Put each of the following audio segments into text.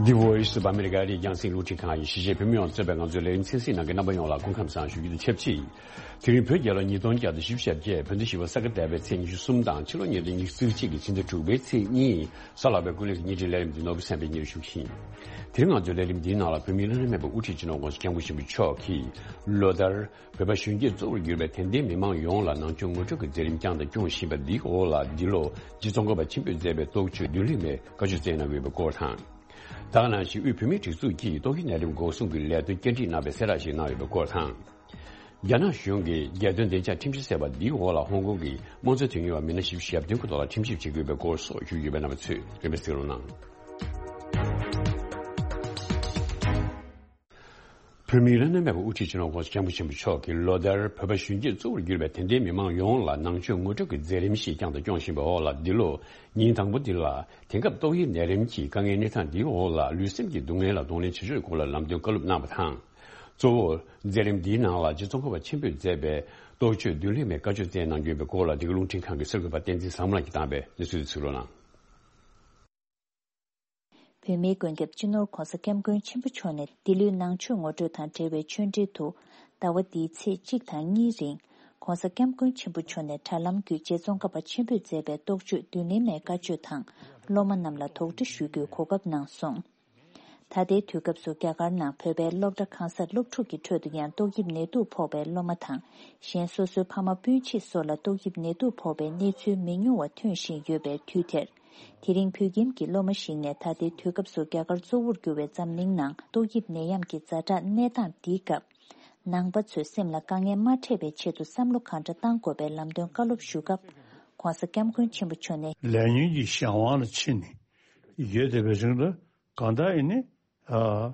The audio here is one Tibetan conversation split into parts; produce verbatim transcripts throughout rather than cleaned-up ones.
The Voice of America ཨ་རིའི་རྒྱང་སྲིང་རླུང་འཕྲིན་ཁང་གི་གཞིས་བྱེས་བོད་མི་ཡོངས་གཙོས་པའི་ང་ཚོའི་ལས་རིམ་གསན་གཟིགས་གནང་མཁན་རྣམ་པ་ཡོངས་ལ་སྐུ་ཁམས་བཟང་ཞུ་རྒྱུ་དང་ཆབས་ཅིག་དེ་རིང་བོད་རྒྱལ་ལོ་ཉིས་སྟོང་བརྒྱ་དང་བཞི་བཅུ་ཞེ་བརྒྱད། བོད་ཟླ་བཞི་པ་ས་ག་ཟླ་བའི་ཚེས་ཉི་ཤུ་གསུམ་དང་ཕྱི་ལོ་ཉིས་སྟོང་ཉི་ཤུ་རྩ་གཅིག་གི་ཕྱི་ཟླ་དྲུག་པའི་ཚེས་གཉིས། གཟའ་ལྷག་པའི་སྐུ་ལས་ཀྱི་བརྙན་འཕྲིན་ལས་རིམ་འདི་ནོར་བུ་སེམས་དཔའི་སྙན་ཞུ་ཞིང་། དེ་རིང་ང་ཚོའི་ལས་རིམ་འདིའི་ནང་ལ་བོད་མིའི་བླ་ན་མེད་པའི་དབུ་ཁྲིད་སྤྱི་ནོར་༸གོང་ས་༸སྐྱབས་མགོན་ཆེན་པོ་མཆོག་གིས་ལོ་ལྟར་བོད་པ་གཞོན་སྐྱེས་གཙོ་བོར་གྱུར་པའི་དད་ལྡན་མི་མང་ཡོངས་ལ་ནང་ཆོས་ངོ་སྤྲོད་ཀྱི་མཛད་རིམ་བསྐྱངས་དང་སྐྱོང་བཞིན་པ་འདིའི་འོག་ལ་འདི་ལོ་རྗེ་ཙོང་ཁ་པ་ཆེན་པོས་མཛད་པའི་རྟོགས་བརྗོད་མདུན་ལེགས་མའི་བཀའ་ཆོས་སྩལ་གནང་ཡོད་པའི་སྐོར་དང་། ད་ག་ནང་བཞིན་དབུས་བོད་མིའི་སྒྲིག་འཛུགས་ཀྱིས་ཏོག་དབྱིབས་ནད་རིམས་འགོག་སྲུང་གི་ལས་དོན་བཅར་འདྲི་གནང་བའི་གསལ་བསྒྲགས་ཤིག་གནང་ཡོད་པའི་སྐོར་དང་། རྒྱ་ནག་གཞུང་གིས་རྒྱལ་དོན་བདེ་འཇགས་ཁྲིམས་གཞི་ཟེར་བ་འདིའི་འོག་ལ་ཧོང་ཀོང་གི་དམངས་གཙོའི་དོན་གཉེར་བ་མི་སྣ་བཞི་བཅུ་ཞེ་བདུན་གྱི་ཐོག་ལ་ཁྲིམས་ཞིབ་བྱེད་ཀྱི་ཡོད་པའི་སྐོར་སོགས་ཞུ་རྒྱུ་ཡོད་པའི་རྣམ་པ་ཚོས་རིན་པས་གཟིགས་རོགས་གནང་། བོད་མིའི་བླ་ན་མེད་པའི་དབུ་ཁྲིད་སྤྱི་ནོར་༸གོང་ས་༸སྐྱབས་མགོན་ཆེན་པོ་མཆོག་གིས་ལོ་ལྟར་བོད་པ་གཞོན་སྐྱེས་གཙོ་བོར་གྱུར་པའི་དད་ལྡན་མི་མང་ཡོངས་ལ་ནང་ཆོས་ངོ་སྤྲོད་ཀྱི་མཛད་རིམ་ཞིག་བསྐྱངས་དང་སྐྱོང་བཞིན་པའི་འོག་ལ་འདི་ལོ་ཉིན་དང་པོ་འདི་ལ་དེང་སྐབས་ཏོག་དབྱིབས་ནད་རིམས་ཀྱི་དཀའ་ངལ་གནས་སྟངས་འདིའི་འོག་ལ་ལུས་སེམས་ཀྱི་སྡུག་བསྔལ་ལ་གདོང་ལེན་བྱེད་ཕྱོགས་སྐོར་ལ་ལམ་སྟོན་བཀའ་སློབ་གནང་བ་དང་། གཙོ་བོར་མཛད་རིམ་འདིའི་ནང་ལ་རྗེ་ཙོང་ཁ་པ་ཆེན་པོས་མཛད་པའི་རྟོགས་བརྗོད་མདུན་ལེགས་མའི་བཀའ་ཆོས་སྩལ་གནང་རྒྱུ་ཡིན་པའི་སྐོར་ལ་འདི་ག་རླུང་འཕྲིན་ཁང་གི་གསར་འགོད་པ་བསྟན་འཛིན་བཟང་མོ་ལགས་ཀྱིས་བཏང་བའི་གནས་ཚུལ་དེ་གཟིགས་རོགས་གནང་། བོད་མིའི་མགོན་སྐྱབས་སྤྱི་ནོར་༸གོང་ས་༸སྐྱབས་མགོན་ཆེན་པོ་མཆོག་ནས་འདི་ལོའི་ནང་ཆོས་ངོ་སྤྲོད་དང་འབྲེལ་བའི་ཆོས་འབྲེལ་དུ། ཟླ་བ་འདིའི་ཚེས་གཅིག་དང་གཉིས་རིང་༸གོང་ས་༸སྐྱབས་མགོན་ཆེན་པོ་མཆོག་ནས་དྲ་ལམ་བརྒྱུད་རྗེ་ཙོང་ཁ་པ་ཆེན་པོས་མཛད་པའི་རྟོགས་བརྗོད་མདུན་ལེགས་མའི་བཀའ་ཆོས་དང་སློབ་མ་རྣམས་ལ་དོགས་འདྲི་ཞུ་རྒྱུའི་གོ་སྐབས་གནང་སོང་། ད་ལྟའི་དུས་སྐབས་སུ་རྒྱ་གར་ནང་བོད་པའི་སློབ་གྲྭ་གང་སར་སློབ་ཕྲུག་གི་ཁྲོད་དུ་ཡང་ཏོག་དབྱིབས་ནད་དུག་ཕོག་པའི་སློབ་མ་དང་། གཞན་སོ་སོའི་ཕ་མ་སྤུན་མཆེད་སོགས་ལ་ཏོག་དབྱིབས་ནད་དུག་ཕོག་པའི་གནས་ཚུལ་མི་ཉུང་བ་ཐོན་བཞིན་ཡོད་པའི་དུས་དེར། དེ་རིང་བོད་ཁྱིམ་གྱི་སློབ་མ་ཞིག་ནས་ད་ལྟའི་དུས་སྐབས་སུ་རྒྱ་གར་གཙོ་བོར་གྱུར་བའི་འཛམ་གླིང་ནང་ཏོག་དབྱིབས་ནད་ཡམས་ཀྱི་ཛ་དྲག་གནས་སྟངས་འདིའི་སྐབས། ནང་པ་ཚོས་སེམས་ལ་དཀའ་ངལ་མ་འཕྲད་པའི་ཆེད་དུ་བསམ་བློ་གང་འདྲ་བཏང་དགོས་པའི་ལམ་སྟོན་བཀའ་སློབ་ཞུ་སྐབས། ༸གོང་ས་༸སྐྱབས་མགོན་ཆེན་པོ་མཆོག་ནས། ལས་ཉོན་གྱི་གཞན་དབང་ལ་ཕྱིན་ནས་ཡོད་བསྡད་པའི་རིང་ལ་གང་ལྟར་ཡིན་ནའི། ཨ།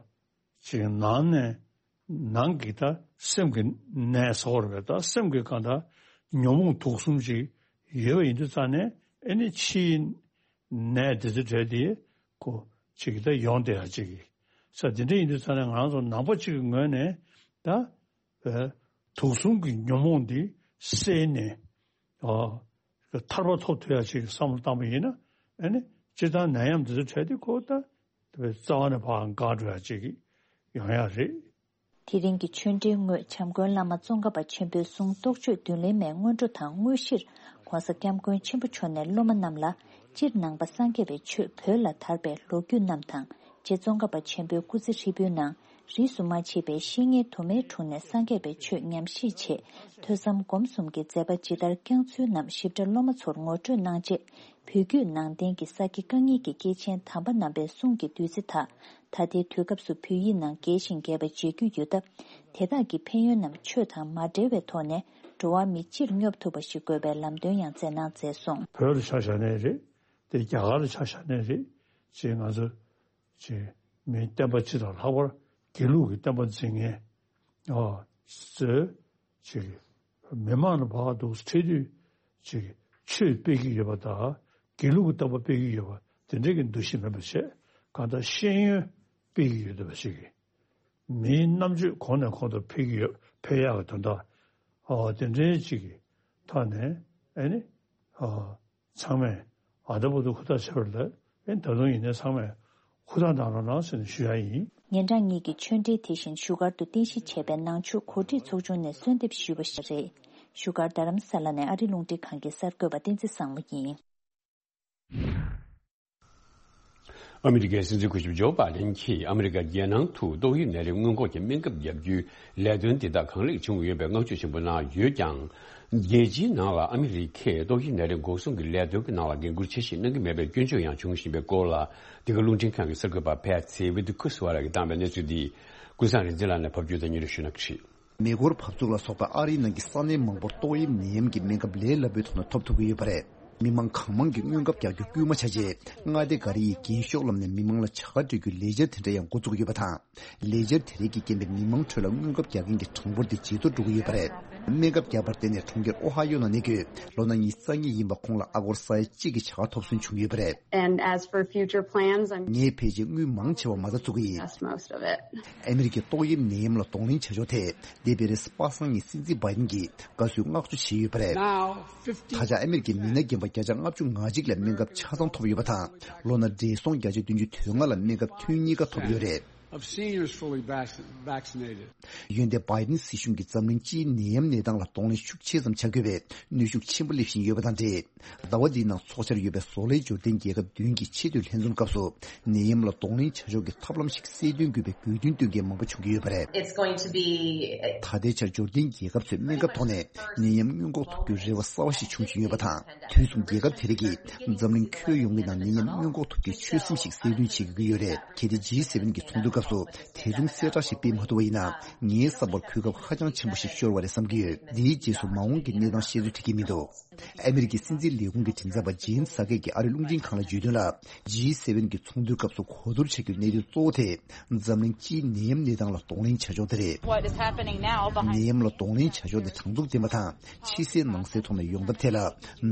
ཅིག་ནང་ནས་ནང་གི་ད་སེམས་ཀྱི་ནད་ཟེར་བ་རེད་པས། ད་སེམས་ཀྱི་གང་ལྟར་ཉོན་མོངས་དུག་གསུམ་ཅིག་ཡོད་པ་ཡིན་དུས་ཙང་ནས་ཨེ་ནི་ཕྱིའི་ནད་འདི་ཚོ་འདྲ་དེ་ཁོ་ཅིག་ད་ཡོང་བསྡད་ཡ་ཅིག་ས་འདི་འདྲ་ཡིན་དུས་ཙང་ནས་ང་རང་ཚོ་ནང་པ་ཅིག་གི་ངོས་ནས་ད་དུག་གསུམ་གྱི་ཉོན་མོངས་འདི་བསལ་ནས། ཨ། ཐར་པ་ཐོབ་ཐུབ་ཡ་ཅིག་བསམ་བློ་བཏང་པ་ཡིན་ན། ཨ་ནི་སྤྱིར་བཏང་ནད་ཡམས་འདི་ཚོ་འཕྲད་དུས་ཁོ་ད་རྩ་བ་ནས་ཕར་འགག་འགྲོ་ཡ་ཅིག་ཡོང་ཡ་རེད། དེ་རིང་གི་ཆོས་འབྲེལ་སྔོན་བྱམས་མགོན་བླ་མ་ཙོང་ཁ་པ་ཆེན་པོའི་གསུང་རྟོགས་བརྗོད་མདུན་ལེགས་མའི་སྔོན་འགྲོ་དང་དངོས་གཞིར་༸གོང་ས་༸སྐྱབས་མགོན་ཆེན་པོ་མཆོག་ནས་སློབ་མ་རྣམས་ལ་སྤྱིར་ནང་པ་སངས་རྒྱས་པའི་ཆོས་བོད་ལ་དར་བའི་ལོ་རྒྱུས་རྣམས་དང་། རྗེ་ཙོང་ཁ་པ་ཆེན་པོའི་སྐུ་ཚེ་ཧྲིལ་པོའི་ནང་རིས་སུ་མ་ཆད་པའི་བཤེས་གཉེན་དུ་མའི་དྲུང་ནས་སངས་རྒྱས་པའི་ཆོས་ཉམས་བཞེས་ཆེད་ཐོས་བསམ་སྒོམ་གསུམ་གྱི་མཛད་པ་ཇི་ལྟར་བསྐྱངས་ཚུལ་རྣམས་ཞིབ་ཕྲ་སློབ་མ་ཚོར་ངོ་སྤྲོད་གནང་རྗེས། བོད་བརྒྱུད་ནང་བསྟན་གྱི་ས་དགེ་བཀའ་རྙིང་གི་སྐྱེས་ཆེན་དམ་པ་རྣམ་པའི་གསུང་གི་བདུད་རྩི་དག་ད་ལྟའི་དུས་སྐབས་སུ་བོད་ཡིག་ནང་རྒྱས་ཤིང་རྒྱས་པ་མཇལ་རྒྱུ་ཡོད་སྟབས། དེ་དག་གི་ཕན་ཡོན་རྣམས་ཆོས་དང་མ་འབྲེལ་བའི་ཐོག་ནས་འགྲོ་བ་མི་སྤྱིར་སྙོབ་ཐུབ་པ་ཞིག་དགོས་པའི་ལམ་སྟོན་ཡང་མཛད་གནང་མཛད་སོང་། བོད་ལ་ཆ་བཞག་ནའི་རེད། དེ་རྒྱ་གར་ལ་ཆ་བཞག་ནའི་རེད། ཅེས་ང་ཚོ་ཅེས་མིའི་བསྟན་པ་སྤྱི་དང་ལྷག་པར་དགེ་ལུགས་ཀྱི་བསྟན་པ་འཛིན་མཁན། ཨ། ཚོས་ཅིག་མི་མང་ལ་བག་འདུག་འཕྲད་དུས་ཅིག་ཆོས་སྤེལ་གྱི་ཡོད་པ་དང་དགེ་ལུགས་ཀྱི་བསྟན་པ་སྤེལ་གྱི་ཡོད་པ་དེ་འདྲའི་གི་འདུ་ཤེས་མེད་པ་བྱས། གང་ལྟར་ཤེས་ཡོན་སྤེལ་གྱི་ཡོད་པ་ཞིག་གིས་མིའི་རྣམ་དཔྱོད་གོང་ནས་གོང་དུ་འཕེལ་གྱི་ཡོད། འཕེལ་ཡག་གི་དོན་དག་ཨ། དེ་འདྲའི་ཅིག་གི་ཐོག་ནས་ཨེ་ནི་ཨ། ཚང་མས་ཨ་ད་བར་དུ་ཧུར་ཐག་བྱས་པ་རེད། ཨེ་ད་དུང་ཡིན་ནའི་ཚང་མས་ཧུར་ཐག་གནང་རོགས་གནང་ཟེར་ནས་ཞུ་ཡ་ཡིན། ཉིན་གྲངས་གཉིས་ཀྱི་ཆོས་འབྲེལ་དེ་བཞིན་བཞུགས་སྒར་དུ་རྟེན་གཞི་བྱས་པའི་ནང་ཆོས་གོ་སྒྲིག་ཚོགས་ཆུང་ནས་གསོལ་འདེབས་ཞུས་པ་ཞིག་རེད། བཞུགས་སྒར་རྡ་རམ་ས་ལ་ནས་ཨ་རི་རླུང་འཕྲིན་ཁང་གི་གསར་འགོད་པ་བསྟན་འཛིན་བཟང་མོ་ཡིན། ཨ་མི་རི་ཀའི་སྲིད་འཛིན་སྐུ་ཞབས་ཇོ་བྷ་དན་གྱིས་ཨ་མི་རི་ཀ་རྒྱལ་ནང་དུ་ཏོག་དབྱིབས་ནད་རིམས་སྔོན་འགོག་གི་སྨན་ཁབ་བརྒྱབ་རྒྱུའི་ལས་དོན་འདི་དག་གང་ལེགས་བྱུང་ཡོད་པའི་བསྔགས་བརྗོད་ཆེན་པོ་གནང་ཡོད་ཀྱང་། རྒྱལ་སྤྱིའི་ནང་ལ་ཨ་མི་རི་ཀས་ཏོག་དབྱིབས་ནད་རིམས་འགོག་སྲུང་གི་ལས་དོན་གྱི་ནང་ལ་འགན་འཁུར་ཆེ་བཞེས་གནང་གི་མེད་པའི་སྐྱོན་བརྗོད་ཡང་བྱུང་བཞིན་པའི་སྐོར་ལ། འདི་ག་རླུང་འཕྲིན་ཁང་གི་གསར་འགོད་པ་ཕེ་ཚེ་ཝི་ཏི་ཁུ་སི་ཝ་ར་གིས་བཏང་བའི་གནས་ཚུལ་འདི་ཀུན་བཟང་རིག་འཛིན་ལགས་ནས་ཕབ་སྒྱུར་དང་སྙན་སྒྲོན་ཞུ་གནང་གི་རེད། མེ་འཁོར་འབབ་ཚུགས་ལ་སོགས་པའི་ཨ་རིའི་ནང་གི་ས་གནས་མང་པོར་ཏོག་དབྱིབས་ནད་ཡམས་ཀྱི་སྨན་ཁབ་ལས་སླ་པོའི་ཐོག་ནས་ཐོབ་ཐུབ་ཀྱི་ཡོད་པ་རེད། མི་མང་གང་མང་གིས་སྔོན་ཁབ་རྒྱག་རྒྱུ་སྐུལ་མ་བྱས་རྗེས། མངའ་སྡེ་འགའ་རེ་ཡིས་རྒན་ཤོག་ལམ་ནས་མི་མང་ལ་བྱ་དགའ་སྤྲོད་རྒྱུའི་ལས་འཆར་དེ་འདྲ་ཡང་འགོ་བཙུགས་ཡོད་པ་དང་། ལས་འཆར་དེ་རིགས་ཀྱི་རྐྱེན་པས་མི་མང་ཁྲོད་ལ་སྔོན་ཁབ་རྒྱག་མཁན་གྱི་གྲངས་འབོར་དེ་ཇེ་མཐོར་འགྲོ་གི་ཡོད་པ་རེད། སྨན་ཁབ་བརྒྱབ་པར་བརྟེན་ནས་གྲོང་ཁྱེར་ཨོ་ཧ་ཡོ་ནང་གནས་འཁོད་ལོ་ན་ཉི་ཤུ་རྩ་གཉིས་ཡིན་པ་ཁོང་ལ་ཨ་སྒོར་ས་ཡ་གཅིག་གི་བྱ་དགའ་ཐོབ་སོན་བྱུང་ཡོད་པ་རེད། And as for future plans, I'm ངས་ཕལ་ཆེར་དངུལ་མང་ཆེ་བ་མ་རྩ་བཙུགས་ཀྱི་ཡིན། That's most of it. ཨ་མི་རི་ཀའི་ཏོག་དབྱིབས་ནད་ཡམས་ལ་གདོང་ལེན་བྱ་ཕྱོགས་ཐད་འདས་པའི་རེས་གཟའ་པ་སངས་ཉིན་སྲིད་འཛིན་བྷའི་ཌེན་གྱིས་དགའ་བསུའི་བསྔགས་བརྗོད་བྱས་ཡོད་པ་རེད། Now, fifty ད་ཆ་ཨ་མི་རི་ཀའི་མི་སྣ་རྒན་པ་བརྒྱ་ཆ་ལྔ་བཅུ་ང་གཅིག་ལ་སྨན་ཁབ་ཆ་ཚང་ཐོབ་ཡོད་པ་དང་། ལོ་ན་བགྲེས་སོང་བརྒྱ་ཆ་བདུན་ཅུ་དོན་ལྔ་ལ་སྨན་ཁབ་ཐུན་གཉིས་ཀ་ཐོབ་ཡོད་རེད། Of seniors fully vac- vaccinated. ཡོན་ཏན་བྷའི་ཌེན་སྲིད་གཞུང་གིས་འཛམ་གླིང་སྤྱིའི་ནད་ཡམས་གནས་སྟངས་ལ་གདོང་ལེན་ཤུགས་ཆེ་ཙམ་བྱ་དགོས་པའི་གནོན་ཤུགས་ཆེན་པོ་སླེབས་བཞིན་ཡོད་པ་དང་འབྲེལ། ཟླ་བ་འདིའི་ནང་འཚོགས་འཆར་ཡོད་པའི་བཟོ་ལས་འབྱོར་ལྡན་རྒྱལ་ཁབ་བདུན་གྱི་ཆེས་མཐོའི་ལྷན་འཛོམས་སྐབས་སུ་ནད་ཡམས་ལ་གདོང་ལེན་བྱ་ཕྱོགས་ཀྱི་ཐབས་ལམ་ཞིག་གསལ་སྟོན་དགོས་པའི་དགོས་འདུན་བཏོན་མཁན་མང་པོ་བྱུང་གི་ཡོད་པ་རེད། It's going to be ད་ལྟའི་ཆར་འབྱོར་ལྡན་རྒྱལ་ཁབ་ཚོས་སྨན་ཁབ་ཐོག་ནས་ནད་ཡམས་སྔོན་འགོག་ཐུབ་རྒྱུའི་རེ་བ་གསར་བ་ཞིག་བྱུང་བཞིན་ཡོད་པ་དང་། དུས་མཚུངས་རྒྱལ་ཁབ་དེ་རིགས་ཀྱིས་འཛམ་གླིང་ཁྱོན་ཡོངས་ཀྱི་ནང་ནད་ཡམས་སྔོན་འགོག་ཐུབ་རྒྱུའི་ཆོད་སེམས་ཤིག་གསལ་སྟོན་བྱེད་དགོས་ཀྱི་ཡོད་རེད། གལ་ཏེ་ཇི་སེ་ཝེན་གྱི་ཚོགས་འདུའི་སྐབས་སུ་དེ་མཚུངས་གསལ་བསྒྲགས་ཤིག་སྤེལ་མ་ཐུབ་པ་ཡིན་ན། ངའི་བསམ་པར་གོ་སྐབས་ཧ་ཅང་ཆེན་པོ་ཞིག་ཤོར་བ་རེད་བསམ་གྱི་ཡོད། འདིའི་རྗེས་སུ་མ་འོངས་ཀྱི་གནས་སྟངས་བཤད་ཚོད་འགྲིག་གི་མི་འདུག་ཨ་མི་རི་ཀའི་སྲིད་འཛིན་ལས་ཁུངས་ཀྱི་མགྲིན་ཚབ་པ་ཇེན་སཱ་ཀེ་གིས་ཨ་རིའི་རླུང་འཕྲིན་ཁང་ལ་བརྗོད་དོན་ལ། ཇི་སེ་ཝེན་གྱི་ཚོགས་འདུའི་སྐབས་སུ་གོ་བསྡུར་བྱ་རྒྱུའི་གནད་དོན་གཙོ་བོ་དེ་འཛམ་གླིང་སྤྱིའི་ནད་ཡམས་གནས་སྟངས་ལ་གདོང་ལེན་བྱ་ཕྱོགས་དེ་རེད། What is happening now behind ནད་ཡམས་ལ་གདོང་ལེན་བྱ་ཕྱོགས་དེ་དྲང་ཚུགས་ལྡན་པ་དང་། ཕྱི་གསལ་ནང་གསལ་ཐོག་ནས་ཡོང་ཐབས་ཐད་ལ་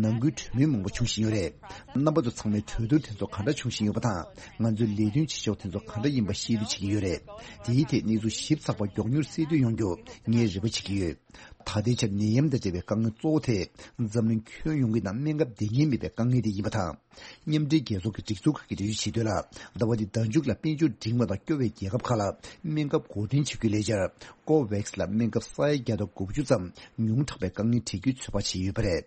ནང་ཁུལ་གྲོས་མོལ་མང་པོ་བྱུང་བཞིན་ཡོད་རེད། རྣམ་པ་ཚོ་ཚང་མས་གྲོས་བསྡུར་དེ་ཚོ་ག་འདྲ་བྱུང་བཞིན་ཡོད་པ་དང་། ང་ཚོའི་ལས་དོན་བྱེད་ཕྱོགས་དེ་ཚོ་ག་འདྲ་ཡིན་པ་ཤེས་རྟོགས་བྱེད་ཀྱི་ཡོད་རེད། དེའི་ཐད་གནས་ཚུལ་ཞིབ་ཚགས་པ་མགྱོགས་མྱུར་གསལ་སྟོན་ཡོང་རྒྱུ་ངས་རེ་བ་བྱེད་ཀྱི་ཡོད། ད་ལྟའི་ཆར་ནད་ཡམས་དང་འབྲེལ་བའི་དཀའ་ངལ་གཙོ་བོ་དེ་འཛམ་གླིང་ཁྱོན་ཡོངས་ཀྱི་ནང་སྨན་ཁབ་བསྡད་མཁན་མེད་པའི་དཀའ་ངལ་དེ་ཡིན་པ་དང་། མཉམ་འབྲེལ་རྒྱལ་ཚོགས་ཀྱི་སྒྲིག་འཛུགས་ཁག་གིས་འགྲེལ་བརྗོད་བྱེད་དོན་ལ། ཟླ་བ་འདིའི་ཟླ་མཇུག་ལ་དཔལ་འབྱོར་འབྲིང་བ་དང་སྐྱོ་བའི་རྒྱལ་ཁབ་ཁག་ལ་སྨན་ཁབ་འགོ་འདྲེན་བྱེད་རྒྱུའི་ལས་འཆར་ཀོ་ཝེག་སི་ལ་སྨན་ཁབ་ས་ཡ་བརྒྱ་དང་དགུ་བཅུ་ཙམ་ཉུང་དྲགས་པའི་དཀའ་ངལ་འཕྲད་རྒྱུའི་ཚོད་དཔག་བྱས་ཡོད་པ་རེད།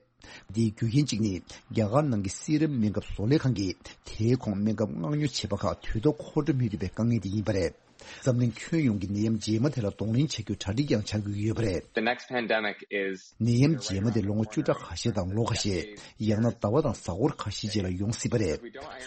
འདིའི་རྒྱུ་རྐྱེན་གཅིག་ནི། རྒྱ་གར་ནང་གི་སི་རམ་སྨན་ཁབ་བཟོ་ལས་ཁང་གིས་དེའི་གོང་སྨན་ཁབ་མངགས་ཉོ་བྱས་པ་ཁག་དུས་ཐོག་མཁོ་སྤྲོད་མི་ཐུབ་པའི་དཀའ་ངལ་དེ་ཡིན་པ་རེད། འཛམ་གླིང་ཁྱོན་ཡོངས་ཀྱི་ནད་ཡམས་རྗེས་མ་དེ་ལ་གདོང་ལེན་བྱ་རྒྱུའི་གྲ་སྒྲིག་ཡང་བྱ་དགོས་ཀྱི་ཡོད་པ་རེད། The next pandemic is ནད་ཡམས་རྗེས་མ་དེ་ལོ་ངོ་བཅུ་ཕྲག་ཁ་ཤས་དང་ལོ་ཁ་ཤས། ཡང་ན་ཟླ་བ་དང་གཟའ་འཁོར་ཁ་ཤས་རྗེས་ལ་ཡོང་སྲིད་པ་རེད།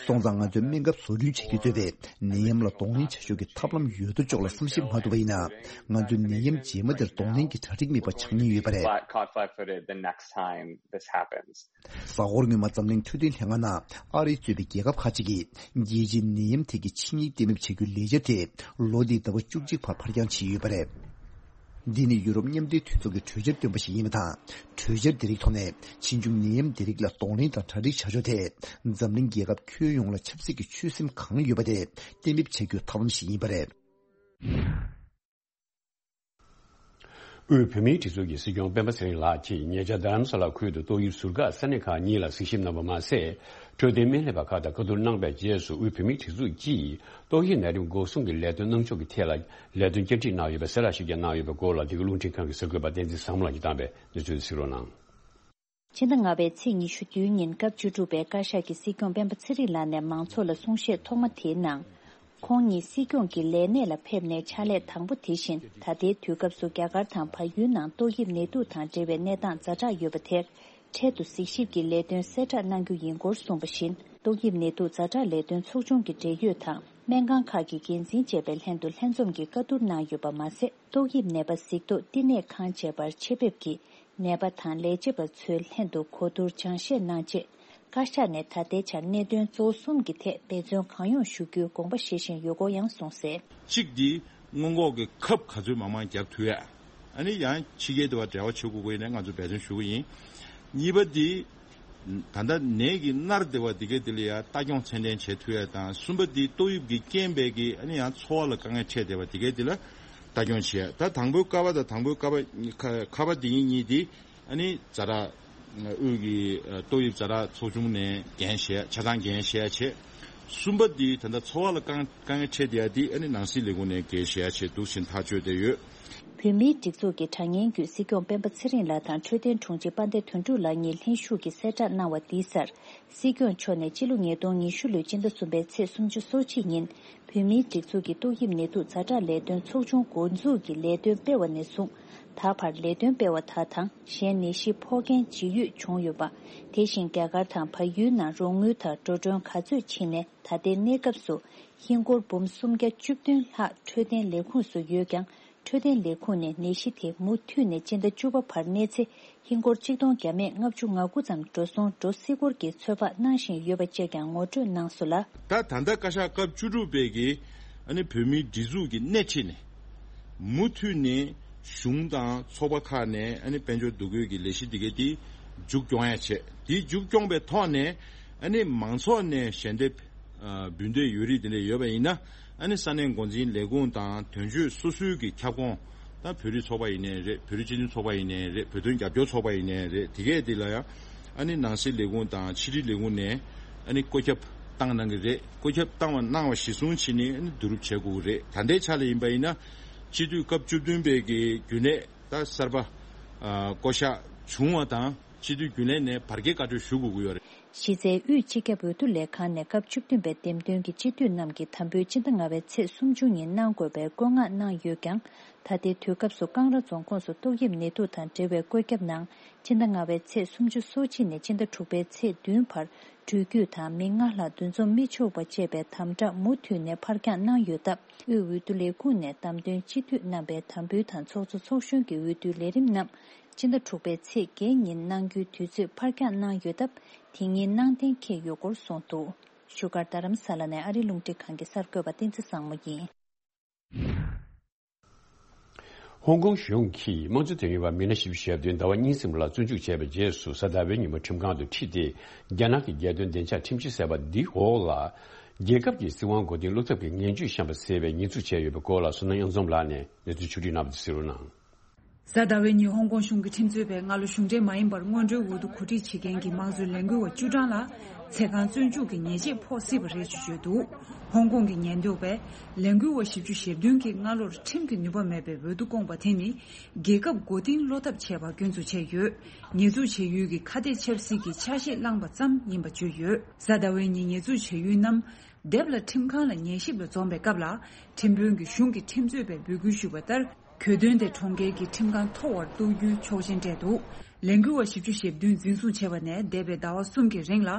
སོང་ཙང་ང་ཚོས་སྨན་ཁབ་བཟོ་སྐྲུན་བྱེད་རྒྱུ་གཙོས་པའི་ནད་ཡམས་ལ་གདོང་ལེན་བྱ་ཕྱོགས་ཀྱི་ཐབས་ལམ་ཡོད་དོ་ཅོག་ལ་བསམ་ཞིབ་མ་ཐུབ་པ་ཡིན་ན། ང་ཚོས་ནད་ཡམས་རྗེས་མ་དེར་གདོང་ལེན་གྱི་གྲ་སྒྲིག་མེད་པ་ཆགས་ཉེན་ཡོད་པ་རེད། Flat, caught flat-footed the next time this happens. གཟའ་འཁོར་སྔོན་མ་འཛམ་གླིང་འཕྲོད་བསྟེན་ལྷན་ཁང་ནང་ཨ་རི་གཙོས་པའི་རྒྱལ་ཁབ་ཁག་ཅིག་གིས་རྒྱལ་སྤྱིའི་ནད་ཡམས་ཐད་ཀྱི་ཆིངས་ཡིག་གཏན་འབེབས་བྱ་རྒྱུའི་ལས་འཆར་དེ་ལོ་འདིའི་ཟླ་བ་བཅུ་གཅིག་བར་ཕར་འགྱངས་བྱས་ཡོད་པ་རེད། འདི་ནི་ཡུ་རོབ་མཉམ་འབྲེལ་མཐུན་ཚོགས་ཀྱི་གྲོས་འཆར་བཏོན་པ་ཞིག་ཡིན་པ་དང་། གྲོས་འཆར་འདི་རིགས་ཐོག་ནས་ཕྱིས་འབྱུང་ནད་ཡམས་འདི་རིགས་ལ་གདོང་ལེན་དང་གྲ་སྒྲིག་བྱ་ཕྱོགས་ཐད་འཛམ་གླིང་རྒྱལ་ཁབ་ཁྱོན་ཡོངས་ལ་ཆབ་སྲིད་ཀྱི་ཆོད་སེམས་གང་ཡོད་པ་དེ་གཏན་འབེབས་བྱ་རྒྱུའི་ཐབས་ལམ་ཞིག་ཡིན་པ་རེད། དབུས་བོད་མིའི་སྒྲིག་འཛུགས་ཀྱི་སྲིད་སྐྱོང་སྤེན་པ་ཚེ་རིང་ལགས་ཀྱིས་ཉེ་ཆར་རྡ་རམ་ས་ལ་ཁུལ་དུ་ཏོག་དབྱིབས་ཟུར་བཀག་ས་གནས་ཁག་གཉིས་ལ་གཟིགས་ཞིབ་གནང་བ་མ་ཟད། འཕྲོད་བསྟེན་སྨན་ལས་པ་ཁག་དང་བཀའ་བསྡུར་གནང་པའི་རྗེས་སུ་དབུས་བོད་མིའི་སྒྲིག་འཛུགས་ཀྱིས་ཏོག་དབྱིབས་ནད་རིམས་འགོག་སྲུང་གི་ལས་དོན་གནང་ཕྱོགས་ཀྱི་ཐད་ལ་ལས་དོན་བསྐྱར་སྒྲིག་གནང་ཡོད་པའི་གསལ་བསྒྲགས་ཤིག་ཀྱང་གནང་ཡོད་པའི་སྐོར་ལ། འདི་ག་རླུང་འཕྲིན་ཁང་གི་གསར་འགོད་པ་བསྟན་འཛིན་བཟང་མོ་ལགས་ཀྱིས་བཏང་པའི་གནས་ཚུལ་དེ་གཟིགས་རོགས་གནང་། ཕྱི་ཟླ་ལྔ་པའི་ཚེས་ཉི་ཤུ་བདུན་ཉིན་སྐབས་བཅུ་དྲུག་པའི་བཀའ་ཤག་གི་སྲིད་སྐྱོང་སྤེན་པ་ཚེ་རིང་ལགས་ནས་མང་ཚོགས་ལ་གསུང་བཤད་ཐོག་མ་དེའི་ནང་། ཁོང་ཉིད་སྲིད་སྐྱོང་གི་ལས་གནས་ལ་ཕེབས་ནས་ཕྱག་ལས་དང་པོ་དེ་བཞིན་ད་ལྟའི་དུས་སྐབས་སུ་རྒྱ་གར་དང་བལ་ཡུལ་ནང་ཏོག་དབྱིབས་ནད་དུག་དང་འབྲེལ་བའི་གནས་སྟངས་ཛ་དྲག་ཡོད་པ་དེར་འཕྲལ་དུ་གཟིགས་ཞིབ་ཀྱི་ལས་དོན་གསལ་བསྒྲགས་གནང་རྒྱུ་ཡིན་སྐོར་གསུངས་པ་བཞིན། ཏོག་དབྱིབས་ནད་དུག་ཛ་དྲག་ལས་དོན་ཚོགས་ཆུང་གི་འབྲེལ་ཡོད་དང་སྨན་ཁང་ཁག་གི་འགན་འཛིན་བཅས་པའི་ལྷན་དུ་ལྷན་འཛོམས་ཀྱིས་བཀའ་བསྡུར་གནང་ཡོད་པ་མ་ཟད། ཏོག་དབྱིབས་ནད་པ་གཟིགས་རྟོག་བསྟི་གནས་ཁང་བཅས་པར་ཆེད་ཕེབས་ཀྱིས་ནད་པ་དང་ལས་བྱེད་པ་ཚོའི་ལྷན་དུ་གོ་བསྡུར་སྦྱང་བཤད་གནང་རྗེས། བཀའ་ཤག་ནས་ད་ལྟའི་ཆར་གནད་དོན་གཙོ་བོ་གསུམ་གྱི་ཐད་འབད་བརྩོན་གང་ཡོང་ཞུ་རྒྱུའི་དགོངས་པ་བཞེས་བཞིན་ཡོད་སྐོར་ཡང་གསུངས་གསལ། གཅིག་འདི་སྔོན་འགོག་གི་ཁབ་ག་ཚོད་མང་མང་རྒྱག་ཐུབ་ཡ། ཨ་ནི་ཡང་ཕྱི་རྒྱལ་དེ་བ་འབྲེལ་བ་བྱེད་དགོས་ཀྱི་ཡིན་ན་ང་ཚོ་འབད་བརྩོན་ཞུ་གི་ཡིན། གཉིས་པ་འདི། ད་ལྟ་ནད་ཀྱི་མནར་བདེ་བ་འདི་གའི་འདི་ལ་ཡང་ལྟ་སྐྱོང་ཚད་ལྡན་བྱེད་ཐུབ་ཡ་དང་། གསུམ་པ་འདི་ཏོག་དབྱིབས་ཀྱི་རྐྱེན་པས་ཀྱི་ཨ་ནི་ཡང་འཚོ་བ་ལ་དཀའ་ངལ་འཕྲད་བསྡད་པ་འདི་གའི་འདི་ལ་ལྟ་སྐྱོང་བྱེད་ཡ། ད་དང་པོའི་ཀ་བ་དང་དང་པོའི་ཀ་བ་ཁ་ཁ་བ་འདི་གཉིས་གཉིས་འདི་ཨ་ནི་ཛ་དྲག་དབུས་ཀྱི་ཏོག་དབྱིབས་ཛ་དྲག་ཚོགས་ཆུང་ནས་འགན་བཞེས་ཆ་ཚང་འགན་བཞེས་བྱེད། གསུམ་པ་འདི་ད་ལྟ་འཚོ་བ་ལ་དཀའ་དཀའ་ངལ་འཕྲད་བསྡད་ཡ་འདི་ཨ་ནི་ནང་སྲིད་ལས་ཁུངས་ནས་འགན་བཞེས་བྱེད་འདུག་ཕྱིན་ཐག་གཅོད་བསྡད་ཡོད། བོད་མིའི་སྒྲིག་འཛུགས་ཀྱི་དྲ་བརྙན་བརྒྱུད་སྲིད་སྐྱོང་སྤེན་པ་ཚེ་རིང་ལགས་དང་འཕྲོད་བསྟེན་དྲུང་ཆེ་དཔལ་ལྡན་དོན་གྲུབ་ལགས་གཉིས་ལྷན་ཞུགས་ཀྱིས་གསལ་བསྒྲགས་གནང་བ་འདིའི་སར། སྲིད་སྐྱོང་མཆོག་ནས་སྤྱི་ལོ་ཉིས་སྟོང་ཉི་ཤུ་ལོའི་སྤྱི་ཟླ་གསུམ་པའི་ཚེས་སུམ་ཅུ་སོ་གཅིག་ཉིན་བོད་མིའི་སྒྲིག་འཛུགས་ཀྱི་ཏོག་དབྱིབས་ནད་དུག་ཛ་དྲག་ལས་དོན་ཚོགས་ཆུང་འགོ་འཛུགས་ཀྱི་ལས་དོན་སྤེལ་བ་ནས་བཟུང་། ད་བར་ལས་དོན་སྤེལ་བ་དག་དང་གཞན་ནད་གཞི་ཕོག་མཁན་ཇི་ཡོད་བྱུང་ཡོད་པ། དེ་བཞིན་རྒྱ་གར་དང་བལ་ཡུལ་ནང་རོགས་དངུལ་དང་འགྲོ་གྲོན་ག་ཚོད་ཕྱིན་ནས། ད་ལྟའི་གནས་སྐབས་སུ་ཧིན་སྒོར་འབུམ་སུམ་བརྒྱ་བཅུ་བདུན་ལྷག་འཕྲོད་བསྟེན་ལས་ཁུངས་སུ་ཡོད་ཀྱང་། འཕྲོད་བསྟེན་ལས་ཁུངས་ནས་ནད་གཞི་དེ་མུ་མཐུད་ནས་སྤྱི་ཟླ་བཅུ་པ་བར་གནས་ཚེ་ཧིན་སྒོར་གཅིག་སྟོང་བརྒྱ་མེད་ལྔ་བཅུ་ང་དགུ་ཙམ་འགྲོ་སོང་འགྲོ་སྲིད་སྐོར་གྱི་ཚོད་དཔག་གནང་བཞིན་ཡོད་པ་བཅས་ཀྱང་ངོ་སྤྲོད་གནང་སོང་ལ། ད་ད་ལྟ་བཀའ་ཤག་སྐབས་བཅུ་དྲུག་པའི་གི་ཨ་ནི་བོད་མིའི་སྒྲིག་འཛུགས་ཀྱི་སྣེ་ཁྲིད་ནས་མུ་མཐུད་ནས་ གཞུང་དང་ཚོགས་པ་ཁག་ནས་ཨ་ནི་དཔལ་འབྱོར་འདུ་འགོད་ཀྱི་ལས་གཞི་འདི་གའི་དེ་མཇུག་སྐྱོང་ཡ་བྱས། དེ་མཇུག་སྐྱོང་པའི་ཐོག་ནས་ཨ་ནི་མང་ཚོགས་ནས་ཞལ་འདེབས་ཨ་འབུལ་འདོད་ཡོད་རིགས་དེ་འདྲ་ཡོད་པ་ཡིན་ན། ཨ་ནི་ས་གནས་འགོ་འཛིན་ལས་ཁུངས་དང་དོན་གཅོད་སོ་སོའི་གི་ཁྱབ་ཁོངས། ད་བོད་རིགས་ཚོགས་པ་ཡིན་ནའི་རེད། བོད་རིགས་སྤྱི་མཐུན་ཚོགས་པ་ཡིན་ནའི་རེད། བོད་དོན་རྒྱབ་སྐྱོར་ཚོགས་པ་ཡིན་ནའི་རེད། དེ་གས་དེ་ལ་ཡང་ཨ་ནི་ནང་སྲིད་ལས་ཁུངས་དང་ཕྱི་དྲིལ་ལས་ཁུངས་ནས་ཨ་ནི་བཀོད་ཁྱབ་བཏང་གནང་གི་རེད། བཀོད་ཁྱབ་བཏང་བ་གནང་བ་གཞིར་བཟུང་བྱས་ནས་ཨ་ནི་བསྡུ་རུབ་བྱེད་དགོས་ཀྱི་རེད། ད་ལྟའི་ཆ་ལ་ཡིན་པ་ཡིན་ན། སྤྱི་འཐུས་སྐབས་བཅུ་བདུན་པའི་གི་རྒྱུན་ལས་ད་གསར་པ་ཨ་བསྐོ་གཞག་བྱུང་བ་དང་། སྤྱི་འཐུས་རྒྱུན་ལས་ནས་བར་བརྒལ་བཀའ་འཁྲོལ་ཞུ་དགོས་ཀྱི་ཡོད་རེད། གཞི་རྩའི་དབུས་སྤྱི་ཁྱབ་འོས་བསྡུ་ལས་ཁང་ནས་སྐབས་བཅུ་བདུན་པའི་འདེམས་ཐོན་གྱི་སྤྱི་འཐུས་རྣམས་ཀྱི་དམ་འབུལ་སྤྱི་ཟླ་ལྔ་པའི་ཚེས་སུམ་ཅུ་ཉིན་གནང་དགོས་པའི་བཀོད་མངགས་གནང་ཡོད་ཀྱང་། ད་ལྟའི་དུས་སྐབས་སུ་ཀང་ར་རྫོང་ཁོངས་སུ་ཏོག་དབྱིབས་ནད་དུག་དང་འབྲེལ་བའི་བཀོད་ཁྱབ་ནང་། སྤྱི་ཟླ་ལྔ་པའི་ཚེས་སུམ་ཅུ་སོ་གཅིག་ནས་སྤྱི་ཟླ་དྲུག་པའི་ཚེས་བདུན་བར་འགྲུལ་སྐྱོད་དང་མི་ལྔ་ལྷག་འདུ་འཛོམས་མི་ཆོག་པ་བཅས་པའི་དམ་དྲག་མུ་མཐུད་ནས་ཕར་འགྱངས་གནང་ཡོད་སྟབས། དབུས་འོས་བསྡུ་ལས་ཁུངས་ནས་བདམས་ཐོན་སྤྱི་འཐུས་རྣམ་པའི་དམ་འབུལ་དང་ཚོགས་གཙོ་ཚོགས་གཞོན་གྱི་འོས་བསྡུའི་ལས་རིམ་རྣམས་སྤྱི་ཟླ་དྲུག་པའི་ཚེས་བརྒྱད་ཉིན་གནང་རྒྱུའི་དུས་ཚོད་ཕར་འགྱངས་གནང་ཡོད་སྟབས། དེ་ཉིན་གནང་གཏན་འཁེལ་ཡོད་སྐོར་གསུངས་འདུག་བཞུགས་སྒར་རྡ་རམ་ས་ལ་ནས་ཨ་རིའི་རླུང་འཕྲིན་ཁང་གི་གསར་འགོད་པ་བསྟན་འཛིན་བཟང་མོ་ཡིན། ཧོང་ཀོང་གཞུང་གིས་དམངས་གཙོ་དོན་གཉེར་བ་མི་སྣ་བཞི་བཅུ་ཞེ་བདུན་ཟླ་བ་གཉིས་ཟིན་པ་ལ་བཙོན་འཇུག་བྱས་པའི་རྗེས་སུ། གཟའ་ཟླ་བའི་ཉིན་མོ་ཁྲིམས་ཁང་དུ་ཁྲིད་དེ། རྒྱ་ནག་གི་རྒྱལ་དོན་བདེ་འཇགས་ཁྲིམས་གཞི་ཟེར་བ་འདིའི་འོག་ལ། རྒྱལ་ཁབ་ཀྱི་སྲིད་དབང་མགོ་རྟིང་སློག་ཐབས་ཀྱི་ངན་ཇུས་བཤམས་པ་ཟེར་བའི་ཉེས་འཛུགས་བྱས་ཡོད་པའི་སྐོར་ལ། བསོད་ནམས་དབྱངས་འཛོམས་ལགས་ནས་གནས་ཚུལ་ཕྱོགས་བསྒྲིགས་གནང་བ་དེ་གསན་རོགས་གནང་། གཟའ་ཟླ་བའི་ཉིན་ཧོང་ཀོང་གཞུང་གིས་ཁྲིམས་རྩོད་པས་སྔ་ལོ་གཞུང་འབྲེལ་མ་ཡིན་པར་སྔོན་འགྲོའི་འོས་བསྡུ་གོ་སྒྲིག་བྱེད་མཁན་གྱི་དམངས་གཙོའི་ལས་འགུལ་བ་བཅུ་གྲངས་ལ་ཚེ་གང་བཙོན་འཇུག་གི་ཉེས་ཆད་ཕོག་སྲིད་པ་རེད་ཅེས་བརྗོད་འདུག་ཧོང་ཀོང་གི་ཉེན་རྟོག་པས་ལས་འགུལ་བ་བཞི་བཅུ་ཞེ་བདུན་གྱིས་སྔ་ལོར་ཁྲིམས་ཀྱི་ནུས་པ་མེད་པའི་འོས་བསྡུ་བསྐོངས་པ་དེ་ནི། རྒྱལ་ཁབ་མགོ་རྟིང་སློག་ཐབས་བྱས་པ་སྐྱོན་འཛུགས་བྱས་ཡོད། ཉེས་འཛུགས་བྱེད་ཡུལ་གྱི་ཁ་གཏད་ཆབ་སྲིད་ཀྱི་ཆ་ཤས་བླངས་པ་ཙམ་ཡིན་པ་བརྗོད་ཡོད། གཟའ་ཟླ་བའི་ཉིན་ཉེས་འཛུགས་བྱེད་ཡུལ་རྣམས་སྡེབ་ལ་ཁྲིམས་ཁང་ལ་ཉན་ཞིབ་ལ་འཛོམས་པའི་སྐབས་ལ། ཁྲིམས་དཔོན་གྱིས་གཞུང་གི་ཁྲིམས་རྩོད་པས་འབོད་སྐུལ་ཞུས་པ་ལྟར། གྱོད་དོན་དེ་གྲོང་ཁྱེར་གྱི་ཁྲིམས་ཁང་མཐོ་བར་གཏོགས་རྒྱུའི་ཆོག་མཆན་སྤྲད་འདུག་ལས་འགུལ་བ་བཞི་བཅུ་ཞེ་བདུན་འཛིན་བཟུང་བྱས་པ་ནས་འདས་པའི་ཟླ་བ་གསུམ་གྱི་རིང་ལ།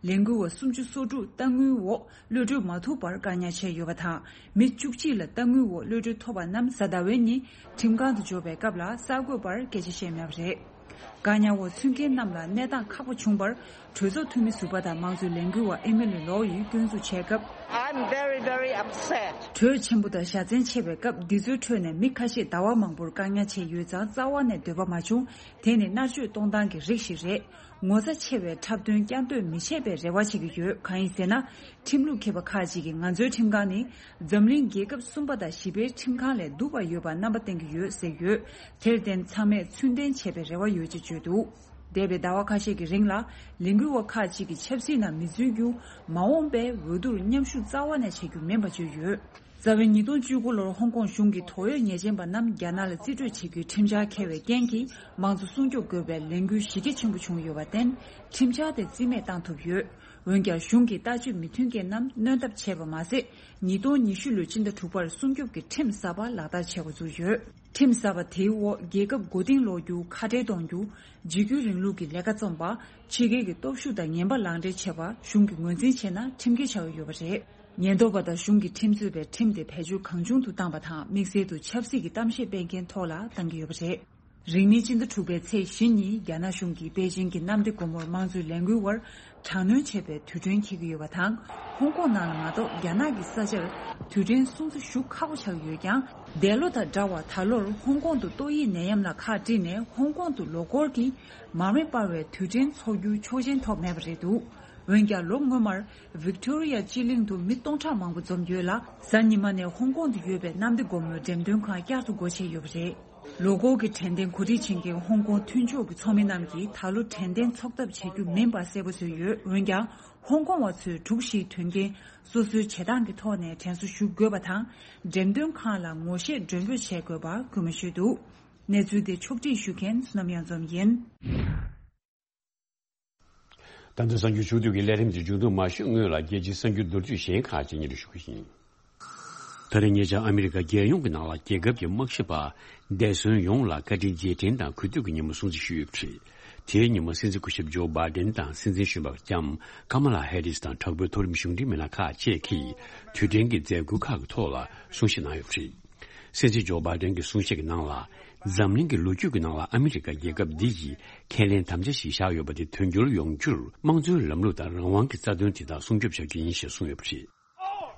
ལས་འགུལ་བ་སུམ་ཅུ་སོ་དྲུག་གཏའ་དངུལ་འོག་གློད་གྲོལ་མ་ཐུབ་པར་བཀག་ཉར་བྱས་ཡོད་པ་དང་། མི་བཅུ་གཅིག་ལ་གཏའ་དངུལ་འོག་གློད་གྲོལ་ཐོབ་པ་རྣམས་གཟའ་ཟླ་བའི་ཉིན་ཁྲིམས་ཁང་དུ་འབྱོར་བའི་སྐབས་ལ་གསར་འགོད་པར་སྐད་ཆ་བཤད་མེད་པ་རེད། བཀག་ཉར་འོག་ཚུད་མཁན་རྣམས་ལ་གནས་སྟངས་ཁག་པོ་བྱུང་བར། གྲོས་ཚོགས་འཐུས་མི་ཟུར་པ་དང་དམངས་གཙོའི་ལས་འགུལ་བ་ཨེ་མི་ལི་ལོ་ཡིས་སྐྱོན་འཛུགས་བྱས་སྐབས། I'm very, very upset. གྲོས་ཆེན་པོ་དང་ཞ་ཚན་ཆེ་བའི་སྐབས། འདི་ཚོའི་ཁྲོད་ནས་མི་ཁ་ཤས་ཟླ་བ་མང་པོར་བཀག་ཉར་བྱས་ཡོད་ཙང་རྩ་བ་ནས་འདོད་པ་མ་བྱུང་། དེ་ནི་མནར་གཅོད་གཏོང་སྟངས་ཀྱི་རིགས་ཤིག་རེད། ངོ་ཚ་ཆེ་བའི་འཁྲབ་སྟོན་བསྐྱར་ཟློས་མི་བྱེད་པའི་རེ་བ་བྱེད་ཀྱི་ཡོད། གང་ཡིན་ཟེར་ན། ཁྲིམས་ལུགས་མཁས་པ་ཁག་ཅིག་གིས་ང་ཚོའི་ཁྲིམས་ཁང་ནི་འཛམ་གླིང་རྒྱལ་ཁབ་གསུམ་པ་དང་བཞི་པའི་ཁྲིམས་ཁང་ལས་སྡུག་པ་ཡོད་པར་རྣམ་པ་བསྟན་གྱི་ཡོད་ཟེར་ཡོད། དེར་བརྟེན་ཚང་མས་ཚུལ་ལྡན་བྱེད་པའི་རེ་བ་ཡོད་ཅེས་བརྗོད་འདུག་འདས་པའི་ཟླ་བ་ཁ་ཤས་ཀྱི་རིང་ལ་ལས་འགུལ་བ་ཁག་ཅིག་གིས་ཆབ་སྲིད་ནང་མི་འཛུལ་རྒྱུ། མ་འོངས་པའི་འོས་བསྡུར་མཉམ་ཞུགས་རྩ་བ་ནས་བྱེད་རྒྱུ་མིན་པ་བརྗོད་ཡོད། རྩ་བའི་ཉིས་སྟོང་བཅུ་དགུ་ལོར་ཧོང་ཀོང་གཞུང་གིས་དོགས་ཡོད་ཉེས་ཅན་པ་རྣམས་རྒྱ་ནག་ལ་རྩིས་སྤྲོད་བྱེད་རྒྱུའི་ཁྲིམས་འཆར་འཁྱེར་བའི་རྐྱེན་གྱིས་དམངས་གཙོ་སྲུང་སྐྱོབ་དགོས་པའི་ལས་འགུལ་གཞི་རྒྱ་ཆེན་པོ་བྱུང་ཡོད་པར་བརྟེན། ཁྲིམས་འཆར་དེ་རྩིས་མེད་བཏང་ཐུབ་ཡོད། འོན་ཀྱང་གཞུང་གིས་ལྟ་སྤྱོད་མི་མཐུན་རྐྱེན་རྣམས་སྣོན་ཐབས་བྱས་པ་མ་ཟད། ཉིས་སྟོང་ཉི་ཤུ་ལོའི་སྤྱི་ཟླ་དྲུག་པར་སྲུང་སྐྱོབ་ཀྱི་ཁྲིམས་གསར་པ་ལག་བསྟར་བྱེད་འགོ་བཙུགས་ཡོད། ཁྲིམས་གསར་པ་དེའི་འོག་རྒྱལ་ཁབ་མགོ་རྟིང་སློག་རྒྱུ། ཁ་བྲལ་གཏོང་རྒྱུ། འཇིགས་སྐུལ་རིང་ལུགས་ཀྱི་ལས་ཀ་རྩོམ་པ། ཕྱི་རྒྱལ་གྱི་སྟོབས་ཤུགས་དང་ངན་པ་ལག་འབྲེལ་བྱེད་པ་གཞུང་གིས་ངོས་འཛིན་བྱས་ན་ཁྲིམས་འགལ་ཆགས་ཀྱི་ཡོད་པ་རེད། ཉེན་རྟོག་པ་དང་གཞུང་གིས་ཁྲིམས་རྩོད་པའི་ཁྲིམས་དེ་བེད་སྤྱོད་གང་བྱུང་དུ་བཏང་པ་དང་། དམིགས་བསལ་དུ་ཆབ་སྲིད་ཀྱི་གཏམ་བཤད་སྤེལ་མཁན་ཐོག་ལ་བཏང་གི་ཡོད་པ་རེད། རིང་མིན་སྤྱི་ཟླ་དྲུག་པའི་ཚེས་བཞི་ཉིན་རྒྱ་ནག་གཞུང་གིས་པེ་ཅིང་གི་གནམ་བདེ་སྒོ་མོར་དམངས་གཙོའི་ལས་འགུལ་བར་དྲག་གནོན་བྱས་པའི་དུས་དྲན་འཁེལ་གྱི་ཡོད་པ་དང་། ཧོང་ཀོང་ནང་ལ་མ་གཏོགས་རྒྱ་ནག་གི་ས་ཆར་དུས་དྲན་སྲུང་བརྩི་ཞུ་ཁག་པོ་ཆགས་ཀྱི་ཡོད་ཀྱང་། འདས་ལོ་དང་འདྲ་བར་ད་ལོར་ཧོང་ཀོང་དུ་ཏོག་དབྱིབས་ནད་ཡམས་ལ་ཁག་དཀྲིས་ནས་ཧོང་ཀོང་དུ་ལོ་འཁོར་གྱི་མར་མེ་སྤར་བའི་དུས་དྲན་འཚོགས་རྒྱུའི་ཆོག་མཆན་ཐོབ་མེད་པ་རེད་འདུག་འོན་ཀྱང་ལོ་སྔོན་མར་ཝིག་ཏོ་རི་ཡ་སྤྱི་གླིང་དུ་མི་སྟོང་ཕྲག་མང་པོ་འཛོམས་ཡོད་ལ། གཟའ་ཉི་མ་ནས་ཧོང་ཀོང་དུ་ཡོད་པའི་གནམ་བདེ་སྒོ་མོའི་འགྲེམས་སྟོན་ཁང་བསྐྱར་དུ་སྒོ་ཕྱེ་ཡོད་པ་རེད། ལོ་འཁོར་གྱི་དྲན་རྟེན་གོ་སྒྲིག་བྱེད་མཁན་ཧོང་ཀོང་མཐུན་ཕྱོགས་ཀྱི་ཚོགས་མི་རྣམས་ཀྱིས་ད་ལོ་དྲན་རྟེན་འཚོགས་ཐབས་བྱ་རྒྱུ་མིན་པ་གསལ་པོ་བཟོས་ཡོད། འོན་ཀྱང་ཧོང་ཀོང་བ་ཚོས་དྲུག་བཞིའི་དོན་རྐྱེན་སོ་སོའི་བྱེད་སྟངས་ཀྱི་ཐོག་ནས་དྲན་གསོ་ཞུ་དགོས་པ་དང་། འགྲེམས་སྟོན་ཁང་ལ་ངོ་ཤེས་མགྲོན་འབོད་བྱེད་དགོས་པ་སྐུལ་མ་ཞུས་འདུག་གནས་ཚུལ་དེ་ཕྱོགས་སྒྲིག་ཞུ་མཁན་བསོད་ནམས་གཡང་འཛོམས་ཡིན། ད་ལྟ་གསར་འགྱུར་ཕྱོགས་བསྡུས་ཀྱི་ལས་རིམ་དེ་མཇུག་བསྡུ་མ་ཞུས་སྔོན་ལ་རྒྱལ་སྤྱིའི་གསར་འགྱུར་མདོར་བསྡུས་གཞན་ཁག་ཅིག་སྙན་སྒྲོན་ཞུ་གི་ཡིན། ད་རེས་ཉེ་ཆར་ཨ་མི་རི་ཀ་རྒྱལ་ཡོངས་ཀྱི་ནང་ལ་རྒྱལ་ཁབ་ཀྱི་དམག་ཞབས་པ་འདས་གསོན་ཡོངས་ལ་བཀའ་དྲིན་རྗེས་དྲན་དང་གུས་འདུད་ཀྱི་ཉིན་མོ་སྲུང་བརྩི་ཞུས་ཡོད་པ་རེད། དེའི་ཉིན་མོ་སྲིད་འཛིན་སྐུ་ཞབས་ཇོ་བྷའི་ཌེན་དང་སྲིད་འཛིན་གཞོན་པ་ལྕམ་ཀ་མ་ལ་ཧེ་རིས་དང་དྲག་པོའི་མཐོ་རིམ་གཞུང་འབྲེལ་མི་སྣ་ཁག་བཅས་ཀྱིས་དུས་དྲན་གྱི་མཛད་སྒོ་ཁག་གི་ཐོག་ལ་གསུང་བཤད་གནང་ཡོད་པ་རེད། སྲིད་འཛིན་ཇོ་བྷའི་ཌེན་གྱི་གསུང་བཤད་ཀྱི་ནང་ལ། འཛམ་གླིང་གི་ལོ་རྒྱུས་ཀྱི་ནང་ལ་ཨ་མི་རི་ཀ་རྒྱལ་ཁབ་འདི་ཡིས་ཁས་ལེན་དམ་བཅའ་ཞིག་བཞག་ཡོད་པ་དེ་དོན་འགྱུར་ཡོང་རྒྱུར་དམངས་གཙོའི་ལམ་ལུགས་དང་རང་དབང་གི་རྩ་དོན་དེ་དག་སྲུང་སྐྱོབ་བྱ་རྒྱུ་ཡིན་ཞེས་གསུངས་ཡོད་པ་རེད།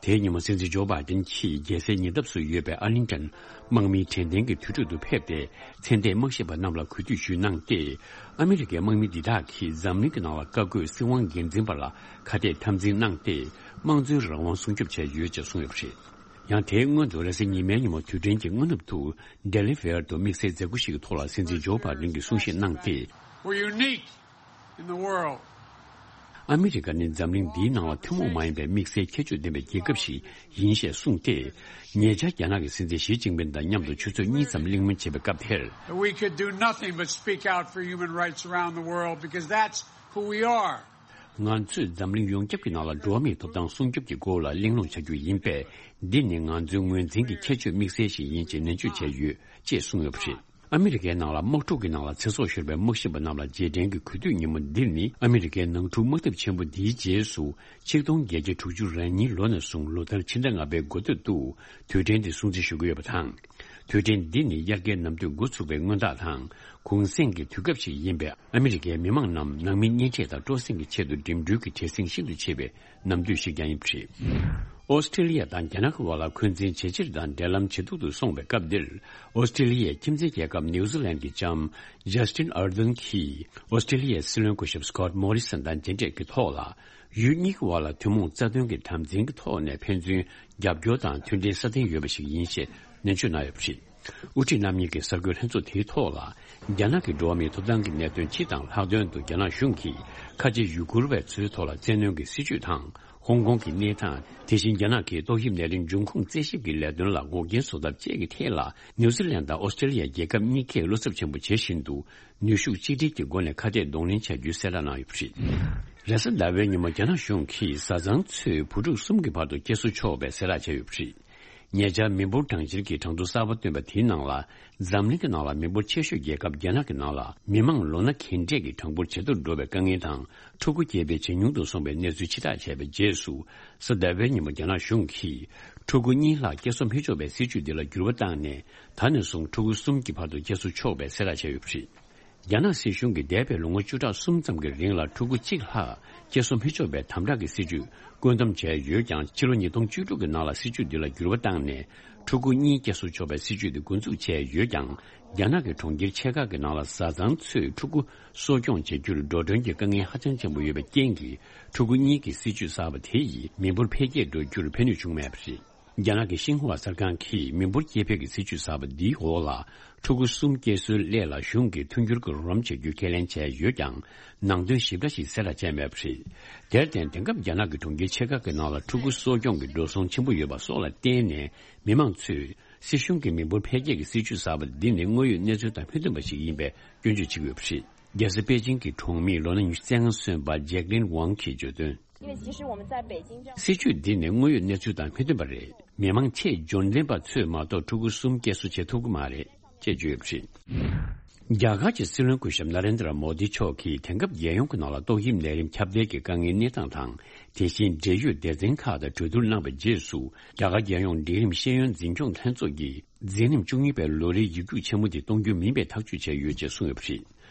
དེའི་ཉིན་མོ་སྲིད་འཛིན་ཇོ་བྷའི་ཏིན་གྱིས་རྒྱལ་སའི་ཉེ་འདབས་སུ་ཡོད་པའི་ཨར་ལིང་ཏོན་དམག་མིའི་དྲན་རྟེན་གྱི་དུར་ཁྲོད་དུ་ཕེབས་ཏེ། མཚན་ལྡན་དམག་ཞབས་པ་རྣམས་ལ་གུས་འདུད་ཞུས་གནང་སྟེ། ཨ་མི་རི་ཀའི་དམག་མི་འདི་དག་གིས་འཛམ་གླིང་གི་ནང་ལ་བཀའ་བཀོད་སྲིད་དབང་སྒེར་འཛིན་པ་ལ་ཁ་གཏད་འཐབ་འཛིང་གནང་སྟེ། དམངས་གཙོའི་རང་དབང་སྲུང་སྐྱོབ་བྱས་ཡོད་ཅེས་གསུངས་ཡོད་པ་རེད། ཡང་དེའི་སྔོན་དུ་རེས་གཟའ་ཉི་མའི་ཉིན་མོ་དུས་དྲན་གྱི་སྔ་ནུབ་ཏུ། ཌེ་ལི་ཝེར་དུ་དམིགས་བསལ་མཛད་སྒོ་ཞིག་གི་ཐོག་ལ་སྲིད་འཛིན་ཇོ་བྷའི་ཏིན་གྱིས་གསུང་བཤད་གནང་སྟེ། We're unique in the world. ཨ་མི་རི་ཀ་ནི་འཛམ་གླིང་འདིའི་ནང་ལ་ཐུན་མོང་མ་ཡིན་པའི་དམིགས་བསལ་ཁྱད་ཆོས་ལྡན་པའི་རྒྱལ་ཁབ་ཞིག་ཡིན་ཞེས་གསུངས་ཏེ། ཉེ་ཆར་རྒྱ་ནག་གི་སྲིད་འཛིན་ཞི་ཅིན་ཕིན་དང་མཉམ་དུ་ཆུ་ཚོད་གཉིས་ཙམ་གླེང་མོལ་བྱས་པའི་སྐབས་དེར། That we could do nothing but speak out for human rights around the world because that's who we are. ང་ཚོས་འཛམ་གླིང་ཡོངས་ཁྱབ་ཀྱི་ནང་ལ་འགྲོ་བ་མིའི་ཐོབ་ཐང་སྲུང་སྐྱོབ་ཀྱི་སྐོར་ལ་གླེང་སློང་བྱ་རྒྱུ་ཡིན་པས། འདི་ནི་ང་ཚོའི་ངོས་འཛིན་གྱི་ཁྱད་ཆོས་དམིགས་བསལ་ཞིག་ཡིན་ཅེས་ནན་བརྗོད་བྱས་ཡོད་ཅེས་གསུངས་ཡོད་པ་རེད། ཨ་མི་རི་ཀའི་ནང་ལ་དམག་འཁྲུག་གི་ནང་ལ་ཚེ་སྲོག་ཤོར་བའི་དམག་ཞབས་པ་རྣམས་ལ་རྗེས་དྲན་གྱི་གུས་འདུད་ཉིན་མོ་འདི་ནི། ཨ་མི་རི་ཀའི་ནང་འཁྲུག་དམག་འཐབ་ཆེན་པོ་འདིའི་རྗེས་སུ། ཆིག་སྟོང་བརྒྱད་བརྒྱ་དྲུག་ཅུ་རེ་གཉིས་ལོ་ནས་བཟུང་ལོ་ལྟར་ཕྱི་ཟླ་ལྔ་པའི་འགོ་སྟོད་དུ་དུས་དྲན་འདི་སྲུང་བརྩི་ཞུ་གི་ཡོད་པ་དང་། དུས་དྲན་འདི་ནི་དབྱར་ཁའི་ནམ་དུས་འགོ་ཚུགས་པའི་སྔོན་རྟགས་དང་། གུང་གསེང་གི་དུས་སྐབས་ཤིག་ཡིན་པས། ཨ་མི་རི་ཀའི་མི་མང་རྣམས་ནང་མི་གཉེན་འཕྲད་དང་སྤྲོ་གསེང་གི་ཆེད་དུ་འགྲིམ་འགྲུལ་གྱི་བྲེལ་ཟིང་ཤིན་ཏུ་ཆེ་བའི་ནམ་དུས་ཤིག་ཀྱང་ཡིན་པ་རེད། ཨོ་སི་ཀྲི་ལི་ཡ་དང་རྒྱ་ནག་གི་བར་ལ་འཁོན་འཛིན་ཇེ་ཆེར་དང་འབྲེལ་ལམ་ཇེ་སྡུག་ཏུ་སོང་བའི་སྐབས་འདིར། ཨོ་སི་ཀྲི་ལི་ཡའི་ཁྱིམ་མཚེས་རྒྱལ་ཁབ་ནིའུ་ཛི་ལན་གྱི་ལྕམ་ཇ་སི་ཊིན་ཨར་དན་གྱིས་ཨོ་སི་ཀྲི་ལི་ཡའི་སྲིད་བློན་སྐུ་ཞབས་སི་ཀོ་ཊི་མོ་རི་སན་དང་མཇལ་འཕྲད་ཀྱི་ཐོག་ལ། ཡུལ་གཉིས་ཀྱི་བར་ལ་ཐུན་མོང་རྩ་དོན་གྱི་དམ་འཛིན་གྱི་ཐོག་ནས་ཕན་ཚུན་རྒྱབ་སྐྱོར་དང་མཐུན་སྒྲིལ་སྲ་བརྟན་ཡོད་པ་ཞིག་ཡིན་ཞེས་ནན་བརྗོད་གནང་ཡོད་པ་རེད། དབུ་ཁྲིད་རྣམ་གཉིས་ཀྱི་གསར་འགོད་ལྷན་ཚོགས་དེའི་ཐོག་ལ། རྒྱ་ནག་གི་འགྲོ་བ་མིའི་ཐོབ་ཐང་གི་གནད་དོན་སྤྱི་དང་ལྷག་དོན་དུ་རྒྱ་ནག་གཞུང་གིས་ཁ་ཆེ་ཡུ་གུར་བ་ཚོའི་ཐོག་ལ་བཙན་གནོན་གྱི་སྲིད་བྱུས་དང་། ཧོང་ཀོང་གི་གནས་སྟངས། དེ་བཞིན་རྒྱ་ནག་གིས་ཏོག་དབྱིབས་ནད་རིམས་འབྱུང་ཁུངས་རྩད་ཞིབ་ཀྱི་ལས་དོན་ལ་འགོག་རྐྱེན་བཟོ་ཐབས་བཅས་ཀྱི་ཐད་ལ། ནིའུ་ཛི་ལན་དང་ཨོ་སི་ཀྲི་ལི་ཡ་རྒྱལ་ཁབ་གཉིས་ཀས་བློ་འཚབ་ཆེན་པོ་བྱེད་བཞིན་དུ། ནུས་ཤུགས་གཅིག་སྒྲིལ་གྱི་སྒོ་ནས་ཁ་གཏད་གདོང་ལེན་བྱ་རྒྱུའི་གསལ་བསྒྲགས་གནང་ཡོད་པ་རེད། རེས་གཟའ་ཟླ་བའི་ཉིན་མོ་རྒྱ་ནག་གཞུང་གིས་བཟའ་ཚང་ཚོས་བུ་ཕྲུག་གསུམ་གྱི་བར་དུ་སྐྱེལ་གསོ་ཆོག་པའི་གསལ་བསྒྲགས་བྱས་ཡོད་པ་རེད། ཉེ་ཆར་མི་འབོར་གྲངས་འབོར་གྱི་གྲངས་ཐོ་གསར་པ་བཏོན་པ་དེའི་ནང་ལ། འཛམ་གླིང་གི་ནང་ལ་མི་འབོར་ཆེ་ཤོས་རྒྱལ་ཁབ་རྒྱ་ནག་གི་ནང་ལ། མི་མང་ལོ་ན་རྒན་གྲས་ཀྱི་གྲངས་འབོར་ཇེ་མཐོར་འགྲོ་བའི་དཀའ་ངལ་དང་། ཕྲུ་གུ་སྐྱེ་འཕེལ་ཇེ་ཉུང་དུ་སོང་བའི་གནས་ཚུལ་ཕྱིར་བསྒྲགས་བྱས་པའི་རྗེས་སུ། གཟའ་ཟླ་བའི་ཉིན་མོ་རྒྱ་ནག་གཞུང་གིས། ཕྲུ་གུ་གཉིས་ལྷག་སྐྱེལ་གསོ་མི་ཆོག་པའི་སྲིད་བྱུས་འདི་ལ་འགྱུར་བ་བཏང་ནས། ད་ནས་བཟུང་ཕྲུ་གུ་གསུམ་གྱི་བར་དུ་སྐྱེལ་གསོ་ཆོག་པའི་གསལ་བསྒྲགས་བྱས་ཡོད་པ་རེད། རྒྱ་ནག་སྲིད་གཞུང་གིས་འདས་པའི་ལོ་ངོ་བཅུ་ཕྲག་གསུམ་ཙམ་གྱི་རིང་ལ་ཕྲུ་གུ་གཅིག་ལྷག་སྐྱེལ་གསོ་མི་ཆོག་པའི་དམ་དྲག་གི་སྲིད་བྱུས་བཀོད་འདོམས་བྱས་ཡོད་ཀྱང་། ཕྱི་ལོ་ཉིས་སྟོང་བཅུ་དྲུག་གི་ནང་ལ་སྲིད་བྱུས་འདི་ལ་འགྱུར་བ་བཏང་ནས། ཕྲུ་གུ་གཉིས་སྐྱེལ་གསོ་ཆོག་པའི་སྲིད་བྱུས་འདི་འགོ་འཛུགས་བྱས་ཡོད་ཀྱང་། རྒྱ་ནག་གི་གྲོང་ཁྱེར་ཆེ་ཁག་གི་ནང་ལ་བཟའ་ཚང་ཚོས་ཕྲུ་གུ་གསོ་སྐྱོང་བྱེད་རྒྱུར་འགྲོ་གྲོན་གྱི་དཀའ་ངལ་ཧ་ཅང་ཆེན་པོ་ཡོད་པའི་རྐྱེན་གྱིས། ཕྲུ་གུ་གཉིས་ཀྱི་སྲིད་བྱུས་གསར་པ་དེ་ཡིས་མི་འབོར་འཕེལ་རྒྱས་འགྲོ་རྒྱུར་ཕན་ནུས་བྱུང་མེད་པ་རེད། རྒྱ་ནག་གི་ཤིན་ཧྭ་གསར་ཁང་གིས་མི་འབོར་སྐྱེ་འཕེལ་གྱི་སྲིད་བྱུས་གསར་པ་འདིའི་འོག་ལ། ཕྲུ་གུ་གསུམ་སྐྱེལ་སྲོལ་སླད་ལ་གཞུང་གིས་མཐུན་འགྱུར་གྱི་རོགས་རམ་བྱ་རྒྱུའི་ཁས་ལེན་བྱས་ཡོད་ཀྱང་། ནང་དོན་ཞིབ་ཕྲ་ཞིག་གསལ་བསྒྲགས་བྱས་མེད་པ་རེད། དེར་བརྟེན། དེང་སྐབས་རྒྱ་ནག་གི་གྲོང་ཁྱེར་ཆེ་ཁག་གི་ནང་ལ་ཕྲུ་གུ་གསོ་སྐྱོང་གི་འགྲོ་སོང་ཆེན་པོ་ཡོད་པ་སོགས་ལ་བརྟེན་ནས། མི་མང་ཚོས་སྲིད་གཞུང་གི་མི་འབོར་འཕེལ་རྒྱས་ཀྱི་སྲིད་བྱུས་གསར་པ་འདི་ནི་དངོས་ཡོད་གནས་ཚུལ་དང་མི་མཐུན་པ་ཞིག་ཡིན་པའི་སྐྱོན་བརྗོད་བྱེད་ཀྱི་ཡོད་པ་རེད། རྒྱལ་ས་པེ་ཅིང་གི་གྲོང་མིས་ལོ་ན་ཉི་ཤུ་རྩ་ལྔ་སོན་པ་ཇེག་ལིན་ཝང་གིས་བརྗོད་དོན། 因为其实我们在北京这样 སྲིད་བྱུས་འདི་ནི་དངོས་ཡོད་གནས་ཚུལ་དང་མི་མཐུན་པ་རེད། མི་མང་ཆེས་འབྱོར་ལྡན་པ་ཚོས་མ་གཏོགས་ཕྲུ་གུ་གསུམ་སྐྱེལ་གསོ་བྱེད་ཐུབ་ཀྱི་མ་རེད་ཅེས་བརྗོད་ཡོད་པ་རེད། རྒྱ་གར་གྱི་སྲིད་བློན་སྐུ་ཞབས་ན་རེན་དྲ་མོ་དི་མཆོག་གིས་དེང་སྐབས་རྒྱལ་ཡོངས་ཀྱི་ནང་ལ་ཏོག་དབྱིབས་ནད་རིམས་ཁྱབ་གདལ་གྱི་དཀའ་ངལ་གནས་སྟངས་དང་། དེ་བཞིན་འབྲེལ་ཡོད་སྡེ་ཚན་ཁག་དང་གྲོས་བསྡུར་གནང་བའི་རྗེས་སུ། རྒྱ་གར་རྒྱལ་ཡོངས་འབྲིང་རིམ་ཤེས་ཡོན་འཛིན་སྐྱོང་ལྷན་ཚོགས་ཀྱིས། འཛིན་རིམ་བཅུ་གཉིས་པའི་ལོ་རེའི་ཡིག་རྒྱུགས་ཆེན་མོ་དེ་གཏོང་རྒྱུ་མིན་པའི་ཐག་གཅོད་བྱས་ཡོད་ཅེས་གསུངས་ཡོད་པ་རེད།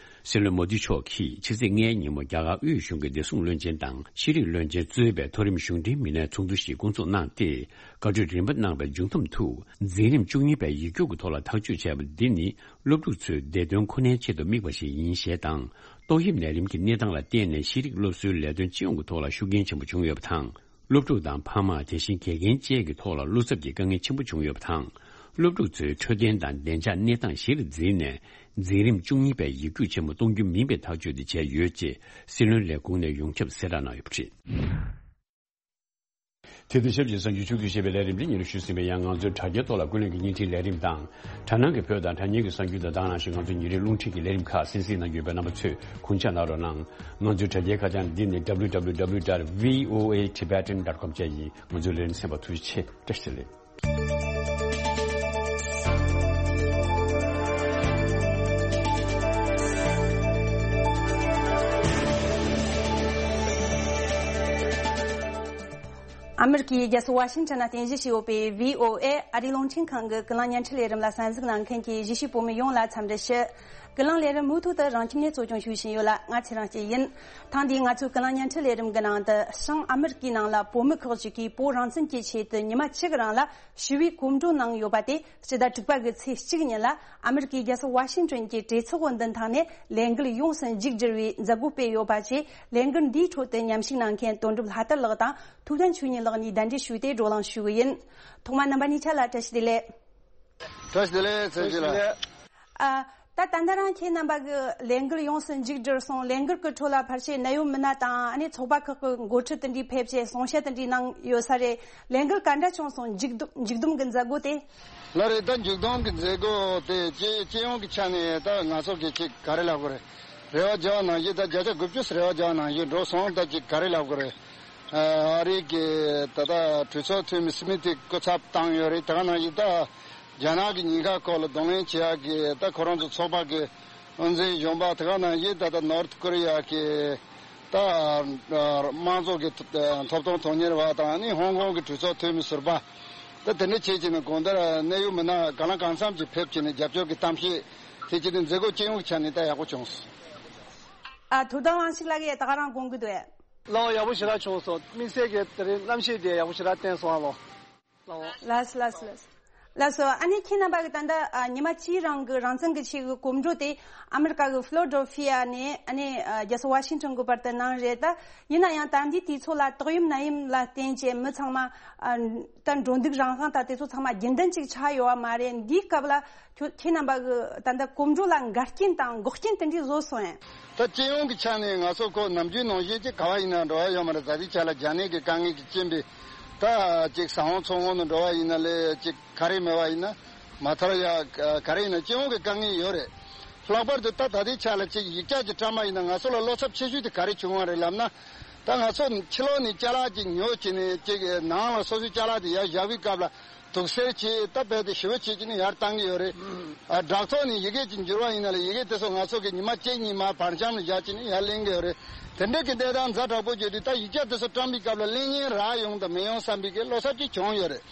སྲིད་བློན་མོ་དི་མཆོག་གིས་ཕྱི་ཚེས་ལྔའི་ཉིན་མོ་རྒྱ་གར་དབུས་གཞུང་གི་བདེ་སྲུང་བློན་ཆེན་དང་ཤེས་རིག་བློན་ཆེན་གཙོས་པའི་མཐོ་རིམ་གཞུང་འབྲེལ་མི་སྣའི་ཚོགས་འདུ་ཞིག་བསྐོང་ཚོགས་གནང་སྟེ། བཀའ་གྲོས་རིམ་པ་གནང་བའི་མཇུག་བསྡོམས་དུ། འཛིན་རིམ་བཅུ་གཉིས་པའི་ཡིག་རྒྱུགས་ཀྱི་ཐོག་ལ་ཐག་གཅོད་བྱས་པ་འདི་ནི། སློབ་ཕྲུག་ཚོའི་བདེ་དོན་ཁོ་ནའི་ཆེད་དུ་དམིགས་པ་ཞིག་ཡིན་ཞེས་དང་། ཏོག་དབྱིབས་ནད་རིམས་ཀྱི་གནས་སྟངས་ལ་བརྟེན་ནས་ཤེས་རིག་སློབ་གསོའི་ལས་དོན་སྤྱི་ཡོངས་ཀྱི་ཐོག་ལ་ཤུགས་རྐྱེན་ཆེན་པོ་བྱུང་ཡོད་པ་དང་། སློབ་ཕྲུག་དང་ཕ་མ། དེ་བཞིན་དགེ་རྒན་བཅས་ཀྱི་ཐོག་ལ་བློ་འཚབ་ཀྱི་དཀའ་ངལ་ཆེན་པོ་བྱུང་ཡོད་པ་དང་། སློབ་ཕྲུག་ཚོའི་འཕྲོད་བསྟེན་དང་བདེ་འཇགས་གནས་སྟངས་གཞིར་འཛིན་ནས། འཛིན་རིམ་བཅུ་གཉིས་པའི་ཡིག་རྒྱུགས་ཆེན་མོ་གཏོང་རྒྱུ་མིན་པའི་ཐག་གཅོད་དེ་བྱས་ཡོད་ཅེས་སྲིད་བློན་ལས་ཁུངས་ནས་ཡོངས་ཁྱབ་གསལ་བསྒྲགས་གནང་ཡོད་པ་རེད། དེ་དང་ཆབས་ཅིག་གསར་འགྱུར་ཕྱོགས་བསྡུས་ཞེས་པའི་ལས་རིམ་འདི་སྙན་སྒྲོན་ཞུས་ཟིན་པ་ཡིན། ང་ཚོའི་དྲ་རྒྱའི་ཐོག་ལ་ཀུན་གླེང་གི་བརྙན་འཕྲིན་ལས་རིམ་དང་། དྲ་སྣང་གི་བོད་དང་དྲ་བརྙན་གྱི་གསར་འགྱུར་དང་། ད་ག་ནང་བཞིན་ང་ཚོའི་ཉིན་རེའི་རླུང་འཕྲིན་གྱི་ལས་རིམ་ཁག་གསན་གཟིགས་གནང་གི་ཡོད་པས། རྣམ་པ་ཚོས་གུས་ཕྱག་གནང་རོགས་གནང་། ང་ཚོའི་དྲ་རྒྱའི་ཁ་བྱང་འདི་ནི་W W W dot V O A Tibetan dot com བཅས་ཡིན། ང་ཚོའི་ལས་རིམ་གསན་པར་ཐུགས་རྗེ་ཆེ། བཀྲ་ཤིས་བདེ་ལེགས། ཨ་མི་རི་ཀའི་རྒྱལ་ས་ཝ་ཤིང་ཊོན་ན་རྟེན་གཞི་བྱས་ཡོད་པའི་V O A ཨ་རིའི་རླུང་འཕྲིན་ཁང་གི་ཀུན་གླེང་བརྙན་འཕྲིན་ལས་རིམ་ལ་གསན་གཟིགས་གནང་མཁན་གྱི་གཞིས་བྱེས་བོད་མི་ཡོངས་ལ་འཚམས་འདྲི་ཞུ། ཀུན་གླེང་ལས་རིམ་མུ་མཐུད་དུ་རང་ཁྱིམ་ནས་གཙོ་སྐྱོང་ཞུ་བཞིན་ཡོད་ལ། ང་ཚེ་རིང་སྐྱིད་ཡིན། ཐེངས་འདིའི་ང་ཚོའི་ཀུན་གླེང་བརྙན་འཕྲིན་ལས་རིམ་གྱི་ནང་དུ། བྱང་ཨ་མི་རི་ཀའི་ནང་ལ་བོད་མི་ཁག་ཅིག་གིས་བོད་རང་བཙན་གྱི་ཆེད་དུ་ཉི་མ་གཅིག་རིང་ལ་ཞི་བའི་གོམ་བགྲོད་གནང་ཡོད་པ་དེ། སྤྱི་ཟླ་དྲུག་པ་གི་ཚེས་གཅིག་ཉིན་ལ་ཨ་མི་རི་ཀའི་རྒྱལ་ས་ཝ་ཤིང་ཊོན་གྱི་གྲོས་ཚོགས་མདུན་ཐང་ནས་ལས་འགུལ་ཡོངས་སུ་མཇུག་བསྒྲིལ་བའི་མཛད་སྒོ་སྤེལ་ཡོད་པ་བཅས། ལས་འགུལ་འདིའི་ཁྲོད་དུ་མཉམ་ཞུགས་གནང་མཁན་དོན་གྲུབ་ལྷ་དར་ལགས་དང་ཐུབ་བསྟན་ཆོས་ཉིད་ལགས་གཉིས་གདན་འདྲེན་ཞུས་ཏེ་བགྲོ་གླེང་ཞུ་གི་ཡིན། ཐོག་མར་རྣམ་པ་གཉིས་ཆ་ལ་བཀྲ་ཤིས་བདེ་ལེགས། བཀྲ་ཤིས་བདེ་ལེགས། ཚེ་རིང་ལགས། ཨ། ད་ད་ལྟ་རང་ཁྱེད་རྣམ་པ་གི་ལས་འགུལ་ཡོངས་སུ་མཇུག་བསྒྲིལ་སོང་། ལས་འགུལ་གྱི་ཁྲོད་ལ་ཕལ་ཆེར་གནད་ཡོད་མི་སྣ་དང་། ཨ་ནི་ཚོགས་པ་ཁག་གི་འགོ་ཁྲིད་དེ་འདྲའི་ཕེབས་བྱས་གསུང་བཤད་དེ་འདྲའི་གནང་ཡོད་ས་རེད། ལས་འགུལ་ག་འདྲ་བྱུང་སོང་། མཇུག་བསྡོམས་མཇུག་བསྡོམས་ཀྱི་མཛད་སྒོ་དེ། ལགས་རེད། ད་མཇུག་བསྡོམས་ཀྱི་མཛད་སྒོ་དེ་སྤྱི་སྤྱི་ཡོངས་ཀྱི་ཆ་ནས་ད་ང་ཚོ་གི་ཅིག་ག་རེ་ལབ་དགོས་རེད། རེ་བ་རྒྱག་ནང་བཞིན། ད་བརྒྱ་ཆ་དགུ་བཅུ་རེ་བ་རྒྱག་ནང་བཞིན་འགྲོ་སོང་། ད་ཅིག་ག་རེ་ལབ་དགོས་རེད། ཨ་རི་གི་ད་ལྟ་གྲོས་ཚོགས་འཐུས་མི་སི་མི་ཐི་སྐུ་ཚབ་བཏང་ཡོད་རེད། དེ་ག་ནང་བཞིན་ད། རྒྱ་ནག་གི་ཉེན་ཁ་སྐོར་ལ་གདོང་ལེན་བྱེད་ཡག་གི་ད་ཁོ་རང་ཚོ་ཚོགས་པ་གི་དབུ་འཛིན་གཞོན་པ། དེ་ག་ནང་བཞིན་ད་ལྟ་ནོར་ཐ་ཀོ་རི་ཡ་གི་ད་དམངས་གཙོ་གི་ཐོབ་ཐང་དོན་གཉེར་བ་དང་། ཨ་ནི་ཧོང་ཀོང་གི་གྲོས་ཚོགས་འཐུས་མི་ཟུར་པ། ད་དེ་འདྲ་བྱས་བྱས་ནས་གང་ལྟར་གནད་ཡོད་མི་སྣ་གང་ལ་གང་འཚམ་ཅིག་ཕེབས་བྱས་ནས་རྒྱབ་སྐྱོར་གྱི་གཏམ་བཤད་དེ་བྱས་ནས་མཛད་སྒོ་སྤྱི་ཡོངས་ཀྱི་ཆ་ནས་ད་ཡག་པོ་བྱུང་སོང་། ཨ། ཐུབ་བསྟན་དབང་ཕྱུག་ལགས་ཀྱིས་ད་ག་རང་དགོངས་ཀྱི་འདུག་ཨེ། ལགས་འོང་། ཡག་པོ་ཞེ་དྲག་བྱུང་སོང་། དམིགས་བསལ་གྱི་དེ་རིང་གནམ་གཤིས་དེ་ཡག་པོ་ཞེ་དྲག་བསྟན་སོང་ཨ་ལོ། ལགས་འོང་། ལགས་སོ། ལགས་སོ། ལགས་སོ། ལགས་སོ། ཨ་ནི་ཁྱེད་རྣམ་པ་གི་ད་ལྟ་ཨ་ཉི་མ་གཅིག་རིང་གི་རང་བཙན་གྱི་ཆེད་ཀྱི་གོམ་བགྲོད་དེ་ཨ་མི་རི་ཀ་གི་ཕི་ལོ་ཌེལ་ཕི་ཡ་ནས་ཨ་ནི་ཨ་རྒྱལ་ས་ཝ་ཤིང་ཊོན་གྱི་བར་དུ་གནང་རེད། ད་ཡིན་ན་ཡང་ད་ལྟའི་དུས་ཚོད་ལ་དུས་ཡུན་ནམ་ཡིན་ལ་བརྟེན་བྱས་མི་ཚང་མ་ཨ་ད་འགྲོ་འདུག་རང་དབང་དང་དེ་ཚོ་ཚང་མ་རྒྱུན་ལྡན་ཅིག་ཆགས་ཡོད་པ་མ་རེད། འདིའི་སྐབས་ལ་ཁྱོད་ཁྱེད་རྣམ་པ་གི་ད་ལྟ་གོམ་བགྲོད་ལ་འགལ་རྐྱེན་དང་འགོག་རྐྱེན་དེ་འདྲ་བཟོས་སོང་ཡང་། ད་སྤྱི་ཡོངས་ཀྱི་ཆ་ནས་ང་ཚོ་ཁོ་ནམ་རྒྱུན་ནང་བཞིན་ཅིག་ག་བ་ཡིན་ན་འགྲོ་བ་ཡོད་མ་རེད། ད་ལྟའི་ཆ་ལ་རྒྱ་ནད་ཀྱི་དཀའ་ངལ་གྱི་རྐྱེན་པས། ད་ཅིག་ཟ་འོང་ཚོང་འོང་དུ་འགྲོ་བ་ཡིན་ན་ལས། ཅིག་ག་རེ་མེད་པ་ཡིན་ན། མ་ཐར་ཡ་ག་རེ་ཡིན་ན་སྤྱི་ཡོངས་ཀྱི་དཀའ་ངལ་ཡོད་རེད། ལྷག་པར་དུ་ད་ད་ལྟའི་ཆ་ལ་ཅིག་ཡིག་ཆ་ཅིག་བཀྲམ་པ་ཡིན་ན་ང་ཚོ་ལ་བློ་འཚབ་ཆེ་ཤོས་དེ་ག་རེ་བྱུང་བ་རེད་ལབ་ན། ད་ང་ཚོ་ཕྱི་ལོགས་ནས་ཅ་ལག་ཅིག་ཉོས་བྱས་ནས་ཅིག་ནང་ལ་སོ་སོའི་ཅ་ལག་དེ་ཡར་བཞག་པའི་སྐབས་ལ། དུག་སེལ་བྱས། ད་རྦད་དེ་ཞེ་པོ་བྱས་བྱས་ནས་ཡར་བཏང་གི་ཡོད་རེད། ཨ། དྲ་ཐོག་ནས་ཡི་གེ་ཅིག་འགྱུར་བ་ཡིན་ན་ལ། ཡི་གེ་དེ་ཚོ་ང་ཚོ་གི་ཉི་མ་གཅིག་གཉིས་མར་བར་འཁྱམས་ལ་བཞག་བྱས་ནས་ཡར་ལེན་གི་ཡོད་རེད། དེ་འདྲ་གི་གནས་སྟངས་ཛ་དྲག་པོ་བརྗོད་དུས། ད་ཡིག་ཆ་དེ་ཚོ་བཀྲམ་པའི་སྐབས་ལ་ལེན་མཁན་རག་ཡོང་དང་མི་ཡོང་བསམ་པའི་གི་བློ་འཚབ་ཅིག་བྱུང་ཡོད་རེད།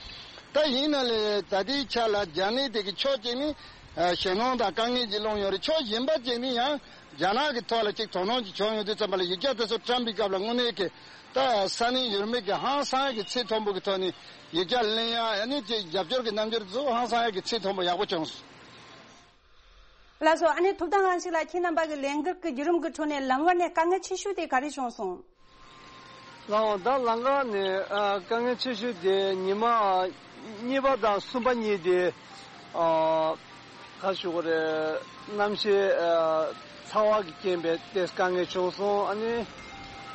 ད་ཡིན་ན་ལས་ད་ལྟའི་ཆ་ལ་རྒྱ་ནད་དེ་གི་ཕྱོགས་གཅིག་ནས་ཨ་ཞེད་སྣང་དང་དཀའ་ངལ་ཅིག་སློང་ཡོད་རེད། ཕྱོགས་གཞན་པ་གཅིག་ནས་ཡང་རྒྱ་ནག་གི་ཐོག་ལ་ཅིག་དོ་སྣང་ཅིག་བྱུང་ཡོང་དུས་ཙམ་པ་ལ། ཡིག་ཆ་དེ་ཚོ་བཀྲམ་པའི་སྐབས་ལ་དངོས་གནས་ཀྱི་ད་ས་གནས་ཡུལ་མི་གི་ཧང་སང་གི་ཚད་མཐོན་པོ་གི་ཐོག་ནས་ཡིག་ཆ་ལེན་ཡ། ཨ་ནི་ཅིག་རྒྱབ་སྐྱོར་གྱི་རྣམ་འགྱུར་ཚོ་ཧང་སང་ཡ་གི་ཚད་མཐོན་པོ་ཡག་པོ་བྱུང་སོང་། ལགས་སོ། ཨ་ནི་ཐུབ་བསྟན་དབང་ཕྱུག་ལགས། ཁྱེད་རྣམ་པ་གི་ལས་འགུལ་གྱི་བརྒྱུད་རིམ་གྱི་ཁྲོད་ནས་ལམ་བར་ནས་དཀའ་ངལ་ཆེ་ཤོས་དེ་ག་རེ་བྱུང་སོང་། ལགས་འོང་། ད་ལམ་ཁ་ནས་ཨ་དཀའ་ངལ་ཆེ་ཤོས་དེ་ཉི་མ་གཉིས་པ་དང་གསུམ་པ་གཉིས་དེ། ཨ་ག་ཞུ་དགོས་རེད། གནམ་གཤིས་ཨ་ཚ་བ་གི་རྐྱེན་པས་ཏོག་ཙམ་དཀའ་ངལ་བྱུང་སོང་། ཨ་ནི་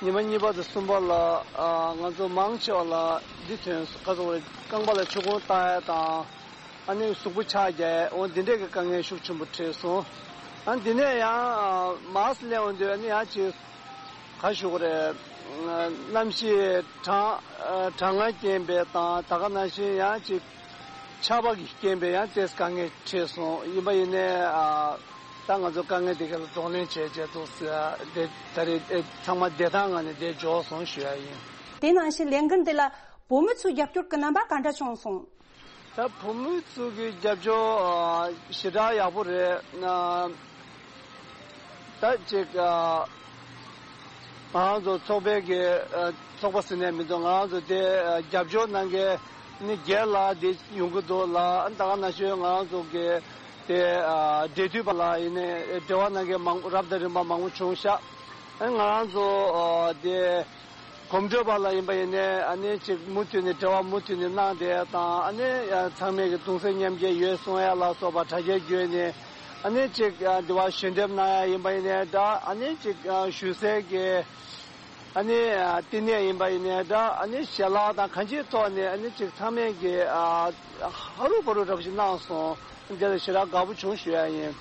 ཉི་མ་གཉིས་པ་དང་གསུམ་པ་ལ་ཨ་ང་ཚོ་མང་ཆེ་བ་ལ་འདི་ཐོན་སོང་། ག་ཟེར་དགོས་རེད། རྐང་པ་ལ་ཆུ་ཁུང་བཏང་ཡ་དང་། ཨ་ནི་གཟུགས་པོ་ཆག་རྒྱག་ཡ། འོ་འདི་འདྲས་ཀྱི་དཀའ་ངལ་ཤུགས་ཆེན་པོ་འཕྲད་སོང་། ཨ་འདི་ནས་ཡང་མར་སླེབས་འོང་དུས། ཨ་ནི་ཡང་ཅིག་ག་ཞུ་དགོས་རེད། གནམ་གཤིས་གྲང་གྲང་ངར་རྐྱེན་པས་དང་། ད་ག་ནང་བཞིན་ཡང་ཅིག་ཆར་པ་གི་རྐྱེན་པས་ཡང་ཏོག་ཙམ་དཀའ་ངལ་འཕྲད་སོང་། ཡིན་པ་ཡིན་ནའི་ཨ་ད་ང་ཚོ་དཀའ་ངལ་དེ་ག་ལ་གདོང་ལེན་བྱས་བྱས་འདུག་ཟེར། དེ་ད་རེས་ཨེ་ཚང་མ་བདེ་ཐང་ངང་ནས་བསྡད་འཇོག་སོང་ཞུ་ཡ་ཡིན། དེ་ནང་བཞིན་ལས་འགུལ་འདི་ལ་བོད་མི་ཚོའི་རྒྱབ་སྐྱོར་གྱི་རྣམ་པ་ག་འདྲ་བྱུང་སོང་། ད་བོད་མི་ཚོ་གི་རྒྱབ་སྐྱོར་ཨ་ཞེ་དྲག་ཡག་པོ་རེད། ཨ་ད་ཅིག་ཨ་ང་རང་ཚོ་ཚོགས་པའི་གི་ཨ་ཚོགས་པ་ཟེར་ནས་མི་འདུག་ང་རང་ཚོ་དེ་ཨ་རྒྱབ་སྐྱོར་གནང་མཁན་ནི་སྒེར་ལ་དེ་ཡོང་གི་འདུག་ལ། ད་ག་ནང་བཞིན་ང་རང་ཚོ་གི་དེ་ཨ་འབྲེལ་མཐུད་པ་ལ་ཡིན་ནའི་འབྲེལ་བ་གནང་མཁན་མང་རབ་དང་རིམ་པ་མང་པོ་བྱུང་ཤག་ཨ་ང་རང་ཚོ་ཨ་དེ། གོམ་བགྲོད་པ་ལ་ཡིན་པ་ཡིན་ནའི། ཨ་ནི་ཅིག་མུ་མཐུད་ནས་འབྲེལ་བ་མུ་མཐུད་ནས་གནང་བསྡད་དང་། ཨ་ནི་ཚང་མས་ཀྱི་གདུང་སེམས་མཉམ་སྐྱེད་ཡོད་གསུང་ཡ་ལ་སོགས་པ་དྲ་རྒྱ་བརྒྱུད་ནས། ཨ་ནི་ཅིག་འདི་བ་ཞལ་འདེབས་གནང་ཡ་ཡིན་པ་ཡིན་ནའི་འདྲ། ཨ་ནི་ཅིག་ཞུ་སའི་གི་ཨ་ནི་བསྟི་གནས་ཡིན་པ་ཡིན་ནའི་འདྲ། ཨ་ནི་ཞལ་ལག་དང་གང་ཅིའི་ཐོག་ནས། ཨ་ནི་ཅིག་ཚང་མས་ཀྱི་ཧ་རུ་བ་རུ་འདྲ་པོ་ཞིག་གནང་སོང་། འདི་ལ་ཞེ་དྲག་དགའ་པོ་བྱུང་ཞུ་ཡ་ཡིན།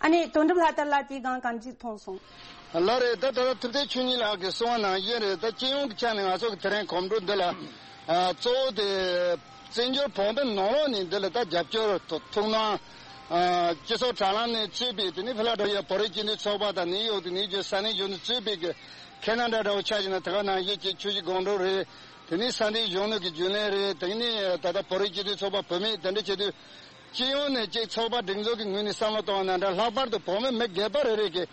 ཨ་ནི་དོན་གྲུབ་ལྷ་དར་ལགས་དེའི་སྒང་གང་ཅི་མཐོང་སོང་། ལགས་རེད། ད་ད་ལྟ་ཐུབ་བསྟན་ཆོས་ཉིད་ལགས་ཀྱིས་གསུངས་པ་ནང་བཞིན་རེད། ད་སྤྱི་ཡོངས་ཀྱི་ཆ་ནས་ང་ཚོ་གི་དེ་རིང་གོམ་བགྲོད་འདི་ལ་ཨ་གཙོ་བོ་དེ་བཙན་བྱོལ་བོད་མི་ནང་ལོགས་ནས་འདི་ལ་ད་རྒྱབ་སྐྱོར་ཐུགས་སྣང་ཨ་སྤྱི་ཚོགས་དྲ་ལམ་ནས་གཙོས་པའི། དེ་ནས་ཕི་ལ་ཌེལ་ཕི་ཡ་བོད་རིགས་སྤྱི་མཐུན་ཚོགས་པ་དང་ནིའུ་ཡོག་དང་ནིའུ་ཇར་སི་ས་གནས་གཞོན་ནུ་གཙོས་པའི་གི་ཁེ་ན་ཌ་འདྲ་བོ་ཆ་བཞག་ན། དེ་ག་ནང་བཞིན་གྱི་ཆུ་བཞི་སྒང་དྲུག་རེད། དེ་ནས་ས་གནས་གཞོན་ནུ་གི་རྒྱུན་ལས་རེད། དེ་ནས་ད་ལྟ་བོད་རིགས་སྤྱི་མཐུན་ཚོགས་པ་བུད་མེད་དེ་འདྲ་བྱེད་དུས། སྤྱི་ཡོངས་ནས་ཅིག་ཚོགས་པ་སྒྲིག་འཛུགས་ཀྱི་ངོས་ནས་བསམ་བློ་གཏོང་བ་ན་འདྲ། ལྷག་པར་དུ་བོད་མི་མི་སྒེར་པ་རེ་རེ་གིས་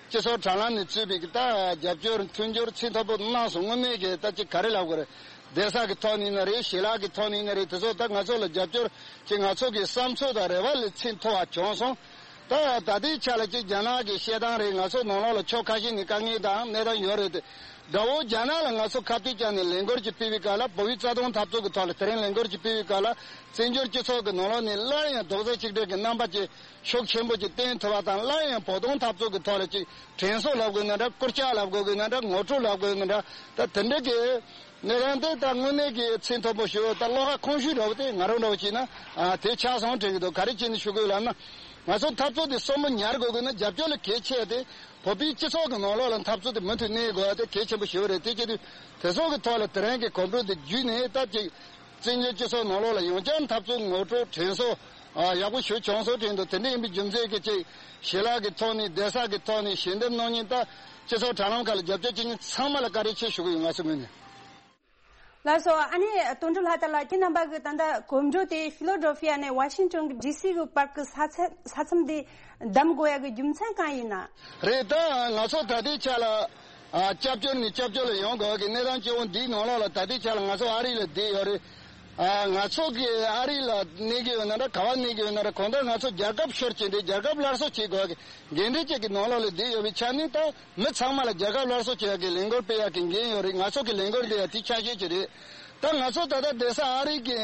སྤྱི་ཚོགས་དྲ་ལམ་ནས་གཙོས་པའི་ད་རྒྱབ་སྐྱོར་མཐུན་འགྱུར་ཚད་མཐོ་པོ་གནང་སོང་། དངོས་གནས་ཀྱི་ད་ཅིག་ག་རེ་ལབ་དགོས་རེད། བསྡད་ས་གི་ཐོག་ནས་ཡིན་ན་རེད། ཞལ་ལག་གི་ཐོག་ནས་ཡིན་ན་རེད། དེ་ཚོ་ད་ང་ཚོ་ལ་རྒྱབ་སྐྱོར་ཅིག་ང་ཚོ་གི་བསམ་ཚུལ་དང་རེ་བ་ལས་ཚད་མཐོ་བ་བྱུང་སོང་། ད་ད་ལྟའི་ཆ་ལ་ཅིག་རྒྱ་ནག་གི་བཤད་སྟངས་རེད། ང་ཚོ་ནང་ལོགས་ལ་ཕྱོགས་ཁ་ཤས་ནས་དཀའ་ངལ་དང་གནས་སྟངས་ཡོད་རེད་དེ། དགྲ་བོ་རྒྱ་ནག་ལ་ང་ཚོ་ཁ་གཏད་བཅག་ནས་ལས་འགུལ་ཅིག་སྤེལ་བའི་སྐབས་ལ། བོད་པའི་རྩ་དོན་འཐབ་རྩོད་ཀྱི་ཐོག་ལ་དེ་རིང་ལས་འགུལ་ཅིག་སྤེལ་བའི་སྐབས་ལ། བཙན་བྱོལ་སྤྱི་ཚོགས་ཀྱི་ནང་ལོགས་ནས་སླར་ཡང་རྡོག་རྩ་གཅིག་སྒྲིལ་གྱི་རྣམ་པ་ཅིག་ཤུགས་ཆེན་པོ་ཅིག་བསྟན་ཐུབ་པ་དང་། སླར་ཡང་བོད་དོན་འཐབ་རྩོད་ཀྱི་ཐོག་ལ་ཅིག་དྲན་གསོ་ལབ་དགོས་ན་འདྲ། སྐུལ་ལྕག་ལབ་དགོས་ན་འདྲ། ངོ་སྤྲོད་ལབ་དགོས་ན་འདྲ། ད་དེ་འདྲ་གི་གནས་སྟངས་དེ་ད་དངོས་གནས་ཀྱི་ཚད་མཐོ་པོ་ཞིག་ད་བློ་ཁ་ཁོང་ཤུལ་འདྲ་བོ་དེ་ང་རང་འདྲ་བོ་བྱས་ན་ཨ་དེ་ཆགས་སོང་དྲན་གྱི་འདུག། ག་རེ་བྱས་ནས་ཞུ་དགོས་ལབ་ན། ང་ཚོ་འཐབ་རྩོད་དེ་གསོན་པོ་ཉར་དགོས་དགོས་ན་རྒྱབ་སྐྱོར་ལ་གལ་ཆེ་དེ། བོད་པའི་སྤྱི་ཚོགས་ཀྱི་ནང་ལོགས་ལ་འཐབ་རྩོད་དེ་མུ་མཐུད་གནས་དགོས་པ་དེ་གལ་ཆེན་པོ་ཞིག་རེད། དེ་བྱེད་དུས་དེ་སོགས་ཀྱི་ཐོག་ལ་དེ་རིང་གི་གོམ་བགྲོད་དེ་བརྒྱུད་ནས་ད་ཅིག་བཙན་བྱོལ་སྤྱི་ཚོགས་ནང་ལོགས་ལ་ཡང་བསྐྱར་འཐབ་རྩོད་ངོ་སྤྲོད་དྲན་གསོ་ཨ་ཡག་པོ་ཞིག་བྱུང་སོང་དྲན་འདུག། དེ་འདྲ་ཡིན་པའི་རྒྱུ་མཚན་གྱིས་ཅིག་ཞལ་ལག་གི་ཐོག་ནས། བསྡད་ས་གི་ཐོག་ནས། ཞལ་འདེབས་གནང་མཁན་ད་སྤྱི་ཚོགས་དྲ་ལམ་ཁག་ལ་རྒྱབ་སྐྱོར་བྱེད་མཁན་ཚང་མ་ལ་བཀའ་དྲིན་ཆེ་ཞུ་གི་ཡོད། ང་ཚོའི་ངོས་ནས། ལགས་སོ། ཨ་ནི་དོན་གྲུབ་ལྷ་དར་ལགས། ཁྱེད་རྣམ་པ་གི་ད་ལྟ་གོམ་བགྲོད་དེ་ཕི་ལོ་ཌེལ་ཕི་ཡ་ནས་ཝ་ཤིང་ཊོན་གྱི་ཌི་སི་གི་བར་གྱི་ས་ཚ་ས་མཚམས་དེ་བདམས་དགོས་ཡ་གི་རྒྱུ་མཚན་གང་ཡིན་ན། རེད། ད་ང་ཚོ་ད་ལྟའི་ཆ་ལ་ཨ་སྐྱབས་བཅོལ་ནས་སྐྱབས་བཅོལ་ལ་ཡོང་དགོས་ཀྱི་གནས་སྟངས་སྐྱེ་བོ་འདིའི་ནང་ལོགས་ལ་ད་ལྟའི་ཆ་ལ་ང་ཚོ་ཨ་རི་ལ་བསྡད་ཡོད་རེད། ཨ་ང་ཚོ་གི་ཨ་རི་ལ་གནས་ཀྱི་ཡོད་ན་འདྲ། ག་བ་གནས་ཀྱི་ཡོད་ན་འདྲ། གང་ལྟར་ང་ཚོ་རྒྱལ་ཁབ་ཤོར་བྱས་ཏེ་རྒྱལ་ཁབ་སླར་གསོ་བྱེད་དགོས་ཀྱི་འགན་འཁྲི་ཅིག་གི་ནང་ལོགས་ལ་བསྡད་ཡོད་པའི་ཆ་ནས། ད་མི་ཚང་མ་ལ་རྒྱལ་ཁབ་སླར་གསོ་བྱེད་ཡག་གི་ལས་འགུལ་སྤེལ་ཡག་གི་འགན་ཡོད་རེད། ང་ཚོ་གི་ལས་འགུལ་འདི་ཡང་དེ་ཆ་ཤས་ཅིག་རེད། ད་ང་ཚོ་ད་ལྟ་བསྡད་ས་ཨ་རི་གི་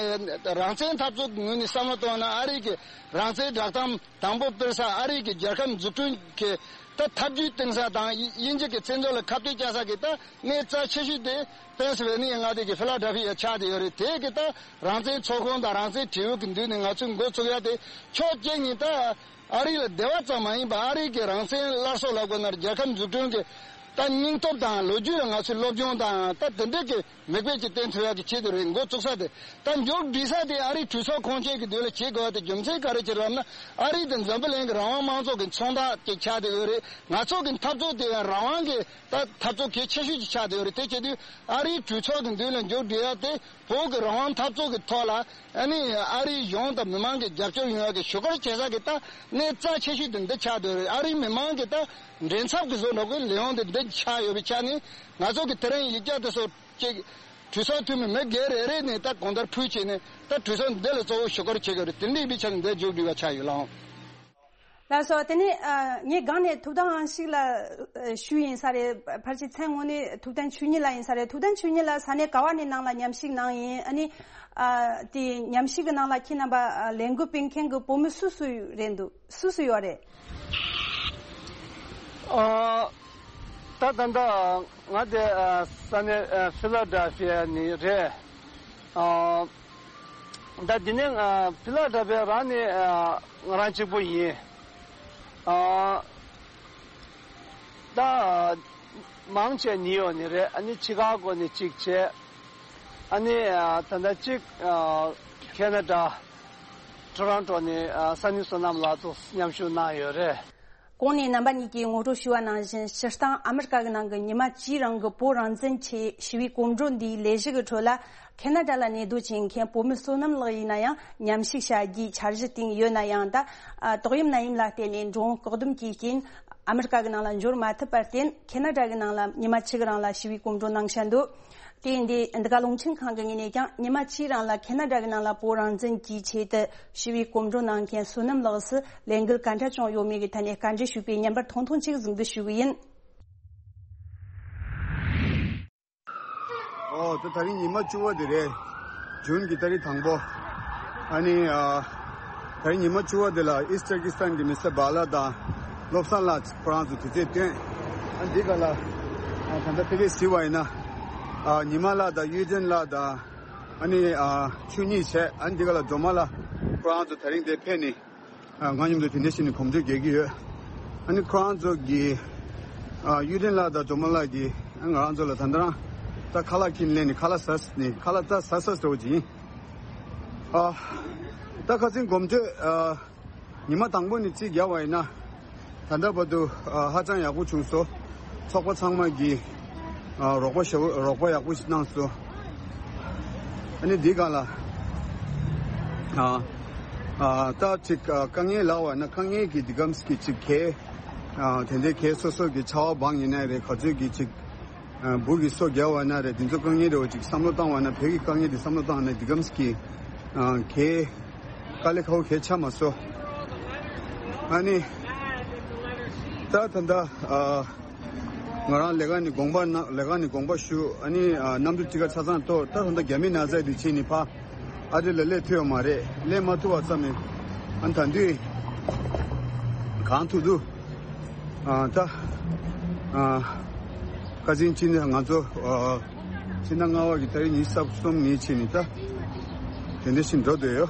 རང་བཙན་འཐབ་རྩོད་ཀྱི་ངོས་ནས་བསམ་བློ་གཏོང་ན། ཨ་རི་གི་རང་བཙན་བསྒྲགས་གཏམ་དང་པོ་སྤེལ་ས། ཨ་རི་གི་རྒྱལ་ཁབ་འཛུགས་སྐྲུན་གྱི་ད་ཐབས་ཇུས་བཏིང་ས་དང་། དབྱིན་ཇི་གི་བཙན་འཛུལ་ལ་ཁ་གཏད་བཅག་ས་གི་ད་གནས་རྩ་ཆེ་ཤོས་དེ་པེན་སི་ཝེ་ནི་ཡ་མངའ་སྡེ་གི་ཕི་ལ་ཌེལ་ཕི་ཡ་ཆགས་བསྡད་ཡོད་རེད། དེ་གི་ད་རང་བཙན་ཚོགས་ཁང་དང་རང་བཙན་དྲིལ་བུ་གི་མདུན་ནས་ང་ཚོས་འགོ་བཙུགས་ཡ་དེ་ཕྱོགས་གཅིག་ནས་ད་ཨ་རི་ལ་བདེ་བ་ཙམ་མ་ཡིན་པར། ཨ་རི་གི་རང་བཙན་སླར་གསོ་ལབ་དགོས་ན། རྒྱལ་ཁབ་འཛུགས་སྐྲུན་གྱི་ད་སྙིང་སྟོབས་དང་ལོ་རྒྱུས་ལ་ང་ཚོས་སློབ་སྦྱོང་དང་། ད་དེ་འདྲ་གི་མིག་དཔེ་ཅིག་བསྟན་ཐུབ་ཡག་གི་ཆེད་དུ་རེད། འགོ་བཙུགས་ས་དེ། ད་མཇུག་སྒྲིལ་ས་དེ་ཨ་རིའི་གྲོས་ཚོགས་ཁོངས་ཆེན་གྱི་མདུན་ལ་བྱེད་དགོས་པ་དེ་རྒྱུ་མཚན་ག་རེ་བྱས་རེད་ལབ་ན། ཨ་རི་དེ་འཛམ་བུ་གླིང་གི་རང་དབང་དམངས་གཙོ་གི་མཚོན་རྟགས་ཅིག་ཆགས་བསྡད་ཡོད་རེད། ང་ཚོ་གི་འཐབ་རྩོད་དེ་ཡང་རང་དབང་གི་ད་འཐབ་རྩོད་གལ་ཆེ་ཤོས་ཅིག་ཆགས་བསྡད་ཡོད་རེད། དེ་བྱེད་དུས་ཨ་རིའི་གྲོས་ཚོགས་ཀྱི་མདུན་ལ་མཇུག་སྒྲིལ་ཡག་དེ། བོད་ཀྱི་རང་དབང་འཐབ་རྩོད་ཀྱི་ཐོག་ལ་ཨ་ནི་ཨ་རིའི་གཞུང་དང་མི་མང་གི་རྒྱབ་སྐྱོར་ཡོང་ཡག་གི་ཞུ་སྐུལ་བྱེད་ས་གི་ད་གནས་རྩ་ཆེ་ཤོས་དེ་འདི་ཆགས་བསྡད་ཡོད་རེད། ཨ་རིའི་མི་མང་གི་ད་མགྲིན་ཚབ་ཀྱི་བཟོ་འདྲ་གི་ལས་དབང་དེ་འདི་ཆགས་ཡོད་པའི་ཆ་ནས། ང་ཚོ་གི་དེ་རིང་ཡིག་ཆ་དེ་ཚོ་ཅིག་གྲོས་ཚོགས་འཐུས་མི་མི་སྒེར་རེ་རེ་ནས་ད་གང་ལྟར་ཕུལ་བྱས་ནས། ད་གྲོས་ཚོགས་འདི་ལ་གཙོ་བོ་ཞུ་སྐུལ་བྱེད་དགོས་རེད། དེ་འདྲ་ཡིན་པའི་ཆ་ནས་འདི་མཇུག་སྒྲིལ་བ་ཆགས་ཡོད་ལགས། ལགས་སོ། དེ་ནས་ཨ་ངས་སྒང་ནས་ཐུབ་བསྟན་དབང་ཕྱུག་ལ་ཨ་ཞུས་ཡིན་ས་རེད། ཕལ་ཆེར་མཚན་དངོས་གནས་ཐུབ་བསྟན་ཆོས་ཉིད་ལགས་ཡིན་ས་རེད། ཐུབ་བསྟན་ཆོས་ཉིད་ལགས་ས་གནས་ག་བ་ནས་ནང་ལ་མཉམ་ཞུགས་གནང་ཡིན། ཨ་ནི་ཨ་དེ་མཉམ་ཞུགས་ཀྱི་ནང་ལ་ཁྱེད་རྣམ་པ་ཨ་ལས་འགུལ་སྤེལ་མཁན་གྱི་བོད་མི་སུ་སུ་རེད་འདུག། སུ་སུ་ཡོད་རེད། ཨ་ད་ད་ལྟ་ང་དེ་ཨ་ས་གནས་ཨ་ཕི་ལ་ཌེལ་ཕི་ཡ་ནས་རེད། ཨ་ད་འདི་ནས་ཨ་ཕི་ལ་ཌེལ་ཕི་ཡ་རང་ནས་ཨ་ང་རང་གཅིག་པུ་ཡིན། ཨ་ད་མང་ཆེ་ནིའུ་ཡོག་ནས་རེད། ཨ་ནི་ཆི་ཀ་གོ་ནས་གཅིག་བྱས། ཨ་ནི་ཨ་ད་ལྟ་གཅིག་ཨ་ཁེ་ན་ཌ་ཊོ་རོན་ཊོ་ནས་ཨ་ས་ནི་བསོད་ནམས་ལགས་ཚོ་མཉམ་ཞུགས་གནང་ཡོད་རེད། གོང་ནས་རྣམ་པ་གཉིས་ཀྱིས་ངོ་སྤྲོད་ཞུས་པ་ནང་བཞིན། སྤྱིར་བཏང་ཨ་མི་རི་ཀ་གི་ནང་གི་ཉི་མ་གཅིག་རིང་གི་བོད་རང་བཙན་ཆེད་ཞི་བའི་གོམ་བགྲོད་འདིའི་ལས་གཞི་གི་ཁྲོད་ལ། ཁེ་ན་ཌ་ལ་གནས་སྡོད་བྱེད་མཁན་བོད་མི་བསོད་ནམས་ལགས་ཡིན་ན་ཡང་མཉམ་ཞུགས་བྱ་རྒྱུའི་འཆར་གཞི་བཏིང་ཡོད་ན་ཡང་། ད་ཨ་ཏོག་དབྱིབས་ནད་ཡམས་ལ་བརྟེན་ནས་འགྲོ་འོང་བཀག་སྡོམ་གྱི་རྐྱེན་ཨ་མི་རི་ཀ་གི་ནང་ལ་འབྱོར་མ་ཐུབ་པར་བརྟེན། ཁེ་ན་ཌ་གི་ནང་ལ་ཉི་མ་གཅིག་རིང་ལ་ཞི་བའི་གོམ་བགྲོད་གནང་བཞིན་འདུག། དེ་ཡིན་དུས་འདི་ག་རླུང་འཕྲིན་ཁང་གི་ངོས་ནས་ཀྱང་ཉི་མ་གཅིག་རིང་ལ་ཁེ་ན་ཌ་གི་ནང་ལ་བོད་རང་བཙན་གྱི་ཆེད་དུ་ཞི་བའི་གོམ་བགྲོད་གནང་མཁན་བསོད་ནམས་ལགས་སུ་ལས་འགུལ་ག་འདྲ་བྱུང་ཡོད་མེད་ཀྱི་ཐད་ནས་བཀའ་འདྲི་ཞུས་པའི་བརྙན་པར་ཐུང་ཐུང་ཅིག་གཟིགས་འབུལ་ཞུ་གི་ཡིན། ཨོ་དེ་ད་རིང་ཉི་མ་བཅུ་པ་དེ་རེད། ཇུན་གྱི་ཏ་རིག་དང་པོ། ཨ་ནི་ཨ་ད་རིང་ཉི་མ་བཅུ་པ་དེ་ལ་ཨིསྟ་ཏར་ཀི་སི་ཐན་གྱི་མི་སེར་བག་ལ་དང་བློ་བཟང་ལགས་ཁོ་རང་ཚོ་དུས་ཚོད་བཏོན། ཨ་འདི་ག་ལ་ཨ་ད་ལྟ་ཏི་ཝི་གཟིགས་པ་ཡིན་ན། ཨ་ཉི་མ་ལགས་དང་གཡུ་སྒྲོན་ལགས་དང་། ཨ་ནི་ཨ་ཆོས་ཉིད་བྱས། ཨ་ནི་འདི་ག་ལ་སྒྲོལ་མ་ལགས་ཁོ་རང་ཚོ་དེ་རིང་འདིར་ཕེབས་ནས། ཨ་ང་མཉམ་དུ་དེ་འདྲ་བྱས་ནས་གོམ་བགྲོད་རྒྱག་གི་ཡོད། ཨ་ནི་ཁོ་རང་ཚོ་གིས་ཨ་གཡུ་སྒྲོན་ལགས་དང་སྒྲོལ་མ་ལགས་ཀྱིས་ཨ་ང་རང་ཚོ་ལ་ད་ལྟ་རང་ད་ཁ་ལག་ཁྱེར་ནས་སླེབས་ནས་ཁ་ལག་ཟ་ནས་ཁ་ལག་ད་ཟ་ཟ་འདྲ་བོ་ཅིག་ཡིན། ཨ་ད་ཁ་སང་གོམ་བགྲོད་ཨ་ཉི་མ་དང་པོ་ནས་རྩིས་རྒྱག་པ་ཡིན་ན། ད་ལྟ་བར་དུ་ཨ་ཧ་ཅང་ཡག་པོ་བྱུང་སོང་། ཚོགས་པ་ཚང་མ་གིས་ཨ་རོགས་པ་ཞེ་པོ་རོགས་པ་ཡག་པོ་ཞིག་གནང་སོང་། ཨ་ནི་འདི་སྒང་ལ་ཨ་ ཨ་ད་ཅིག་ཨ་དཀའ་ངལ་ལབ་པ་ན་དཀའ་ངལ་གྱི་འདི་གམ་གྱི་ཅིག་གས་ཨ་དེ་འདྲའི་གས་སོ་སོ་གི་ཆར་པ་སྦང་ཡིན་ན་རེད། ག་ཚོད་ཀྱི་ཅིག་ཨ་འབུ་གི་སོ་རྒྱག་པ་ན་རེད། འདི་ཚོ་དཀའ་ངལ་རེད་བ། ཅིག་བསམ་བློ་བཏང་བ་ན་བོད་ཀྱི་དཀའ་ངལ་འདི་བསམ་བློ་བཏང་ན་འདི་གམ་གྱི་ཨ་གས་དཀའ་ལས་ཁག་པོ་གས་ཆགས་མ་སོང་། ཨ་ནི་ད་ད་ལྟ་ཨ་ང་རང་ལས་ཀ་ནི་དགོངས་པ་ན་ལས་ཀ་ནི་དགོངས་པ་ཞུ། ཨ་ནི་ཨ་གནམ་གྲུ་ཊི་ཀེཊ་ཆ་ཚང་གཏོར། ད་ད་ལྟ་རྒྱ་མི་ན་ཚ་འདི་བྱས་ནི་ཕ་ཨ་རི་ལ་སླེབས་ཐུབ་ཡོད་མ་རེད། སླེབས་མ་ཐུབ་པ་ཙམ་མིན། ཨ་ད་དུས་གང་ཐུབ་ཐུབ་ཨ་ད་ཨ་ཁ་སང་ཕྱི་ཟླ་ང་ཚོ་ཨ་ཕྱི་ཟླ་ལྔ་པ་གི་ཏ་རིག་ཉི་ཤུ་རྩ་གསུམ་ནས་བྱས་ནི་ད་དེ་འདྲ་ཞིག་འགྲོ་འདོད་ཡོད།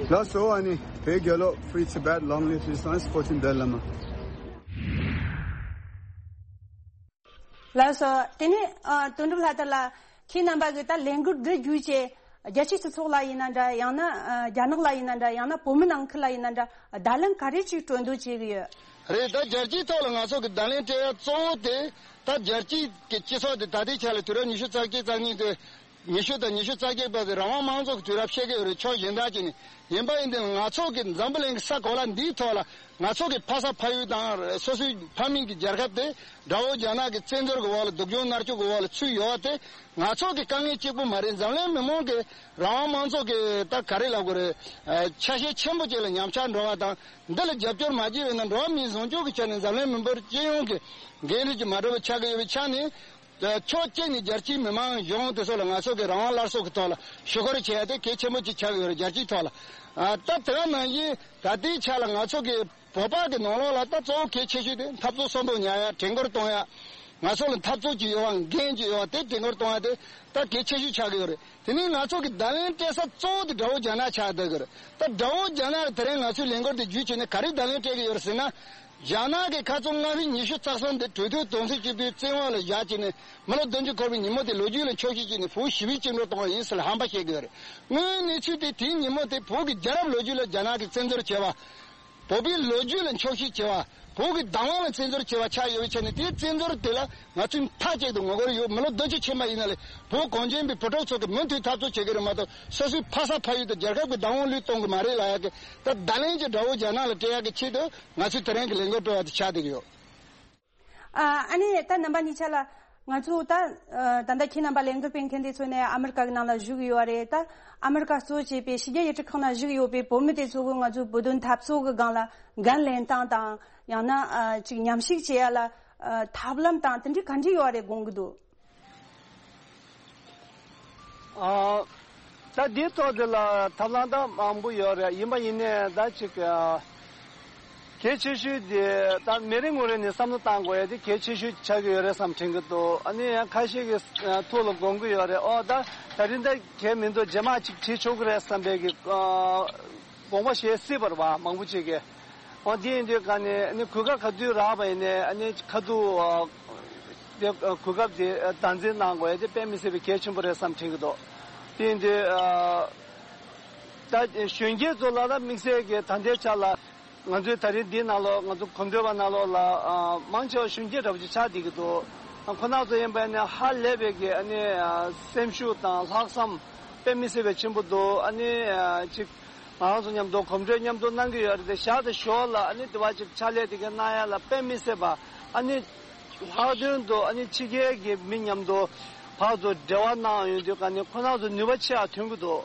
ལགས་སོ། ཨ་ནི་བོད་རྒྱལ་ལོ། Free Tibet, long live resistance, fourteen Dalai Lama. ལགས་སོ། དེ་ནས་ཨ་དོན་གྲུབ་ལྷ་དར་ལགས། ཁྱེད་རྣམ་པ་གིས་ད་ལས་འགུལ་འདི་བརྒྱུད་བྱས་རྒྱལ་སྤྱིའི་སྤྱི་ཚོགས་ལ་ཡིན་ན་འདྲ། ཡང་ན་ཨ་རྒྱ་ནག་ལ་ཡིན་ན་འདྲ། ཡང་ན་བོད་མི་ནང་ཁུལ་ལ་ཡིན་ན་འདྲ། བརྡ་ལན་ག་རེ་ཅིག་སྤྲོད་འདོད་བྱེད་ཀྱི་ཡོད། རེད། ད་རྒྱལ་སྤྱིའི་ཐོག་ལ་ང་ཚོ་གི་བརྡ་ལན་སྤྲད་ཡ་གཙོ་བོ་དེ་ད་རྒྱལ་སྤྱིའི་གི་སྤྱི་ཚོགས་དེ་ད་ལྟའི་ཆ་ལ་དུས་རབས་ཉི་ཤུ་རྩ་གཅིག་རྩ་གཉིས་དེ། ཉི་ཤུ་དང་ཉི་ཤུ་རྩ་བརྒྱད་བར་དུ་རང་དབང་མང་གཙོ་གི་དུས་རབས་བཤད་ཀྱི་ཡོད་རེད། ཕྱོགས་གཞན་དག་ཅིག་ནས་ཡིན་པ་ཡིན་དུས་ང་ཚོ་གི་འཛམ་བུ་གླིང་གི་ས་གོ་ལ་འདིའི་ཐོག་ལ་ང་ཚོ་གི་ཕ་ས་ཕ་ཡུལ་དང་སོ་སོའི་ཕ་མེས་ཀྱི་རྒྱལ་ཁབ་དེ་དགྲ་བོ་རྒྱ་ནག་གི་བཙན་འཛུལ་གྱི་འོག་ལ་སྡུག་སྦྱོང་མནར་གཅོད་ཀྱི་འོག་ལ་ཚུད་ཡོད་པ་དེ་ང་ཚོ་གི་དཀའ་ངལ་གཅིག་པུ་མ་རེད། འཛམ་གླིང་མི་མང་གི་རང་དབང་མང་གཙོ་གི་ད་ག་རེ་ལབ་དགོས་རེད། ཨ་ཆ་ཤས་ཆེན་པོ་ཅིག་ལ་ཉམས་ཆག་འགྲོ་བ་དང་། འདི་ལ་རྒྱབ་སྐྱོར་མ་བྱས་པ་ཡིན་ན་འགྲོ་བ་མིའི་བཟང་སྤྱོད་ཀྱི་ཆ་ནས་འཛམ་གླིང་མི་འབོར་སྤྱི་ཡོངས་ཀྱི་འགན་འཁྲི་ཅིག་མ་འགྲུབ་པ་ཆགས་ཀྱི་ཡོད་པའི་ཆ་ནས། ཕྱོགས་གཅིག་ནས་རྒྱལ་སྤྱིའི་མི་མང་གཞུང་དེ་ཚོ་ལ་ང་ཚོ་གི་རང་དབང་སླར་གསོ་གི་ཐོག་ལ་ཞུ་སྐུལ་བྱེད་ཡ་དེ་གལ་ཆེན་པོ་ཅིག་ཆགས་ཀྱི་ཡོད་རེད། རྒྱལ་སྤྱིའི་ཐོག་ལ། ཨ་ད་དེ་ག་ནང་བཞིན་ད་ལྟའི་ཆ་ལ་ང་ཚོ་གི་བོད་པ་གི་ནང་ལོགས་ལ་ད་གཙོ་བོ་གལ་ཆེ་ཤོས་དེ་འཐབ་རྩོད་སོ་འདོགས་ཉར་ཡ། དྲན་སྐུལ་གཏོང་ཡ། ང་ཚོ་ལ་འཐབ་རྩོད་ཅིག་ཡོད་པ། འགན་ཅིག་ཡོད་པ་དེ་དྲན་སྐུལ་གཏོང་ཡ་དེ་ད་གལ་ཆེ་ཤོས་ཆགས་ཀྱི་ཡོད་རེད། དེ་ནས་ང་ཚོ་གི་བརྡ་ལན་སྤྲད་ས་གཙོ་བོ་དེ་དགྲ་བོ་རྒྱ་ནག་ཆགས་བསྡད་ཀྱི་རེད། ད་དགྲ་བོ་རྒྱ་ནག་གི་དེ་རིང་ང་ཚོའི་ལས་འགུལ་དེ་བརྒྱུད་བྱས་ནས་ག་རེ་བརྡ་ལན་སྤྲད་ཀྱི་ཡོད་རེད་ཟེར་ན། རྒྱ་ནག་གི་ཁ་རྩང་སྔ་ཕྱི་ཉི་ཤུ་རྩ་གསུམ་དེ་གྲོས་མཐུན་དོན་ཚན་བཅུ་བདུན་བཙན་དབང་ལ་བཞག་བྱས་ནས་མི་ལོ་བདུན་ཅུ་འཁོར་བའི་ཉིན་མོ་དེ་ལོ་རྒྱུས་ལ་འཁྱོག་བཤད་བྱས་ནས་བོད་ཞི་བའི་བཅིངས་འགྲོལ་གཏོང་བ་ཡིན་ཟེར་ཧམ་པ་བཤད་ཀྱི་ཡོད་རེད། དངོས་ཡོད་གནས་ཚུལ་དེ་དེའི་ཉིན་མོ་དེ་བོད་ཀྱི་རྒྱལ་རབས་ལོ་རྒྱུས་ལ་རྒྱ་ནག་གིས་བཙན་འཛུལ་བྱས་པ། བོད་པའི་ལོ་རྒྱུས་ལ་འཁྱོག་བཤད་བྱས་པ། བོད་ཀྱི་བདག་དབང་ལ་བཙན་འཛུལ་བྱས་པ་ཆགས་ཡོད་པའི་ཆ་ནས། དེའི་བཙན་འཛུལ་དེ་ལ་ང་ཚོས་མཐའ་གཅིག་ཏུ་ངོ་རྒོལ་ཡོད། མི་ལོ་བདུན་ཅུ་ཕྱིན་པ་ཡིན་ན་ལས་བོད་གངས་ཅན་པའི་བུ་ཕྲུག་ཚོ་གིས་མུ་མཐུད་འཐབ་རྩོད་བྱེད་ཀྱི་རེད་མ་གཏོགས། སོ་སོའི་ཕ་ས་ཕ་ཡུལ་དང་རྒྱལ་ཁབ་ཀྱི་བདག་དབང་བློས་གཏོང་གི་མ་རེད་ལབ་ཡག་གི་ད་བརྡ་ལན་ཅིག་དགྲ་བོ་རྒྱ་ནག་ལ་སྤྲད་ཡག་གི་ཆེད་དུ་ང་ཚོས་དེ་རིང་གི་ལས་འགུལ་སྤེལ་བ་དེ་ཆགས་བསྡད་ཀྱི་ཡོད། ཨ་ཨ་ནི་ད་རྣམ་པ་གཉིས་ཆ་ལ། ང་ཚོ་ད་ཨ་ད་ལྟ་ཁྱེད་རྣམ་པ་ལས་འགུལ་སྤེལ་མཁན་དེ་ཚོ་ནས་ཨ་མི་རི་ཀ་གི་ནང་ལ་བཞུགས་ཡོད་རེད། ད་ཨ་མི་རི་ཀ་གཙོ་བྱས་པའི་ཕྱི་རྒྱལ་ཡུལ་གྲུ་ཁག་ནང་བཞུགས་ཡོད་པའི་བོད་མི་དེ་ཚོ་གིས་ང་ཚོའི་བོད་དོན་འཐབ་རྩོད་ཀྱི་སྒང་ལ་འགན་ལེན་སྟངས་དང་། ཡང་ན་ཨ་ཅིག་མཉམ་ཞུགས་བྱེད་ཡ་ལ་ཨ་ཐབས་ལམ་དང་དེ་འདྲའི་ག་འདྲ་ཡོད་རེད་དགོངས་ཀྱི་འདུག་ཨ། ད་འདིའི་ཐོག་འདི་ལ་ཐབས་ལམ་ད་མང་པོ་ཡོད་རེད། ཡིན་པ་ཡིན་ནའི་ད་ཅིག་ཨ་གལ་ཆེ་ཤོས་དེ་ད་མི་རེ་ངོ་རེ་ནས་བསམ་བློ་བཏང་དགོས་ཡ་དེ་གལ་ཆེ་ཤོས་ཆགས་ཀྱི་ཡོད་རེད་བསམ་དྲན་གྱི་འདུག་ཨ་ནི་ཡང་ཁ་ཤས་ཀྱི་ཐུགས་ལ་དགོངས་ཀྱི་ཡོད་རེད། ཨོ་ད་ད་རིང་ད་གལ་མི་འདུག་རྗེས་མ་ཅིག་བྲིས་ཆོག་གི་རེད་བསམ་པའི་གི་ཨ་དགོངས་པ་བཞེས་སྲིད་པ་རེད་བ། མང་པོ་ཅིག་གིས། འོ་འདི་ཡིན་དུས་ག་ནས་ནི་གོ་སྐབས་ག་དུས་རག་པ་ཡིན་ནའི་ཨ་ནི་ཁ་ཐུག་ཨ་དེ་ཨ་གོ་སྐབས་དེ་ཨ་དམ་འཛིན་གནང་དགོས་ཡ་དེ་དཔེ་མི་སྲིད་པའི་གལ་ཆེན་པོ་རེད་བསམ་དྲན་གྱི་འདུག་དེ་ཡིན་དུས་ཨ་ད་གཞོན་སྐྱེས་ཚོ་ལ་ལ་དམིགས་བསལ་གྱི་ད་ལྟའི་ཆ་ལ་ང་ཚོའི་ད་རིང་འདི་ནང་ལོགས་ང་ཚོ་གོམ་བགྲོད་པ་ནང་ལོགས་ལ་ཨ་མང་ཆེ་བ་གཞོན་སྐྱེས་འདྲ་པོ་ཅིག་ཆགས་བསྡད་ཀྱི་འདུག་ཨ་ཁོ་ན་ཚོ་ཡིན་པ་ནི་ཧ་ལས་པའི་གི་ཨ་ནི་ཨ་སེམས་ཤུགས་དང་ལྷག་བསམ་དཔེ་མི་སྲིད་པའི་ཆེན་པོ་འདུག་ཨ་ནི་ཨ་ཅིག་ང་རང་ཚོ་མཉམ་དུ་གོམ་བགྲོད་མཉམ་དུ་གནང་གི་ཡོད་རེད་དེ། ཞག་དང་ཞོར་ལ་ཨ་ནི་དེ་བ་ཅིག་ཕྱག་ལས་དེ་ག་གནང་ཡ་ལ་དཔེ་མི་སྲིད་པ། ཨ་ནི་ལྷག་དོན་དུ་ཨ་ནི་ཕྱི་རྒྱལ་གྱི་མི་མཉམ་དུ་བར་དུ་འབྲེལ་བ་གནང་ཡོང་དུས་ག་ནས་ཁོ་རང་ཚོ་ནུས་པ་ཆེ་བ་ཐོན་གྱི་འདུག་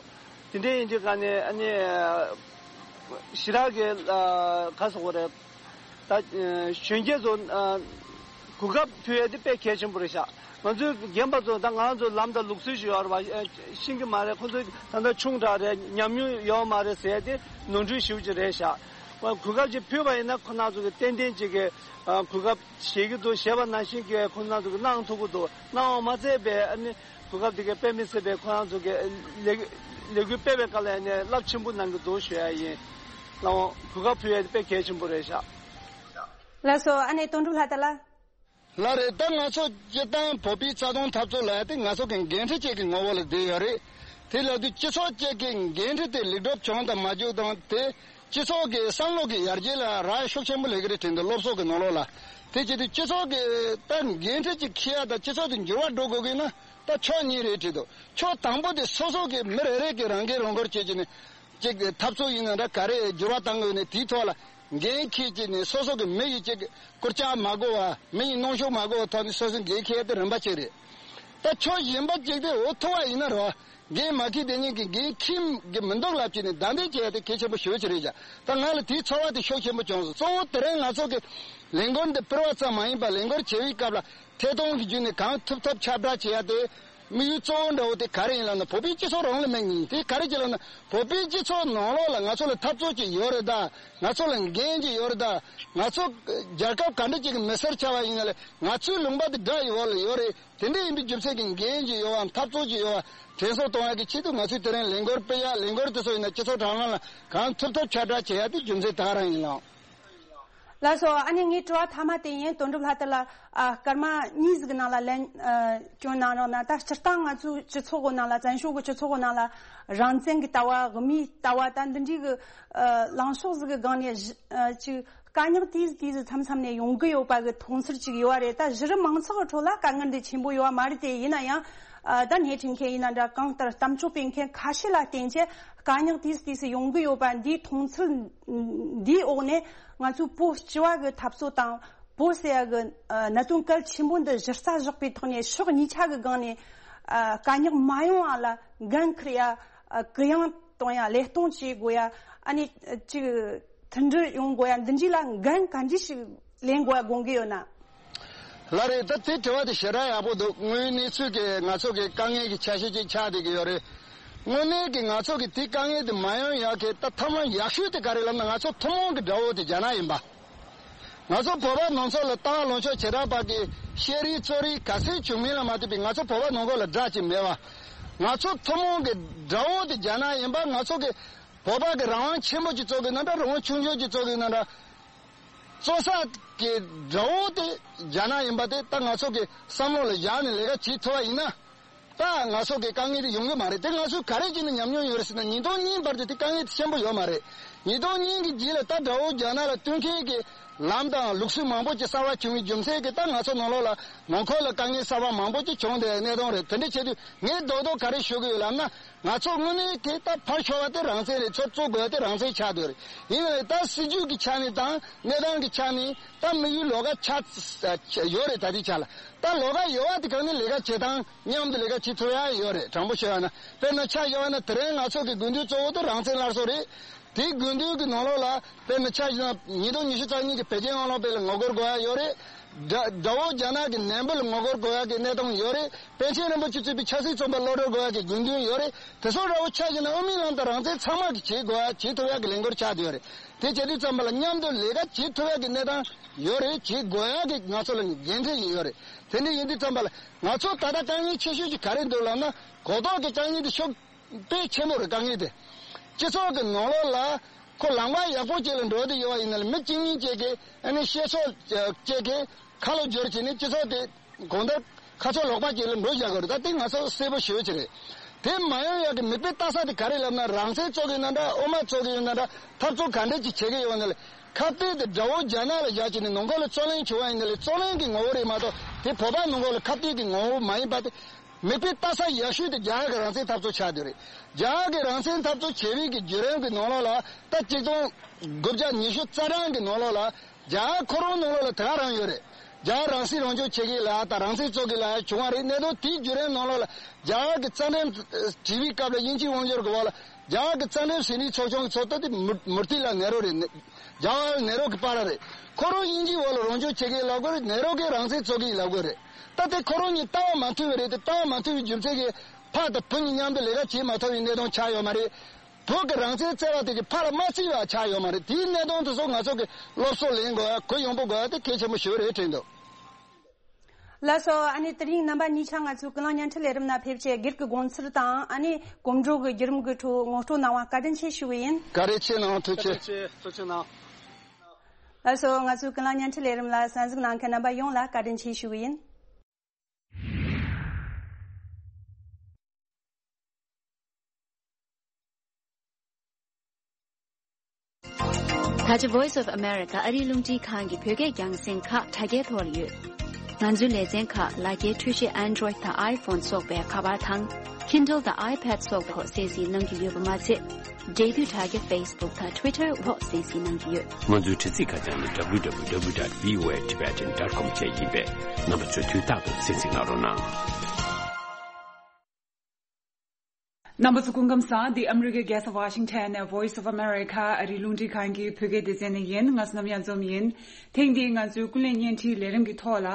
དེ་འདྲ་ཡིན་དུས་ག་ནས་ཨ་ནི་ཞེ་དྲག་གི་ག་ཟེར་དགོས་རེད། ད་གཞོན་སྐྱེས་ཚོ་གོ་སྐབས་ཕུལ་ཡ་དེ་དཔེ་གལ་ཆེན་པོ་རེད་ཤག་ང་ཚོའི་རྒན་པ་ཚོ་ད་ང་རང་ཚོ་ལམ་དང་ལུགས་སྲོལ་ཞིག་ཡོད་རེད་བ། ཤེས་ཀྱི་མ་རེད། ཁོ་ཚོ་ད་ལྟ་ཆུང་དྲགས་རེད། ཉམས་མྱོང་ཡོད་མ་རེད་ཟེར་ཡ་དེ་ནོར་འཁྲུལ་ཞེ་པོ་ཅིག་རེད་ཤག་གོ་སྐབས་ཅིག་ཕུལ་བ་ཡིན་ན་ཁོ་རང་ཚོ་གི་ཏན་ཏན་ཅིག་གི་གོ་སྐབས་བཞེས་ཀྱི་འདུག་བཞེས་པ་ནང་བཞིན་གྱི་ཁོ་རང་ཚོ་གི་གནང་ཐུབ་ཀྱི་འདུག་གནང་བ་མ་ཚད་པའི་ཨ་ནི་གོ་སྐབས་དེ་གའི་དཔེ་མི་སྲིད་པའི་ཁོ་རང་ཚོ་གི་ལས་ལས་འགུལ་སྤེལ་བའི་སྐབས་ལ་ཡང་ནས་རླབས་ཆེན་པོ་གནང་གི་འདུག་ཞུ་ཡ་ཡིན། ལགས་འོང་། གོ་སྐབས་ཕུལ་ཡ་དེ་དཔེ་གལ་ཆེན་པོ་རེད་ཤག་ལགས་སོ། ཨ་ནེ་དོན་གྲུབ་ལྷ་དར་ལགས། ལགས་རེད། ད་ང་ཚོ་སྤྱིར་བཏང་བོད་པའི་རྩ་དོན་འཐབ་རྩོད་ལབ་ཡ་དེ་ང་ཚོ་གི་འགན་འཁྲི་གཅིག་གི་ངོ་བོ་ལ་བསྡད་ཡོད་རེད། དེ་ལབ་དུས་སྤྱི་ཚོགས་གཅིག་གི་འགན་འཁྲི་དེ་ལེགས་གྲུབ་བྱུང་དང་མ་བྱུང་དང་དེ། སྤྱི་ཚོགས་ཀྱི་བསམ་བློ་གི་ཡར་རྒྱས་ལ་རག་ཤུགས་ཆེན་པོ་སླེབས་ཀྱི་རེད་དྲན་འདུག་སློབ་གསོ་གི་ནང་ལོགས་ལ། དེ་བྱེད་དུས་སྤྱི་ཚོགས་ཀྱི་ད་འགན་འཁྲི་ཅིག་འཁྱེར་ཡ་དང་སྤྱི་ཚོགས་དེ་འགྱུར་བ་འགྲོ་དགོས་ཀྱི་ན་ད་ཕྱོགས་གཉིས་རེད་དྲན་འདུག་ཕྱོགས་དང་པོ་དེ་སོ་སོ་གི་མི་རེ་རེ་གི་རང་འགན་རང་འཁུར་བྱེད་ཀྱི་ནི། ཅིག་འཐབ་རྩོད་ཡིན་ན་འདྲ་ག་རེ་འགྱུར་བ་བཏང་དགོས་ནས་དེའི་ཐོག་ལ་འགན་འཁྱེར་གྱི་ནས་སོ་སོ་གི་མི་ཡི་ཅིག་སྐུར་ལྕག་མ་དགོས་པ་མི་ཡི་གནོན་ཤུགས་མ་དགོས་པ་ཐོག་ནས་སོ་སོའི་འགན་འཁྱེར་ཡ་དེ་རིམ་པ་གཅིག་རེད། ད་ཕྱོགས་གཞན་པ་ཅིག་དེ་འོ་ཐུབ་པ་ཡིན་ན་རོ། འགན་མ་འཁྱེར་དེ་ཉིད་ཀྱི་འགན་འཁྱེར་གྱི་མི་འདུག་ལབ་ཀྱི་ནས་བདའ་འདེད་བྱས་ཏེ་གལ་ཆེན་པོ་ཞེ་པོ་ཅིག་རེད་ཀྱང་། ད་ང་ལ་དེའི་ཚོར་བ་དེ་ཤུགས་ཆེན་པོ་བྱུང་སོང་། གཙོ་བོ་དེ་རིང་ང་ཚོ་གི་ལས་འགུལ་འདི་སྤེལ་བ་ཙམ་མ་ཡིན་པར་ལས་འགུལ་བྱེད་པའི་སྐབས་ལ་ཐད་གཏོང་གི་བརྒྱུད་ནས་གང་ཐུབ་ཐུབ་ཁྱབ་བསྒྲགས་བྱེད་ཡ་དེ་དམིགས་ཡུལ་གཙོ་བོ་འདྲ་བོ་དེ་ག་རེ་ཡིན་ལབ་ན། བོད་པའི་སྤྱི་ཚོགས་རང་ལ་དམིགས་ནས་དེ་ག་རེ་བྱེད་ལབ་ན། བོད་པའི་སྤྱི་ཚོགས་ནང་ལོགས་ལ་ང་ཚོ་ལ་འཐབ་རྩོད་ཅིག་ཡོད་རེད་ད། ང་ཚོ་ལ་འགན་ཅིག་ཡོད་རེད་ད། ང་ཚོ་རྒྱལ་ཁབ་ག་འདྲ་ཅིག་གི་མི་སེར་ཆགས་པ་ཡིན་ན་ལས་ང་ཚོའི་ལུང་པ་དེ་དགྲ་ཡི་འོག་ལ་ཡོད་རེད། དེ་འདྲ་ཡིན་པའི་རྒྱུ་མཚན་གྱི་འགན་གྱི་ཡོད་པ་འཐབ་རྩོད་ཀྱི་ཡོད་པ་དྲན་གསོ་གཏོང་ཡག་གི་ཆེད་དུ་ང་ཚོས་དེ་རིང་ལས་འགུལ་སྤེལ་ཡག་ལས་འགུལ་དེ་ཚོ་ཡིན་ན་སྤྱི་ཚོགས་དྲ་ལམ་ལ་གང་ཐུབ་ཐུབ་ཁྱབ་བསྒྲགས་བྱེད་ཡག་དེ་རྒྱུ་མཚན་དེ་ག་རང་ཡིན་ལགས། ལགས་སོ། ཨ་ནི་ངའི་དྲི་བ་མཐའ་མ་དེ་ཡིན། དོན་གྲུབ་ལྷ་དར་ལགས། ཨ། སྐར་མ་གཉིས་ཟིག་ནང་ལ་ལན་ཨ་སྐྱོན་གནང་རོགས་གནང་། ད་སྤྱིར་བཏང་ང་ཚོའི་སྤྱི་ཚོགས་གི་ནང་ལ་བཙན་བྱོལ་གི་སྤྱི་ཚོགས་གི་ནང་ལ་རང་བཙན་གི་ལྟ་བ་དབུ་མའི་ལྟ་བ་ད་འདི་འདྲའི་གི་ཨ་ལངས་ཕྱོགས་ཟིག་གི་སྒང་ནས་གཞི་ཨ་ཅིག་དཀའ་རྙོག་དེ་དེ་ཚོ་མཚམས་མཚམས་ནས་ཡོང་གི་ཡོད་པ་གི་མཐོང་ཚུལ་ཅིག་ཡོད་རེད། ད་གཞི་རིམ་མང་ཚོགས་ཀྱི་ཁྲོད་ལ་དཀའ་ངལ་འདི་ཆེན་པོ་ཡོད་མ་རེད་དེ། ཡིན་ན་ཡང་ཨ་ད་སྣེ་ཁྲིད་མཁན་ཡིན་ན་འདྲ། གང་ལྟར་གཏམ་བརྗོད་སྤེལ་མཁན་ཁ་ཤས་ལ་བརྟེན་བྱས་དཀའ་རྙོག་དེ་དེ་ཚོ་ཡོང་གི་ཡོད་པ་འདིའི་མཐོང་ཚུལ་འདིའི་འོག་ནས་ང་ཚོའི་བོད་སྤྱི་བ་གི་འཐབ་རྩོད་དང་བོད་ཟེར་ཡ་གི་ཨ་གནད་དོན་གལ་ཆེན་པོ་འདི་གཞི་རྩ་བཞག་པའི་ཐོག་ནས་ཕྱོགས་གཉིས་ཆ་གི་སྒང་ནས་ཨ་དཀའ་རྙོག་མ་ཡོང་བ་ལ་འགན་འཁུར་ཡ་ཨ་གུ་ཡངས་གཏོང་ཡ་ལས་གཏོང་བྱེད་དགོས་ཡ། ཨ་ནི་ཅིག་མཐུན་སྒྲིལ་ཡོང་དགོས་ཡ། འདི་འདྲ་ལ་འགན་ག་འདྲ་ཞིག་ལེན་དགོས་ཡ་དགོངས་ཀྱི་ཡོད་ན། ལགས་རེད། ད་དེ་དྲི་བ་དེ་ཞེ་དྲག་ཡག་པོ་འདུག་དངོས་ཡོད་གནས་ཚུལ་གྱི་ང་ཚོ་གི་དཀའ་ངལ་གྱི་ཆ་ཤས་ཅིག་ཆགས་བསྡད་ཀྱི་ཡོད་རེད། དངོས་གནས་ཀྱི་ང་ཚོ་གི་དེ་དཀའ་ངལ་དེ་མ་ཡོང་ཡག་གི་ད་ཐབས་ལམ་ཡག་ཤོས་དེ་ག་རེ་ལབ་ན། ང་ཚོ་ཐུན་མོང་གི་དགྲ་བོ་དེ་རྒྱ་ནག་ཡིན་པ། ང་ཚོ་བོད་པ་ནང་ཚོ་ལ་ལྟ་བ་ལངས་ཕྱོགས་བྱེ་བྲག་པ་གི་བཤད་རེས་རྩོད་རེས་ག་ཚོད་བྱུང་མིན་ལ་མ་ལྟོས་པའི་ང་ཚོ་བོད་པ་ནང་ཁུལ་ལ་དགྲ་ཅིག་མེད་པ། ང་ཚོ་ཐུན་མོང་གི་དགྲ་བོ་དེ་རྒྱ་ནག་ཡིན་པ། ང་ཚོ་གི་བོད་པ་གི་རང་དབང་ཆེན་པོ་ཅིག་རྩོད་དགོས་ན་འདྲ། རང་དབང་ཆུང་ཆུང་ཅིག་རྩོད་དགོས་ན་འདྲ། རྩོད་ས་གི་དགྲ་བོ་དེ་རྒྱ་ནག་ཡིན་པ་དེ་ད་ང་ཚོ་གི་བསམ་བློ་ལ་བཞག་ནས་ལས་ཀ་བྱེད་ཐུབ་པ་ཡིན་ན། ད་ང་ཚོ་གི་དཀའ་ངལ་དེ་ཡོང་གི་མ་རེད། དེ་ང་ཚོས་ག་རེ་བྱས་ནས་ཉམས་མྱོང་ཡོད་རེད་ཟེར་ན། ཉིས་སྟོང་གཉིས་བར་དུ་དེ་དཀའ་ངལ་དེ་ཆེན་པོ་ཡོད་མ་རེད། ཉིས་སྟོང་གཉིས་ཀྱི་རྗེས་ལ་ད་དགྲ་བོ་རྒྱ་ནག་ལ་བསྟུན་མཁན་གྱི་ལམ་དང་ལུགས་སྲོལ་མང་པོ་ཅིག་གསར་པ་བྱུང་བའི་རྒྱུ་མཚན་གྱིས་ད་ང་ཚོ་ནང་ལོགས་ལ་ནང་ཁུལ་ལ་དཀའ་ངལ་གསར་པ་མང་པོ་ཅིག་བྱུང་བསྡད་གནས་སྟངས་རེད། དེ་འདྲ་བྱེད་དུས་ངས་རྡོག་རྡོག་ག་རེ་ཞུ་གི་ཡོད་ལབ་ན། ང་ཚོ་དངོས་གནས་དེ་ད་ཕར་ཞོག་པ་དེ་རང་བཙན་རེད། ཚུར་བཙུགས་དགོས་ཡ་དེ་རང་བཙན་ཆགས་བསྡད་ཡོད་རེད། ཡིན་ནའི་ད་སྲིད་ཇུས་ཀྱི་ཆ་ནས་དང་གནས་སྟངས་ཀྱི་ཆ་ནས་ད་དམིགས་ཡུལ་ལོགས་ཀ་ཆགས་ཡོད་རེད། ད་ལྟའི་ཆ་ལ་ད་ལོགས་ཀ་ཡོད་པ་དེ་གང་ནས་ལས་ཀ་བྱེད་སྟངས་མཉམ་དུ་ལས་ཀ་བྱེད་ཐུབ་ཡ་ཡོད་རེད། དྲང་པོ་བཤད་པ་ན། དཔེར་ན་ཆ་བཞག་པ་ན་དེ་རིང་ང་ཚོ་གི་དགོས་འདུན་གཙོ་བོ་དེ་རང་བཙན་སླར་གསོ་རེད། དེའི་དགོས་འདུན་གྱི་ནང་ལོགས་ལ་དཔེར་ན་ཆ་བཞག་ན་ཉིས་སྟོང་ཉི་ཤུ་རྩ་གཉིས་ཀྱི་བོད་རྒྱའི་དབང་ལུང་དཔེ་ལ་ངོ་རྒོལ་དགོས་ཡ་ཡོད་རེད། དགྲ་དགྲ་བོ་རྒྱ་ནག་གི་ནན་པོ་ལ་ངོ་རྒོལ་དགོས་ཡ་གི་གནས་སྟངས་ཡོད་རེད། པཎ་ཆེན་རིན་པོ་ཆེ་གཙོས་པའི་ཆབ་སྲིད་བཙོན་པ་གློད་གྲོལ་དགོས་ཡ་གི་དགོས་འདུན་ཡོད་རེད། དེ་ཚོ་འདྲ་བོ་ཆ་བཞག་ན་དབུ་མའི་ལམ་དང་རང་བཙན་ཚང་མ་གི་བྱེད་དགོས་ཡ་བྱེད་ཐུབ་ཡ་གི་ལས་འགུལ་ཆགས་བསྡད་ཡོད་རེད། དེ་བྱེད་དུས་ཙམ་པ་ལ་མཉམ་དུ་ལས་ཀ་བྱེད་ཐུབ་ཡ་གི་གནས་སྟངས་ཡོད་རེད། བྱེད་དགོས་ཡ་གི་ང་ཚོ་ལ་འགན་འཁྲི་ཡོད་རེད། དེ་འདྲ་ཡིན་དུས་ཙམ་པ་ལ་ང་ཚོ་ད་ལྟ་དཀའ་ངལ་ཆེ་ཤོས་ཅིག་ག་རེ་འདུག་ལབ་ན། གོ་རྟོགས་ཀྱི་དཀའ་ངལ་དེ་ཤུགས་དཔེ་ཆེན་པོ་རེད། དཀའ་ངལ་དེ་སྤྱི་ཚོགས་ཀྱི་ནང་ལོགས་ལ་ཁོ་ལམ་ཁ་ཡག་པོ་ཅིག་ལ་འགྲོ་བསྡད་ཡོད་པ་ཡིན་ན་ལ། མི་གཅིག་གཉིས་ཅིག་གིས་ཨ་ནི་བཤད་ཕྱོགས་ཅིག་གིས་ཁ་ལོ་བསྒྱུར་བྱས་ནས་སྤྱི་ཚོགས་དེ་གང་ལྟར་ཁ་ཕྱོགས་ལོག་པ་ཅིག་ལ་འགྲོ་བཞག་གི་རེད། ད་དེ་ང་ཚོ་གསལ་པོ་ཞེ་པོ་ཅིག་རེད། དེ་མ་ཡོང་ཡག་གི་མིག་དཔེ་ལྟ་ས་དེ་ག་རེ་ལབ་ན། རང་བཙན་རྩོད་ཀྱི་ཡོད་ན་འདྲ། དབུ་མ་རྩོད་ཀྱི་ཡོད་ན་འདྲ། འཐབ་རྩོད་ག་འདྲ་ཅིག་བྱེད་ཀྱི་ཡོད་ན་ལ། ཁ་གཏད་དེ་དགྲ་བོ་རྒྱ་ནག་ལ་བཞག་བྱས་ནས་ནང་ཁུལ་ལ་རྩོད་གླེང་བྱུང་བ་ཡིན་ན་ལ། རྩོད་གླེང་གི་ངོ་བོ་རེད་མ་གཏོགས་དེ་བོད་པ་ནང་ཁུལ་ལ་ཁ་གཏད་ཀྱི་ངོ་བོ་མ་ཡིན་པ་དེ། མིག་དཔེ་ལྟ་ས་ཡག་ཤོས་དེ་རྒྱ་གར་གྱི་རང་བཙན་འཐབ་རྩོད་ཆགས་བསྡད་རེད། རྒྱ་གར་གྱི་རང་བཙན་འཐབ་རྩོད་བྱེད་པའི་གི་བརྒྱུད་རིམ་གྱི་ནང་ལོགས་ལ་ད་གཅིག་སྟོང་དགུ་བརྒྱ་ཉི་ཤུ་རྩ་གྲངས་ཀྱི་ནང་ལོགས་ལ་རྒྱ་གར་ཁོ་རང་ནང་ལོགས་ལ་དེ་ག་རང་ཡོད་རེད། རྒྱ་གར་རང་སྲིད་རང་སྐྱོང་བྱེད་ཀྱི་ལ་དང་རང་བཙན་རྩོད་ཀྱི་ལ་བྱུང་བ་རེད། གནད་དོན་དེའི་བརྒྱུད་རིམ་ནང་ལོགས་ལ་རྒྱ་གར་གྱི་རྩ་ཁྲིམས་བྲིས་པའི་སྐབས་ལ་དབྱིན་ཇིའི་དབང་སྒྱུར་གྱི་འོག་ལ་རྒྱ་གར་གྱི་རྩ་ཁྲིམས་ཟིན་བྲིས་ཚོགས་ཆུང་གི་ཚོགས་གཙོ་དེ་མུ་མུ་ཏི་ལ་ནེ་རོ་རེད། རྒྱ་གར་ནེ་རོ་གི་པཱ་ལགས་རེད། ཁོ་རང་དབྱིན་ཇིའི་འོག་ལ་རང་སྐྱོང་བྱེད་ཀྱི་ལབ་དགོས་རེད། ནེ་རོ་གིས་རང་བཙན་རྩོད་ཀྱི་ལབ་དགོས་རེད། ད་དེ་ཁོ་རང་གཉིས་ལྟ་བ་མ་མཐུན་པ་རེད་དེ། ལྟ་བ་མ་མཐུན་པའི་རྒྱུ་མཚན་གྱིས་ཕ་དང་བུ་གཉིས་མཉམ་དུ་ལས་ཀ་བྱེད་མ་ཐུབ་པའི་གནད་དོན་ཆགས་ཡོད་མ་རེད། བོད་ཀྱི་རང་བཙན་བརྩད་པ་དེ་གིས་ཕ་ལ་མ་བརྩིས་པ་ཆགས་ཡོད་མ་རེད། དེའི་གནད་དོན་དེ་ཚོ་ང་ཚོ་གིས་སློབ་གསོ་ལེན་དགོས་ཡ། གུ་ཡངས་པོ་དགོས་ཡ་དེ་གལ་ཆེན་པོ་ཞེ་པོ་རེད་དྲན་འདུག་ལགས་སོ། ཨ་ནི་དེ་རིང་རྣམ་པ་གཉིས་ཆ་ང་ཚོའི་ཀུན་གླེང་བརྙན་འཕྲིན་ལས་རིམ་ནང་ཕེབས་བྱས་སྒེར་གྱི་དགོངས་ཚུལ་དང་ཨ་ནི་གོམ་བགྲོད་ཀྱི་བརྒྱུད་རིམ་གྱི་ཁྲོད་ངོ་སྤྲོད་གནང་བ་བཀའ་དྲིན་ཆེ་ཞུ་གི་ཡིན། བཀའ་དྲིན་ཆེ་གནང་། ཐུགས་རྗེ་ཆེ། ཐུགས་རྗེ་ཆེ་གནང་། ལགས་སོ། ང་ཚོའི་ཀུན་གླེང་བརྙན་འཕྲིན་ལས་རིམ་ལ་གསན་གཟིགས་གནང་མཁན་རྣམ་པ་ཡོངས་ལ་བཀའ་དྲིན་ཆེ་ཞུ་གི་ཡིན། ད་ཆ་Voice of America ཨ་རིའི་རླུང་འཕྲིན་ཁང་གི་བོད་སྐད་རྒྱང་སྲིང་ཁག་དྲ་རྒྱའི་ཐོག་ལ་ཡོད། ང་ཚོའི་ལེ་ཚན་ཁག་ལག་འཁྱེར་འཕྲུལ་ཆས་Android དང་iPhone སོགས་པའི་ཁ་པར་དང་Kindle དང་iPad སོགས་པའི་ཐོག་གསན་གཟིགས་གནང་རྒྱུ་ཡོད་པ་མ་ཚད། འབྲེལ་མཐུད་དྲ་རྒྱ་Facebook་དང་Twitter Voice C C་གནང་གི་ཡོད། ང་ཚོའི་དྲ་ཚིགས་ཁ་བྱང་ནི་W W W dot V O A Tibetan dot com་བཅས་ཡིན་པས། རྣམ་པ་ཚོས་དུས་རྟག་ཏུ་གསན་གཟིགས་གནང་རོགས་གནང་། རྣམ་པ་ཚོ་སྐུ་ཁམས་བཟང་། འདི་ཨ་མི་རི་ཀའི་རྒྱལ་ས་Washington་ནས་Voice of America་ཨ་རིའི་རླུང་འཕྲིན་ཁང་གི་བོད་སྐད་སྡེ་ཚན་ནས་ཡིན། ང་བསོད་ནམས་གཡང་འཛོམས་ཡིན། ཐེངས་འདིའི་ང་ཚོའི་ཀུན་གླེང་བརྙན་འཕྲིན་ལས་རིམ་གྱི་ཐོག་ལ།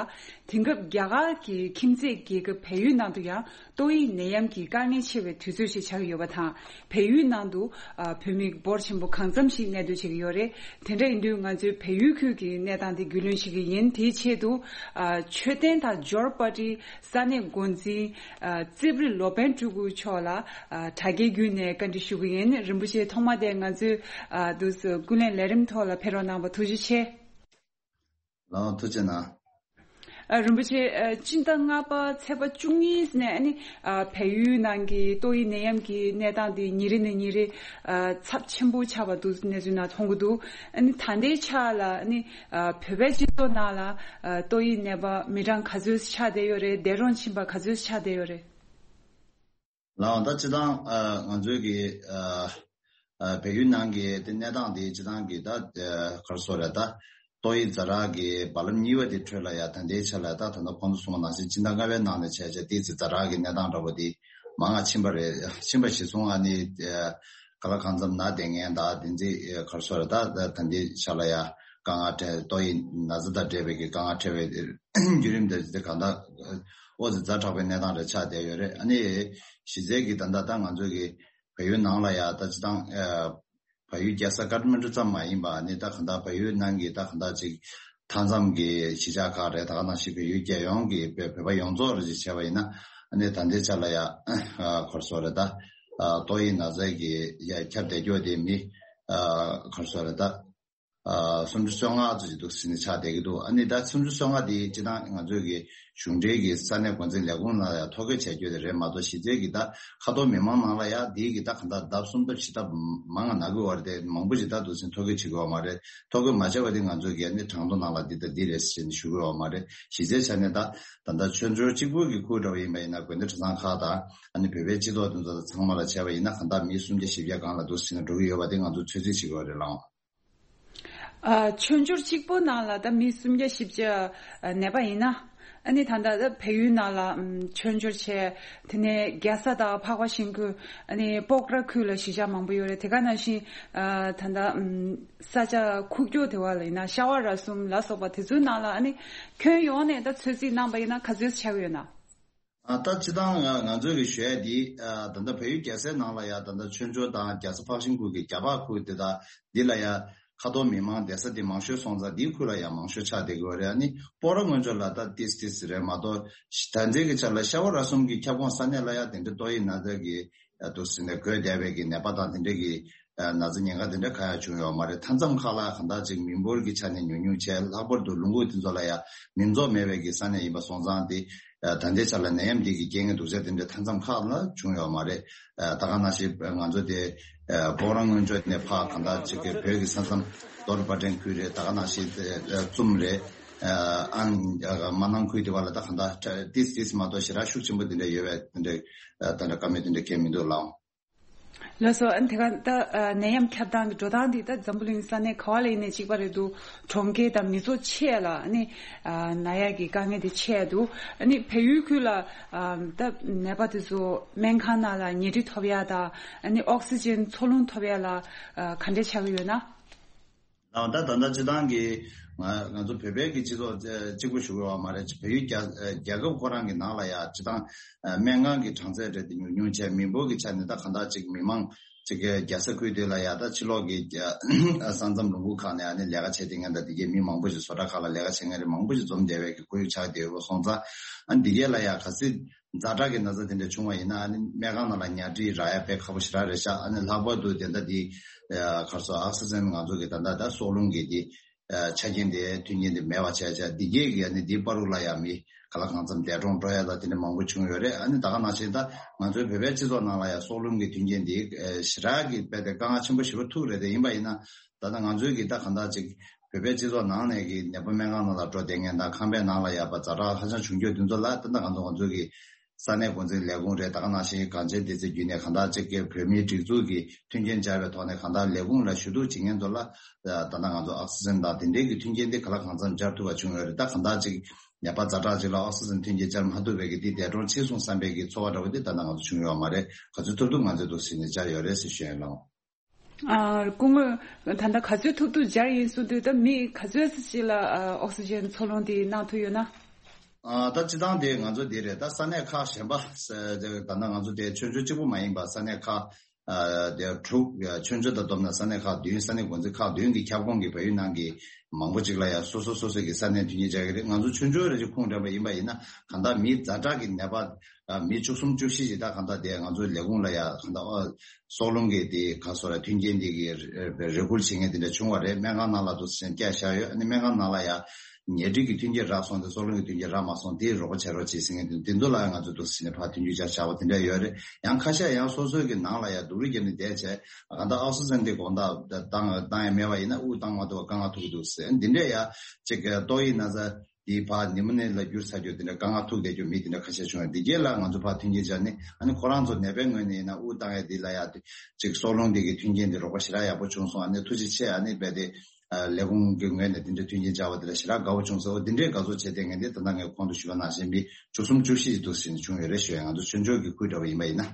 དེང་སྐབས་རྒྱ་གར་གྱི་ཁྱིམ་མཚེས་རྒྱལ་ཁབ་བལ་ཡུལ་ནང་དུ་ཡང་ཏོག་དབྱིབས་ནད་ཡམས་ཀྱི་དཀའ་ངལ་ཆེ་བའི་དུས་ཚོད་ཞིག་ཆགས་ཀྱི་ཡོད་པ་དང་། བལ་ཡུལ་ནང་དུ་ཨ་བོད་མི་འབོར་ཆེན་པོ་གང་འཚམ་ཞིག་གནས་སྡོད་བྱེད་ཀྱི་ཡོད་རེད། དེ་འདྲ་ཡིན་དུས་ང་ཚོའི་བལ་ཡུལ་ཁུལ་གྱི་གནས་སྟངས་དེ་རྒྱུས་ལོན་བྱེད་ཀྱི་ཡིན། དེའི་ཆེད་དུ་ཨ་མཆོད་རྟེན་དང་འབྱོར་པ་ཊི་ས་གནས་འགོ་འཛིན་ཨ་རྩིབ་རི་ལོ་པན་ཕྲུ་གུ་མཆོག་ལ་ཨ་དྲ་རྒྱའི་བརྒྱུད་ནས་བཀའ་འདྲི་ཞུ་གི་ཡིན། རིན་པོ་ཆེ་ཐོག་མ་དེ་ང་ཚོའི་ཨ་འདུག་སེ་ཀུན་གླེང་ལས་རིམ་ཐོག་ལ་ཕེབས་རོགས་གནང་བ་ཐུགས་རྗེ་ཆེ། ལགས་ཐུགས་རྗེ་གནང་། ཨ་རིན་པོ་ཆེ་ཨ་སྤྱི་ཟླ་ལྔ་པ་ཚེས་པ་བཅུ་གཉིས་ནས་ཨ་ནི་ཨ་བལ་ཡུལ་ནང་གི་ཏོག་དབྱིབས་ནད་ཡམས་ཀྱི་གནས་སྟངས་དེ་ཉིན་རེ་ནས་ཉིན་རེ་ཨ་ཚབས་ཆེན་པོ་ཆགས་པ་འདུག་གནས་ཚུལ་ནང་མཐོང་གི་འདུག་ཨ་ནི་ད་ལྟའི་ཆ་ལ་ཨ་ནི་ཨ་བོད་པའི་སྤྱི་ཚོགས་ནང་ལ་ཨ་ཏོག་དབྱིབས་ནད་པ་མི་གྲངས་ག་ཚོད་ཆགས་བསྡད་ཡོད་རེད། འདས་གྲོངས་ཕྱིན་པ་ག་ཚོད་ཆགས་བསྡད་ཡོད་རེད། ལགས་ད་སྤྱིར་བཏང་ཨ་ང་ཚོའི་གི་ཨ་ཨ་བལ་ཡུལ་ནང་གི་དེ་གནས་སྟངས་དེ་སྤྱིར་བཏང་གི་ད་ཨ་ག་རེ་ཟེར་རེད། ད་ཏོག་དབྱིབས་ཛ་དྲག་གི་རྦ་རླབས་གཉིས་པ་དེ་འཕྲོས་ལ་ཡ་ད་ལྟའི་ཆ་ལ་ད་ད་ལྟ་ཁོང་ཚོ་གསུངས་པ་ནང་བཞིན་སྤྱི་ཟླ་ལྔ་པའི་ནང་ནས་བྱས་བྱས་ཏོག་དབྱིབས་ཛ་དྲག་གི་གནས་སྟངས་འདྲ་པོ་དེ་མང་ང་ཕྱིན་པ་རེད། ཕྱིན་པ་གཞིར་བཟུང་ཨ་ནི་ཨ་ག་ལ་གང་འཚམ་ན་བསྡད་མཁན་ད་དེ་ཚོ་ག་རེ་ཟེར་རེད། ད་ད་ལྟའི་ཆ་ལ་ཡ་དཀའ་ངལ་འཕྲད་ཏོག་དབྱིབས་ན་ཚ་དང་འབྲེལ་བའི་གི་དཀའ་ངལ་འཕྲད་པའི་བརྒྱུད་རིམ་དེ་དེ་གང་ལྟར་ཨོ་ཙི་ཛ་དྲག་པའི་གནས་སྟངས་རེ་ཆགས་བསྡད་ཡོད་རེད། ཨ་ནི་གཞི་རྩའི་གི་ད་ལྟ་ད་ང་ཚོ་གི་བལ་ཡུལ་ནང་ལ་ཡ་ད་སྤྱིར་བཏང་ཨ་བལ་ཡུལ་རྒྱལ་ས་ཀ་ཐ་མན་ཌུ་ཙམ་མ་ཡིན་པ་ཨ་ནི་ད་གང་ལྟར་བལ་ཡུལ་ནང་གི་ད་གང་ལྟར་ཅིག་མཐའ་མཚམས་ཀྱི་གཞིས་ཆགས་ཁག་རེད། ད་ག་ནང་བཞིན་བལ་ཡུལ་རྒྱལ་ཡོངས་ཀྱི་བོད་བོད་པ་ཡོངས་རྫོགས་རེ་ཅིག་བྱས་པ་ཡིན་ན་ཨ་ནི་ད་ལྟའི་ཆ་ལ་ཡ་ཨ་ག་རེ་ཟེར་རེད། ད་ཨ་ཏོག་དབྱིབས་ན་ཚ་གི་ཡ་ཁྱབ་བསྡད་རྒྱུ་དེ་མི་ཨ་ག་རེ་ཟེར་རེད། ད་ཨ་སུམ་ཅུ་སོ་ལྔ་ཙམ་ཅིག་འདུག་ཟེར་ནས་ཆགས་བསྡད་ཀྱི་འདུག་ཨ་ནི་ད་སུམ་ཅུ་སོ་ལྔ་དེ་སྤྱིར་བཏང་ང་ཚོའི་གི་གཞུང་འབྲེལ་གྱི་ས་གནས་འགོ་འཛིན་ལས་ཁུངས་ནང་ལ་ཡང་ཐོ་འགོད་བྱས་རྒྱུ་དེ་རེད་མ་གཏོགས་གཞི་རྩའི་གི་ད་ཁ་ཐོར་མི་མང་ནང་ལ་ཡང་དེའི་གི་ད་གང་ལྟར་ལྡབ་གསུམ་ལྡབ་བཞི་ལྡབ་མང་ང་ན་གི་ཡོད་རེད་དེ་མང་པོ་ཞིག་ད་འདུག་ཟེར་ཐོ་འགོད་བྱེད་ཀྱི་ཡོད་མ་རེད། ཐོ་འགོད་མ་བྱས་པ་དེ་ང་ཚོའི་གི་ཨ་ནི་གྲངས་ཐོ་ནང་ལ་འདི་ལྟ་འདི་རེད་ཟེར་ནས་ཞུ་གི་ཡོད་མ་རེད། གཞི་རྩའི་ཆ་ནས་ད་ད་ལྟ་ཆོས་འབྱོར་གཅིག་པུ་གི་ཁུལ་འདྲ་བོ་ཡིན་པ་ཡིན་ན་དགོན་སྡེ་གྲྭ་ཚང་ཁག་དང་ཨ་ནི་བོད་པའི་སྤྱི་ཚོགས་དེ་ཚོ་ཚང་མ་ལ་བྱས་པ་ཡིན་ན་གང་ལྟར་མི་སུམ་བརྒྱ་བཞི་བརྒྱ་སྒང་ལ་འདུག་ཟེར་ནས་འགྲོ་གི་ཡོད་པ་དེ་ང་ཚོ་ཚོད་རྩིས་བྱེད་ཀྱི་ཡོད་རེད་ལགས། ཨ་ཆོས་འབྱོར་གཅིག་པོ་ནང་ལ་ད་མི་སུམ་བརྒྱ་བཞི་བརྒྱ་ཨ་གནས་པ་ཡིན་ན། ཨ་ནི་ད་ལྟ་ད་བལ་ཡུལ་ནང་ལ་ཨམ་ཆོས་འབྱོར་བྱས། དེ་ནས་རྒྱལ་ས་དང་འཕགས་པ་ཤིང་ཁུལ་ཨ་ནི་སྤོག་ར་ཁུལ་ལ་གཞིས་ཆགས་མང་པོ་ཡོད་རེད། དེ་ག་ནང་བཞིན་ཨ་ད་ལྟ་ཨམ་ས་ཆ་ཁུག་ཀྱོག་དེ་བ་ལ་ཡིན་ན་ཤ་བ་ར་གསུམ་ལ་སོགས་པ་དེ་ཚོའི་ནང་ལ་ཨ་ནི་ཁྱོན་ཡོངས་ནས་ད་ཚོད་རྩིས་གནང་པ་ཡིན་ན་ག་ཚོད་ཆགས་ཡོད་ན། ཨ་ད་སྤྱིར་བཏང་ང་ང་ཚོས་ཀྱི་ཞུ་ཡ་འདི་ཨ་ད་ལྟ་བལ་ཡུལ་རྒྱལ་སའི་ནང་ལ་ཡ་ད་ལྟ་ཆོས་འབྱོར་དང་རྒྱལ་ས་འཕགས་ཤིང་ཁུལ་གྱི་རྒྱ་འཕགས་ཁུལ་དེ་དག་འདི་ལ་ཡ་ཁ་ཐོར་མི་མང་བསྡད་ས་འདི་མང་ཤོས་སོང་ཙང་འདིའི་ཁུལ་ལ་ཡ་མང་ཤོས་ཆགས་བསྡད་ཀྱི་ཡོད་རེད། ཨ་ནི་སྤོག་ར་སྔོན་ཕྱོགས་ལ་ད་ཏིས་ཏིས་རེད་མ་གཏོགས་ད་ལྟའི་གི་ཆ་ལ་ཤ་བ་ར་གསུམ་གྱི་ཁྱབ་ཁོངས་ས་གནས་ལ་ཡ་དེ་འདྲའི་ཏོག་དབྱིབས་ན་ཚ་གི་འདུག་ཟེར་ནས་འགོས་བསྡད་པའི་གི་ནད་པ་དང་དེ་འདྲའི་གི་ན་ཚ་ཉེན་ཁ་དེ་འདྲ་གང་ཡང་བྱུང་ཡོད་མ་རེད། མཐའ་མཚམས་ཁག་ལ་གང་ལྟར་ཅིག་མི་འབོར་གྱི་ཆ་ནས་ཉུང་ཉུང་བྱས། ལྷག་པར་དུ་ལུང་ཁུག་དེ་ཚོ་ལ་ཡང་མི་འཛོམས་མེད་པའི་གི་ས་གནས་ཡིན་པ་སོང་ཙང་དེ་ད་ལྟའི་ཆ་ལ་ནད་ཡམས་འདི་གི་རྐྱེན་ངན་སྡུག་ཅག་དེ་འདྲ་མཐའ་མཚམས་ཁག་ལ་བྱུང་ཡོད་མ་རེད། ད་ག་ནང་བཞིན་ང་ཚོ་དེ་སྤོག་ར་སྔོན་ཕྱོགས་ནས་ཕར་གང་ལྟར་ཅིག་གི་བོད་ཀྱི་ས་མཚམས་རྡོར་པ་ཏྲེན་ཁུལ་རེད། ད་ག་ནང་བཞིན་ཙུམ་རེད། ཨང་མ་ནང་ཁུལ་དེ་བ་ལ་ད་གང་ལྟར་ཏིས་ཏིས་མ་གཏོགས་ཞེ་དྲག་ཤུགས་ཆེན་པོ་དེ་འདྲ་ཡོད་པའི་དེ་འདྲ་ད་ལྟ་བཀའ་མོལ་དེ་འདྲ་གང་ཡང་མི་འདུག་ལགས། ལགས་སོ། ཨ་ནི་དེ་ག་ད་ཨ་ནད་ཡམས་ཁྱབ་སྟངས་ཀྱི་འགྲོ་སྟངས་འདི་ད་འཛམ་བུ་གླིང་ས་གནས་ག་བ་ལ་ཡིན་ནའི་གཅིག་པ་རེད་འདུག་གྲོང་ཁྱེར་དང་མི་ཚོགས་ཆེ་ལ་ཨ་ནི་ཨ་ན་ཡག་གི་དཀའ་ངལ་དེ་ཆེ་འདུག་ཨ་ནི་བལ་ཡུལ་ཁུལ་ལ་ཨ་ད་ནད་པ་དེ་ཚོ་སྨན་ཁང་ནང་ལ་ཉལ་ཁྲི་ཐོབ་ཡག་དང་ཨ་ནི་ཨོག་སི་ཇན་འཚོ་རླུང་ཐོབ་ཡག་ལ་ཨ་ག་འདྲས་ཆགས་ཀྱི་ཡོད་ན། ད་ད་ད་ལྟ་སྤྱིར་བཏང་གི་ང་ང་ཚོ་བོད་པའི་གི་སྤྱི་ཚོགས་གཅིག་པུ་ཞུ་གི་ཡོད་མ་རེད། བལ་ཡུལ་རྒྱལ་རྒྱལ་ཁབ་ཁོ་རང་གི་ནང་ལ་ཡ་སྤྱིར་བཏང་སྨན་ཁང་གི་གྲངས་ཚད་རེད་དེ་ཉུང་ཉུང་བྱས། མི་འབོར་གྱི་ཆ་ནས་ད་གང་ལྟར་ཅིག་མི་མང་ཅིག་གི་རྒྱལ་ས་ཁུལ་དེ་ལ་ཡ་ད་ཕྱི་ལོགས་ཀྱི་ས་མཚམས་ལུང་ཁུག་ཁག་ནས་ཨ་ནི་ལས་ཀ་བྱེད་མཁན་དང་དེ་གའི་མི་མང་པོ་ཞིག་བཟོ་གྲྭ་ཁག་ལ་ལས་ཀ་བྱེད་མཁན་རེད་མང་པོ་ཞིག་འཛོམས་བསྡད་པའི་གི་ཁོར་ཡུག་ཆགས་བསྡད་ཡོད་པ་སོང་ཙང་ཨ་ནི་དེ་གའི་ལ་ཡ་གལ་སྲིད་ཛ་དྲག་གི་ན་ཚ་དེ་འདྲ་བྱུང་བ་ཡིན་ན་ཨ་ནི་སྨན་ཁང་ནང་ལ་ཉལ་ཁྲི་རག་ཡ་དཔེ་ཁག་པོ་ཞེ་དྲག་རེད་ཤག་ཨ་ནི་ལྷག་པར་དུ་དེ་འདྲ་དེ་གར་སོ་ཨོག་སི་ཇན་ང་ཚོ་གི་ད་ལྟ་ད་སྲོག་རླུང་གི་དེ་ཆ་རྐྱེན་དེ་མཐུན་རྐྱེན་དེ་མེད་པ་བྱས་བྱས་འདི་གས་ཀྱི་ཨ་ནི་དེའི་བར་དུ་ལ་ཡ་མི་ག་ལ་གང་འཚམ་འདས་གྲོངས་འགྲོ་ཡ་ད་དེ་འདྲ་མང་པོ་བྱུང་ཡོད་རེད། ཨ་ནི་ད་ག་ནང་བཞིན་ད་ང་ཚོའི་བོད་པའི་སྤྱི་ཚོགས་ནང་ལ་ཡ་སྲོག་རླུང་གི་མཐུན་རྐྱེན་དེ་ཞེ་དྲག་གི་དཔེ་དེ་དཀའ་ངལ་ཆེན་པོ་ཞེ་པོ་ཐུག་རེད། དེ་ཡིན་པ་ཡིན་ན་ད་ལྟ་ང་ཚོའི་གི་ད་ག་འདྲ་ཅིག་བོད་པའི་སྤྱི་ཚོགས་ནང་ནས་ཀྱི་ནད་པ་སྨན་ཁང་ནང་ལ་འགྲོ་བསྡད་མཁན་དང་ཁང་པའི་ནང་ལ་ཡ་པ་ཛ་དྲག་ཧ་ཅང་བྱུང་རྒྱུ་དེ་ཚོ་ལ་ད་ལྟ་ང་ཚོ་ང་ཚོ་གི་ ས་གནས་འགོ་འཛིན་ལས་ཁུངས་རེད། ད་ག་ནང་བཞིན་གངས་ཅན་བདེ་རྩའི་བརྒྱུད་ནས་གང་ལྟར་ཅིག་གི་བོད་མིའི་སྒྲིག་འཛུགས་ཀྱི་མཐུན་རྐྱེན་སྦྱར་བའི་ཐོག་ནས་གང་ལྟར་ལས་ཁུངས་ལ་ཞུ་གཏུག་བྱེད་མཁན་ཚོ་ལ་ད་ལྟ་ང་ཚོ་ཨོག་སི་ཇན་དང་དེ་འབྲེལ་གྱི་མཐུན་རྐྱེན་དེ་ག་ལ་གང་འཚམ་སྦྱར་ཐུབ་པ་བྱུང་ཡོད་རེད། ད་གང་ལྟར་ཅིག་ནད་པ་ཛ་དྲག་ཅིག་ལ་ཨོག་སི་ཇན་མཐུན་རྐྱེན་སྦྱར་མ་ཐུབ་པའི་གི་དེ་འདས་གྲོངས་ཕྱིན་སོང་བསམ་པའི་གི་ཚོར་བ་འདྲ་བོ་དེ་ད་ལྟ་ང་ཚོ་བྱུང་ཡོད་མ་རེད། ག་ཚོད་ཐུབ་ཐུབ་ང་ཚོས་འདུག་ཟེར་ནས་སྦྱར་ཡོད་རེད་ཟེར་ཞུ་ཡ་ཡིན་ལགས། ཨ། སྐུ་ངོ། ད་ལྟ་ག་ཚོད་ཐུབ་ཐུབ་སྦྱར་ཡིན་གསུང་དུས་ད་མི་ག་ཚོད་ཅིག་ལ་ཨ་ཨོག་སི་ཇན་འཚོ་རླུང་དེ་གནང་ཐུབ་ཡོད་ན། ཨ། ད་སྤྱི་བཏང་དེ་ང་ཚོ་འདི་རེད། ད་ས་གནས་ཁག་གཞན་པ་ས་ད་ལྟ་ང་ཚོ་དེ་ཆོས་འབྱོར་གཅིག་པུ་མ་ཡིན་པ་ས་གནས་ཁག་ཨ་དེ་དྲུག་ཆོས་འབྱོར་དང་བསྡོམས་ན་ས་གནས་ཁག་བདུན། ས་གནས་འགོ་འཛིན་ཁག་བདུན་གྱི་ཁྱབ་ཁོངས་ཀྱི་བལ་ཡུལ་ནང་གི་མང་པོ་ཅིག་ལ་ཡང་སོ་སོ་སོ་སོ་གི་ས་གནས་མཐུན་རྐྱེན་སྦྱར་གྱི་རེད། ང་ཚོ་ཆོས་འབྱོར་རེ་ཅིག་ཁུངས་དྲངས་པ་ཡིན་པ་ཡིན་ན་གང་ལྟར་མི་ཛ་དྲག་གི་ནད་པ་ཨ་མི་བཅུ་གསུམ་བཅུ་བཞི་ཞིག་ད་གང་ལྟར་དེ་ང་ཚོའི་ལས་ཁུངས་ལ་ཡ་གང་ལྟར་ཨ་སྲོག་རླུང་གི་དེ་ག་སོ་ར་མཐུན་རྐྱེན་དེ་གི་རེ་སྐུལ་བྱེད་མཁན་དེ་འདྲ་བྱུང་བ་རེད། སྨན་ཁང་ནང་ལ་འདུག་སེ་བསྐྱལ་བཞག་ཡོད། ཨ་ནི་སྨན་ཁང་ནང་ལ་ཡ་ཉལ་ཁྲི་གི་མཐུན་རྐྱེན་རག་སོང་དེ་སྲོག་རླུང་གི་མཐུན་རྐྱེན་རག་མ་སོང་དེ་རོགས་པ་བྱེད་རོགས་བྱེད་ཟེར་མཁན་དེ་དེ་ཚོ་ལ་ཡ་ང་ཚོ་འདུག་སེ་ནས་ཕར་མཐུན་རྐྱེན་བཅར་བྱ་བ་དེ་འདྲ་ཡོད་རེད། ཡང་ཁ་ཤས་ཡང་སོ་སོའི་གི་ནང་ལ་ཡ་སྡུག་རུས་བརྒྱབ་ནས་བསྡད་བྱས་གང་ལྟར་ཨོག་སི་ཇན་དེ་དགོང་དག་བཏང་བཏང་ཡ་མེད་པ་ཡིན་ན་དབུགས་བཏང་མ་ཐུབ་པ་དཀའ་ངལ་ཐུག་གི་འདུག་ཟེར། འདི་འདྲ་ཡ་ཅིག་ཏོག་དབྱིབས་ན་ཚ་དེའི་ཕར་ནི་མོ་ནི་ལ་འགྱུར་ཚར་རྒྱུ་དེ་འདྲ་དཀའ་ངལ་ཐུག་བསྡད་རྒྱུ་མི་དེ་འདྲ་ཁ་ཤས་བྱུང་བ་འདི་གྱད་ལ་ང་ཚོ་ཕར་མཐུན་རྐྱེན་སྦྱར་ནས་ཨ་ནི་ཁོ་རང་ཚོ་ནད་པའི་ངོས་ནས་ཡིན་ན་དབུགས་བཏང་ཡ་འདི་ལ་ཡ་ཅིག་སྲོག་རླུང་འདི་གི་མཐུན་རྐྱེན་འདི་རོགས་པ་ཞེ་དྲག་ཡག་པོ་བྱུང་སོང་། ཨ་ནི་ཐུགས་རྗེ་ཆེ། ཨ་ནི་རྦད་དེ་ལས་ཁུངས་ཀྱི་ངོས་ནས་འདི་འདྲ་མཐུན་རྐྱེན་སྦྱར་བ་དེ་ལ་ཞེ་དྲག་དགའ་བོ་བྱུང་སོང་། འོ་འདི་འདྲའི་དགའ་ཚོར་བྱེད་བསྡད་མཁན་འདི་ད་ལྟ་ངས་གོང་དུ་ཞུས་པ་ནང་བཞིན་མི་བཅུ་གསུམ་བཅུ་བཞི་ཞིག་འདུག་ཟེར་ནས་བྱུང་ཡོད་རེད་ཞུ་ཡ། ང་ཚོ་ཆོས་འབྱོར་གྱི་ཁུལ་འདྲ་བ་ཡིན་པ་ཡིན་ན།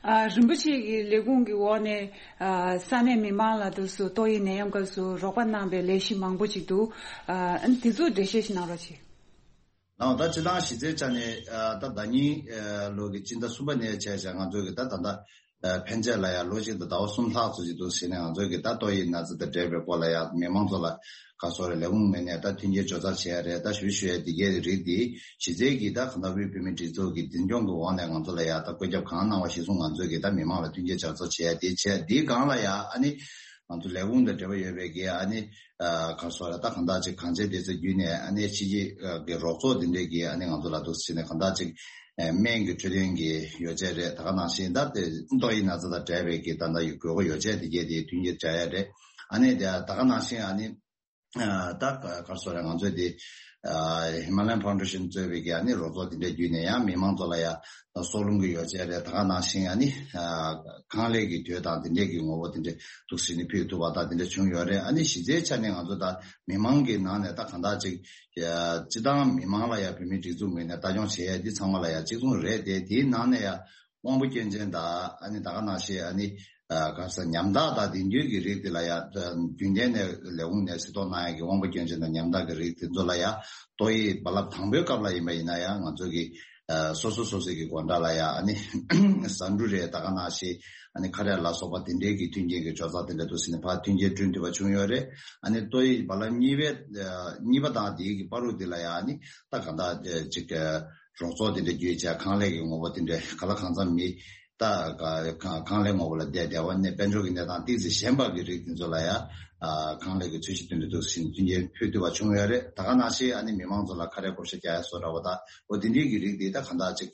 ཨ། རིན་པོ་ཆེ་གི་ལས་ཁུངས་ཀྱི་འོག་ནས་ཨ་ས་གནས་མི་མང་ལ་དུ་སུ་ཏོག་དབྱིབས་ནད་ཡམས་སྐབས་སུ་རོགས་པ་གནང་པའི་ལས་གཞི་མང་པོ་ཅིག་འདུག་ཨ། དེ་ཚོ་འགྲེལ་བཤད་ཞིག་གནང་རོགས་བྱེད། ནའོ་ད་སྤྱི་བཏང་གཞི་རྩའི་ཆ་ནས་ཨ་ད་ཟླ་ཉིན་ཨ་ལོ་གི་སྤྱི་ཟླ་གསུམ་པ་ནས་བྱས་བྱས་ང་ཚོ་གི་ད་ད་ལྟ་ཨ་ཕན་ཆད་ལ་ཡང་ལོ་གཅིག་དང་ཟླ་བ་གསུམ་ལྷག་ཙམ་ཅིག་འདུག་ཟེར་ནས་ང་ཚོ་གི་ད་ཏོག་དབྱིབས་ན་ཚ་དང་འབྲེལ་བའི་སྐོར་ལ་ཡང་མི་མང་ཚོ་ལ་ག་སོ་རེ་ལས་ཁུངས་ངོས་ནས་ད་མཐུན་རྐྱེན་ཇོ་ཚར་བྱེད་ཡ་རེད། ད་ཞུ་ཞུ་ཡ་འདི་གའི་རིགས་འདི་གཞི་རྩའི་གི་ད་གང་ལྟར་དབུས་བོད་མིའི་སྒྲིག་འཛུགས་ཀྱི་འཛིན་སྐྱོང་གི་འོག་ནས་ང་ཚོ་ལ་ཡང་ད་བཀོད་ཁྱབ་གང་གནང་བ་གཞིར་བཟུང་ང་ཚོས་གི་ད་མི་མང་ལ་མཐུན་རྐྱེན་ཇོ་ཚར་བྱེད་ཡ་འདི་བྱས་འདིའི་སྒང་ལ་ཡང་ཨ་ནི་ང་ཚོ་ལས་ཁུངས་དང་འབྲེལ་བ་ཡོད་པའི་གི་ཨ་ནི་ཨ་ག་སོ་ར་ད་གང་ལྟར་ཅིག་གངས་ཅན་བདེ་རྩ་བརྒྱུད་ནས་ཨ་ནི་ཕྱི་རྒྱལ་གི་རོགས་ཚོགས་འདི་འདྲས་ཀྱི་ཨ་ནི་ང་ཚོ་ལ་འདུག་ཟེར་ནས་གང་ལྟར་ཅིག་ཨ་སྨན་གྱི་འཕྲོད་བསྟེན་གྱི་ཡོ་བྱད་རེད། ད་ག་ནང་བཞིན་ད་དེ་ཏོག་དབྱིབས་ན་ཚ་དང་འབྲེལ་བའི་གི་ད་ལྟ་ཡོད་དགོས་མཁོ་ཡོ་བྱད་འདི་གས་དེ་མཐུན་རྐྱེན་སྦྱར་ཡ་རེད། ཨ་ནི་དེ་ད་ག་ནང་བཞིན་ཨ་ནི་ཨ་ད་ག་ག་སོ་ར་ང་ཚོས་དེ་ཨ་Himalayan Foundation་གཙོས་པའི་གི་ཨ་ནི་རོགས་ཚོགས་དེ་འདྲས་བརྒྱུད་ནས་ཡང་མི་མང་ཚོ་ལ་ཡང་སྲོག་རླུང་གི་ཡོ་བྱད་རེད། ད་ག་ནང་བཞིན་ཨ་ནི་ཨ་ཁང་ལས་ཀྱི་དུས་དང་དེ་འདྲས་ཀྱི་ངོ་བོ་དེ་འདྲས་འདུག་ཟེར་ནས་ཕུལ་ཐུབ་པ་དང་དེ་འདྲས་བྱུང་ཡོད་རེད། ཨ་ནི་གཞི་རྩའི་ཆ་ནས་ང་ཚོ་ད་མི་མང་གི་ནང་ནས་ད་གང་ལྟར་ཅིག་ཨ་སྤྱི་བཏང་མི་མང་ལ་ཡང་བོད་མིའི་སྒྲིག་འཛུགས་ངོས་ནས་ལྟ་སྐྱོང་བྱེད་ཡ་འདི་ཚང་མ་ལ་ཡང་གཅིག་མཚུངས་རེད་དེ། དེའི་ནང་ནས་ཡང་དབང་པོ་སྐྱོན་ཅན་དང་ཨ་ནི་ད་ག་ནང་བཞིན་ཨ་ནི་ཨ་ག་ས་ཉམ་ཐག་དང་དེང་དུས་ཀྱི་རིགས་དེ་ལ་ཡང་རྒྱུན་ལྡན་ནས་ལས་ཁུངས་ནས་གཟིགས་རྟོག་གནང་ཡ་གི་དབང་པོ་སྐྱོན་ཅན་དང་ཉམ་ཐག་གི་རིགས་དེ་ཚོ་ལ་ཡང་ཏོག་དབྱིབས་རྦ་རླབས་དང་པོའི་སྐབས་ལ་ཡིན་པ་ཡིན་ན་ཡང་ང་ཚོ་གི་ཨ་སོ་སོ་སོ་སོའི་གི་སྒོ་འགྲམ་ལ་ཡང་ཨ་ནི་ཟ་འབྲུ་རེད། ད་ག་ནང་བཞིན་ཨ་ནི་ཁ་རས་ལ་སོགས་པ་དེ་འདྲའི་གི་མཐུན་རྐྱེན་གྱི་ཇོ་ཚར་དེ་འདྲ་འདུག་ཟེར་ནས་ཕར་མཐུན་རྐྱེན་བསྐྲུན་ཐུབ་པ་བྱུང་ཡོད་རེད། ཨ་ནི་ཏོག་དབྱིབས་རྦ་རླབས་གཉིས་པའི་ཨ་གཉིས་པ་དང་དེའི་གི་བར་དུ་དེ་ལ་ཡང་ཨ་ནི་ད་ག་འདྲ་ཅིག་ཨ་རོགས་ཚོགས་དེ་འདྲ་བརྒྱུད་བྱས་ཁང་ལས་ཀྱི་ངོ་བོ་དེ་འདྲ་ག་ལ་གང་འཚམ་མི་ད་ག་ཁང་ཁང་ལས་ངོ་བོ་ལ་བསྡད་བསྡད་པ་ནས་དཔལ་འབྱོར་གྱི་གནས་སྟངས་ཏོག་ཙམ་ཞན་པ་གི་རིགས་དེ་ཚོ་ལ་ཡང་ཨ་ཁང་ལས་ཀྱི་ཚད་གཞི་བསྟུན་ཏེ་འདུག་ཟེར་ནས་མཐུན་རྐྱེན་ཕུལ་ཐུབ་པ་བྱུང་ཡོད་རེད། ད་ག་ནང་བཞིན་ཨ་ནི་མི་མང་ཚོ་ལ་ཁ་རས་བགོ་བཤའ་རྒྱག་ཡ་བཟོ་འདྲ་བོ་དང་འོ་དེ་འདྲའི་གི་རིགས་དེ་ད་ག་འདྲ་ཅིག་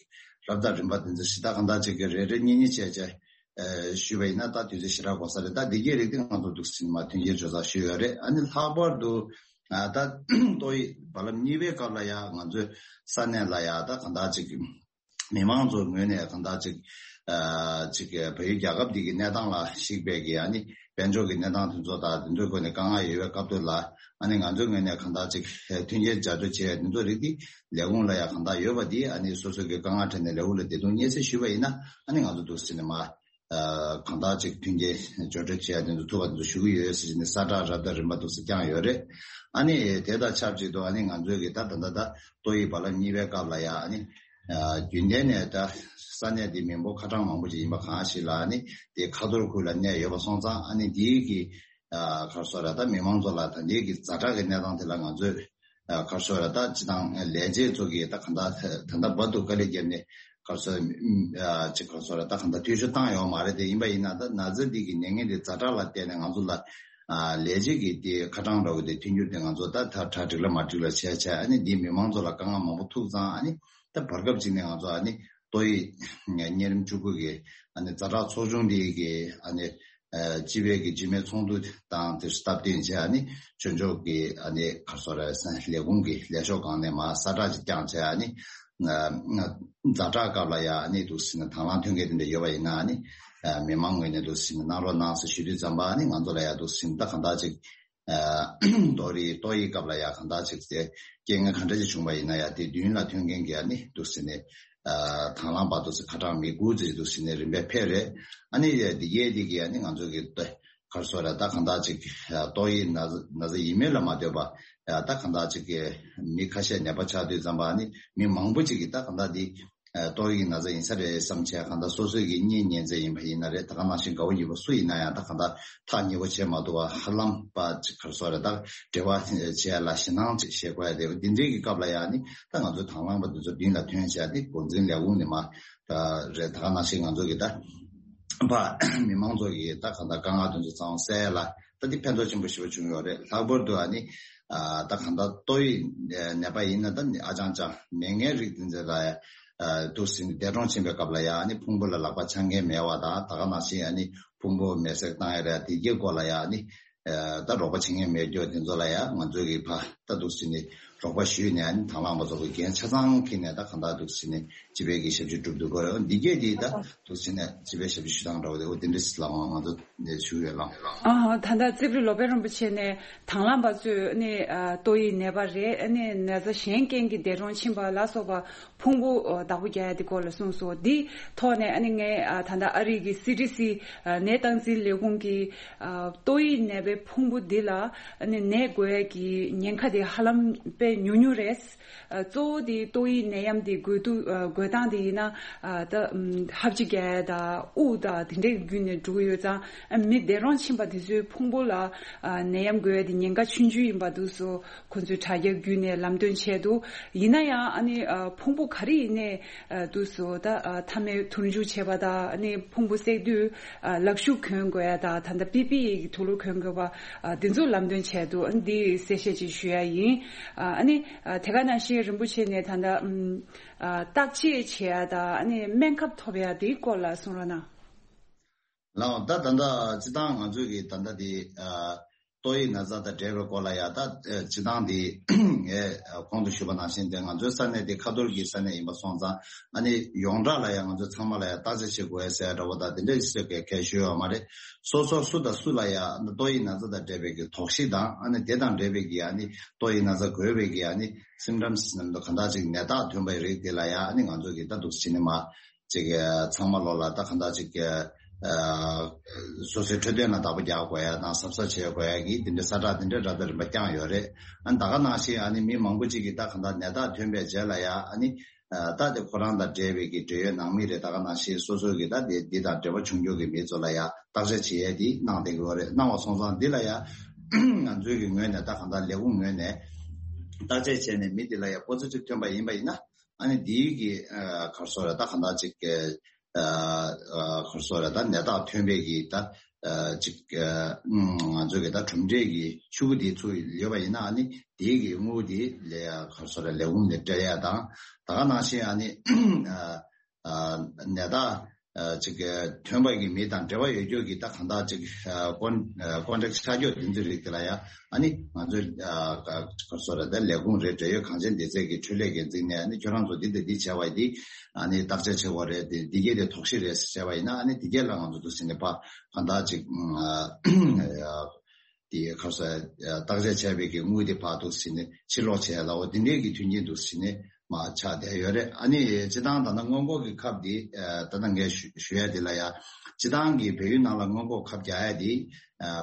རབ་དང་རིམ་པ་དེ་ཚོ་ཞེ་དྲག་ག་འདྲ་ཅིག་གི་རེ་རེ་གཉིས་གཉིས་བྱས་བྱས་ཨ་ཞུས་པ་ཡིན་ན་ད་དུས་ཚོད་ཞེ་དྲག་འགོར་ས་རེད། ད་འདི་གའི་རིགས་དེ་ང་ཚོ་འདུག་ཟིན་མ་མཐུན་རྐྱེན་སྦྱོར་ཚར་ཞུས་ཡོད་རེད། ཨ་ནི་ལྷག་པར་དུ་ཨ་ད་ཏོག་དབྱིབས་རྦ་རླབས་གཉིས་པའི་སྐབས་ལ་ཡང་ང་ཚོའི་ས་གནས་ལ་ཡང་ད་གང་ལྟར་ཅིག་མི་མང་ཚོའི་ངོས་ནས་གང་ལྟར་ཅིག་ཨ་ཅིག་བལ་ཡུལ་རྒྱལ་ཁབ་འདི་གི་གནས་སྟངས་ལ་གཞིགས་པའི་གི་ཨ་ནི་དཔལ་འབྱོར་གྱི་གནས་སྟངས་དེ་ཚོ་དང་དེ་ཚོའི་སྒོ་ནས་དཀའ་ངལ་ཡོད་པའི་སྐབས་དེ་ལ་ཨ་ནི་ང་ཚོའི་ངོས་ནས་གང་ལྟར་ཅིག་མཐུན་རྐྱེན་སྦྱར་སྤྲོད་བྱས་དེ་ཚོ་རིགས་འདི་ལས་ཁུངས་ལ་ཡང་གང་ལྟར་ཡོད་པ་འདི་ཨ་ནི་སོ་སོ་གི་དཀའ་ངལ་འཕྲད་ནས་ལས་ཁུངས་ལ་བདེ་སྡུག་སྙན་སེང་ཞུས་པ་ཡིན་ན་ཨ་ནི་ང་ཚོ་འདུག་ཟེར་ནས་མ། ཨ་གང་ལྟར་ཅིག་མཐུན་རྐྱེན་སྦྱོར་སྤྲོད་བྱེད་ཡ་དེ་ཚོ་ཐུབ་པ་དེ་ཚོ་ཞུ་གི་ཡོད་ཟེར་ནས་གསལ་བསྒྲགས་རབ་དང་རིམ་པ་འདུག་སེ་བསྐྱངས་ཡོད་རེད། ཨ་ནི་དེ་དང་ཆབས་ཅིག་ཏུ་ཨ་ནི་ང་ཚོའི་གི་ད་ད་ད་ད་ཏོག་དབྱིབས་རྦ་རླབས་གཉིས་པའི་སྐབས་ལ་ཡ་ཨ་ནི་ཨ་རྒྱུན་ལྡན་ནས་ད་ས་གནས་དེ་མི་འབོར་ཁ་གྲངས་མང་པོ་ཅིག་ཡིན་པ་གང་ཞིག་ལ་ཨ་ནི་དེ་ཁ་ཐོར་ཁུལ་ལ་གནས་ཡོད་པ་སོང་ཙང་ཨ་ནི་དེའི་གི་ཨ་ག་རེ་ཟེར་ར་ད་མི་མང་ཚོ་ལ་ད་ལྟའི་གི་ཛ་དྲག་གི་གནས་སྟངས་དེ་ལ་ང་ཚོས་ཨ་ག་རེ་ཟེར་ར་ད་སྤྱི་བཏང་ལས་བྱེད་ཚོ་གིས་ད་གང་ལྟར་ད་ལྟ་བར་དུ་དཀའ་ལས་བརྒྱབ་ནས་ག་རེ་ཟེར་ཨ་ཅིག་ག་རེ་ཟེར་ར་ད་གང་ལྟར་འཐུས་ཤོར་བཏང་ཡོད་མ་རེད། དེ་ཡིན་པ་ཡིན་ན་ད་ན་ཚ་འདི་གི་ནད་ངན་དེ་ཛ་དྲག་ལ་བརྟེན་ནས་ང་ཚོ་ལ་ཨ་ལས་བྱེད་ཀྱི་དེ་ཁ་གྲངས་འདྲ་བོ་དེ་ཐོན་རྒྱུ་དེ་ང་ཚོ་ད་ད་གྲ་སྒྲིག་ལ་མ་སྒྲིག་ལ་བྱས་བྱས་ཨ་ནི་འདི་མི་མང་ཚོ་ལ་དཀའ་ངལ་མང་པོ་ཐུག་ཙང་ཨ་ནི་ད་བར་སྐབས་ཅིག་ནས་ང་ཚོ་ཨ་ནི་ཏོག་དབྱིབས་གཉན་རིམས་བཅུ་དགུ་གི་ཨ་ནི་ཛ་དྲག་ཚོགས་ཆུང་འདི་གི་ཨ་ནི། སྤྱི་པའི་གི་སྤྱི་མོས་ཚོགས་འདུ་དང་དེ་སྟབས་བསྟུན་བྱས་ཨ་ནི་ཆོས་ཕྱོགས་ཀྱི་ཨ་ནི་ག་རེ་ཟེར་རེད་ཟེར་ན་ལས་ཁུངས་ཀྱི་ལས་ཤོག་སྒང་ནས་མར་གསལ་བསྒྲགས་ཅིག་བསྐྱངས་བྱས་ཨ་ནི་ཛ་དྲག་སྐབས་ལ་ཡ་ཨ་ནི་འདུག་ཟེར་ན་དང་བླངས་ཐོན་མཁན་དེ་འདྲ་ཡོད་པ་ཡིན་ན་ཨ་ནི་མི་མང་ངོས་ནས་འདུག་ཟེར་ན་གནང་རོགས་གནང་ཟེར་ཞུ་དུས་ཙམ་པ་ཨ་ནི་ང་ཚོ་ལ་ཡ་འདུག་ཟེར་ན་ད་གང་ལྟར་ཅིག་ཏོག་དབྱིབས་ཏོག་དབྱིབས་སྐབས་ལ་ཡ་གང་ལྟར་ཅིག་དེ་རྐྱེན་ངན་ག་འདྲ་ཅིག་བྱུང་བ་ཡིན་ན་ཡ་དེ་མདུན་ལ་ཐོན་མཁན་གྱི་ཨ་ནི་འདུག་ཟེར་ནས་དང་བླངས་པ་འདུག་ཟེར་ཁ་གྲངས་མི་དགུ་ཙམ་འདུག་ཟེར་ནས་རིམ་པས་ཕེབས་རེད། ཨ་ནི་འདི་གས་འདི་གས་ཨ་ནི་ང་ཚོ་གི་ཏོ་ག་རེ་ཟེར་རེད་ད་གང་ལྟར་ཅིག་ཏོག་དབྱིབས་ན་ཚ་ན་ཚ་ཡིན་མིན་ལ་མ་ལྟོས་པ་ད་གང་ལྟར་ཅིག་གི་མི་ཁ་ཤས་ནད་པ་ཆགས་དུས་ཙམ་པ་ཨ་ནི་མི་མང་པོ་ཅིག་གིས་ད་གང་ལྟར་འདི་ཏོག་དབྱིབས་ན་ཚ་ཡིན་ས་རེད་བསམ་བྱས་གང་ལྟར་སོ་སོའི་གི་གཉེན་ཉེ་ཚན་ཡིན་པ་ཡིན་ན་རེད་ད་ག་ནང་བཞིན་དགའ་བོ་ཡོད་པ་སུ་ཡིན་ན་ཡང་ད་གང་ལྟར་ཐག་ཉེ་པོ་བྱས་མ་ཐུབ་པ་ཧ་ལམ་པ་ག་རེ་ཟེར་རེད་ད་འབྲེལ་བ་བྱས་ལ་ཞེད་སྣང་ཅིག་བྱེད་དགོས་ཡ་དེ་འདི་འདྲའི་གི་སྐབས་ལ་ཡང་ནི་ད་ང་ཚོ་དང་བླངས་པ་འདི་ཚོ་མདུན་ལ་ཐོན་བྱས་ཏེ་འགོ་འཛིན་ལས་ཁུངས་ནས་མ་རེད་ད་ག་ནང་བཞིན་ང་ཚོ་གི་ད་པ་མི་མང་ཚོ་གི་ད་གང་ལྟར་དཀའ་ངལ་དེ་ཚོ་ཚང་སེལ་ལ་ད་འདི་ཕན་ཐོགས་ཆེན་པོ་ཞེ་པོ་བྱུང་ཡོད་རེད། ལྷག་པར་དུ་ཨ་ནི་ད་གང་ལྟར་ཏོག་དབྱིབས་ནད་པ་ཡིན་ན་ད་ནི་ཨ་ཅང་ཅང་མེད་མཁན་རིགས་འདི་ཚོ་ལ་ཡ་འདུག་ཟིན་འདས་གྲོངས་ཕྱིན་པའི་སྐབས་ལ་ཡ་ཨ་ནི་ཕུང་པོ་ལ་ལག་པ་འཆང་མཁན་མེད་པ་དང་ད་ག་ནང་བཞིན་ཨ་ནི་ཕུང་པོ་མེ་སྲེག་བཏང་ཡ་རེད་དེ་གའི་སྐོར་ལ་ཡ་ཨ་ནི་ད་རོགས་པ་བྱེད་མཁན་མེད་རྒྱུ་དེ་ཚོ་ལ་ཡ་ང་ཚོ་གི་ཕ་ད་འདུག་ཟིན་ནས་རོགས་པ་ཞུས་ནས་ཨ་ནི་དང་བླངས་པ་ཚོ་གི་འགན་ཆ་ཚང་འཁྱེར་ནས་ད་གང་ལྟར་འདུག་ཟིན་ནས་སྤྱི་པའི་གི་ཞབས་ཕྱི་སྒྲུབ་འདུག་གོ་འདི་གས་དེ་ད་འདུག་ཟིན་ནས་སྤྱི་པའི་ཞབས་ཕྱི་ཞུ་སྟངས་འདྲ་བོ་དེ་འོ་དེ་འདྲ་ཞིག་ལ་ང་ཚོ་ཞུ་ཡོད་ལ། ཨ་ད་ལྟ་རྩིབ་རི་ལོ་པཎ་རིན་པོ་ཆེ་ནས་དང་བླངས་པ་ཚོས་ནི་ཏོག་དབྱིབས་ནད་པ་རེད་ནི་ན་ཚ་གཞན་རྐྱེན་གྱིས་འདས་གྲོངས་ཕྱིན་པ་ལ་སོགས་པ་ཕུང་པོ་བདག་པོ་རྒྱག་ཡ་དེ་སྐོར་ལ་གསུངས་སོ། འདི་ཐོག་ནས་ཨ་ནི་ངས་ད་ལྟ་ཨ་རི་གི་སི་ཌི་སི་ནད་སྟངས་འཛིན་ལས་ཁུངས་ཀྱི་ཏོག་དབྱིབས་ནད་པའི་ཕུང་པོ་འདི་ལ་ནད་འགོས་ཀྱི་ཉེན་ཁ་དེ་ཧ་ལམ་དཔེ་ཉུང་ཉུང་རེད། གཙོ་བོ་དེ་ཏོག་དབྱིབས་ནད་ཡམས་དེ་འགོས་དུས་འགོས་སྟངས་དེ་ཡིན་ན་ད་ཧབ་སྦྲིད་རྒྱག་ཡ་དང་དབུགས་དང་དེ་འདྲའི་བརྒྱུད་ནས་འགྲོ་གི་ཡོད་ཙང་མི་འདས་གྲོངས་ཕྱིན་པ་དེ་ཚོའི་ཕུང་པོ་ལ་ནད་ཡམས་འགོས་ཡ་དེ་ཉེན་ཁ་ཆུང་ཆུང་ཡིན་པ་འདུག་སོ། ཁོ་ཚོས་དྲ་རྒྱ་བརྒྱུད་ནས་ལམ་སྟོན་བྱས་འདུག་ཡིན་ན་ཡང་ཨ་ནི་ཕུང་པོ་ག་རེ་ཡིན་ནའི་འདུག་སོ་ད་མཐའ་མའི་དུར་འཇུག་བྱས་པ་དང་ཨ་ནི་ཕུང་པོ་བསྲེགས་དུས་ལག་ཤུབས་གྱོན་དགོས་ཡ་དང་ད་ལྟ་པི་པི་ཨི་གི་དུག་ལོག་གྱོན་དགོས་པ་འདི་ཚོ་ལམ་སྟོན་བྱས་འདུག་ཨ་ནི་འདི་གསལ་བཤད་ཅིག་ཞུ་ཡ་ཡིན། ཨ་ནི་དེ་ག་ནང་བཞིན་རིན་པོ་ཆེ་ནས་ད་ལྟ་བརྟག་དཔྱད་བྱེད་ཡ་དང་ཨ་ནི་སྨན་ཁབ་ཐོབ་ཡ་དེའི་སྐོར་ལ་གསུང་རོགས་གནང་། ལགས་ད་ད་ལྟ་སྤྱི་བཏང་ང་ཚོས་ཀྱི་ད་ལྟ་དེ་ཏོག་དབྱིབས་ན་ཚ་དང་འབྲེལ་བའི་སྐོར་ལ་ཡ་ད་སྤྱི་བཏང་དེ་ངས་གོང་དུ་ཞུས་པ་ནང་བཞིན་དེ་ང་ཚོའི་ས་གནས་དེ་ཁ་ཐོར་གྱི་ས་གནས་ཡིན་པ་སོང་ཙང་ཨ་ནི་ཡོངས་གྲགས་ལ་ཡ་ང་ཚོ་ཚང་མ་ལ་ཡ་བརྟག་དཔྱད་བྱེད་དགོས་ཟེར་འདྲ་བོ་དང་དེ་འདྲ་ཞིག་གི་གལ་ཞུ་ཡོད་མ་རེད། སོ་སོ་སུ་དང་སུ་ལ་ཡ་ཏོག་དབྱིབས་ན་ཚ་དང་འབྲེལ་བའི་གི་དོགས་གཞི་དང་ཨ་ནི་དེ་དང་འབྲེལ་བའི་གི་ཨ་ནི་ཏོག་དབྱིབས་ན་ཚ་འགོས་པའི་གི་ཨ་ནི་སིམ་ཊམ་སི་ནམ་དུ་གང་དག་ཅིག་ནད་རྟགས་ཐོན་པའི་རིགས་དེ་ལ་ཡ་ཨ་ནི་ང་ཚོ་གི་ད་འདུག་སེ་བྱས་ནས་མ། ཅིག་ཚང་མ་ལོ་ལ་ད་གང་ལྟར་ཅིག་སོ་སོའི་འཕྲོད་བསྟེན་ལ་བདག་པོ་རྒྱག་དགོས་ཡ་དང་གཟབ་གཟབ་བྱེད་དགོས་ཡ་གི་དེ་འདྲའི་གསལ་བསྒྲགས་དེ་འདྲའི་རབ་དང་རིམ་པ་བསྐྱངས་ཡོད་རེད། ཨ་ནི་ད་ག་ནང་བཞིན་ཨ་ནི་མི་མང་པོ་ཅིག་གིས་ད་གང་ལྟར་ནད་རྟགས་ཐོན་པའི་རྗེས་ལ་ཡ་ཨ་ནི་ད་དེ་ཁོ་རང་དང་འབྲེལ་བའི་གི་འབྲེལ་ཡོད་ནང་མི་རེད་ད་ག་ནང་བཞིན་སོ་སོའི་གི་ད་དེ་འདི་དང་འབྲེལ་བ་བྱུང་རྒྱུ་གི་མི་ཚོ་ལ་ཡ་བརྟག་དཔྱད་བྱེད་ཡས་དེ་གནང་བསྡད་ཀྱི་ཡོད་རེད། གནང་བ་སོང་ཙང་འདི་ལ་ཡ་ང་ཚོའི་གི་ངོས་ནས་ད་གང་ལྟར་ལས་ཁུངས་ངོས་ནས་བརྟག་དཔྱད་བྱས་ནས་མི་འདི་ལ་ཡ་པོ་སི་ཊིབ་ཐོན་པ་ཡིན་པ་ཡིན་ན། ཨ་ནི་འདིའི་གི་ཨ་ག་རེ་ཟེར་རེད་ད་གང་ལྟར་ཅིག་གི་ཨ་ཨ་ག་རེ་ཟེར་རེད་ད་ནད་རྟགས་ཐོན་པའི་གི་ད་ཨ་ཅིག་ཨ་ང་ཚོ་གི་ད་གྲུབ་འབྲས་ཀྱི་ཤུ་གུ་འདི་ཚུར་ཡོད་པ་ཡིན་ན་ཨ་ནི་འདིའི་གི་དངུལ་འདི་ལས་ཨ་ག་རེ་ཟེར་རེད་ལས་ཁུངས་ནས་སྤྲད་ཡ་དང་ད་ག་ནང་བཞིན་ཨ་ནི་ཨ་ཨ་ནད་རྟགས་ཨ་ཅིག་ཐོན་པ་གི་མི་དང་འབྲེལ་བ་ཡོད་རྒྱུ་གི་ད་གང་ལྟར་ཅིག་ཨ་ཀོན་ཨ་ཀོན་ཊེག་ཆགས་རྒྱུ་དེ་ཚོའི་རིགས་དེ་ལ་ཡ་ཨ་ནི་ང་ཚོས་ཨ་ག་ག་རེ་ཟེར་རེད་ད་ལས་ཁུངས་རེད་འབྲེལ་ཡོད་གངས་ཅན་སྡེ་ཚན་གྱི་འཕྲུལ་ལས་འགན་འཛིན་ནས་ཨ་ནི་ཁྱོད་རང་ཚོ་འདི་དང་འདི་བྱས་པ་འདི་ཨ་ནི་བརྟག་དཔྱད་བྱེད་དགོས་རེད་དེ་འདི་གས་དེ་དོགས་གཞི་རེད་ཟེར་བྱས་པ་ཡིན་ན་ཨ་ནི་འདི་གས་ལ་ང་ཚོ་འདུག་སེ་ནས་ཕ་གང་ལྟར་ཅིག་ཨ་དེ་ག་རེ་ཟེར་བརྟག་དཔྱད་བྱས་པའི་གི་དངུལ་དེ་ཕར་འདུག་སེ་ནས་ཕྱིར་སློག་བྱས་ལ་འོ་དེ་འདྲའི་གི་མཐུན་རྐྱེན་འདུག་སེ་ནས་མར་ཆགས་བསྡད་ཡོད་རེད། ཨ་ནི་སྤྱི་བཏང་ད་ལྟ་སྔོན་འགོག་གི་ཁབ་དེ་ད་ལྟ་ངས་ཞུ་ཞུ་ཡ་དེ་ལ་ཡ་སྤྱི་བཏང་གི་བལ་ཡུལ་ནང་ལ་སྔོན་འགོག་ཁབ་རྒྱག་ཡ་དེ་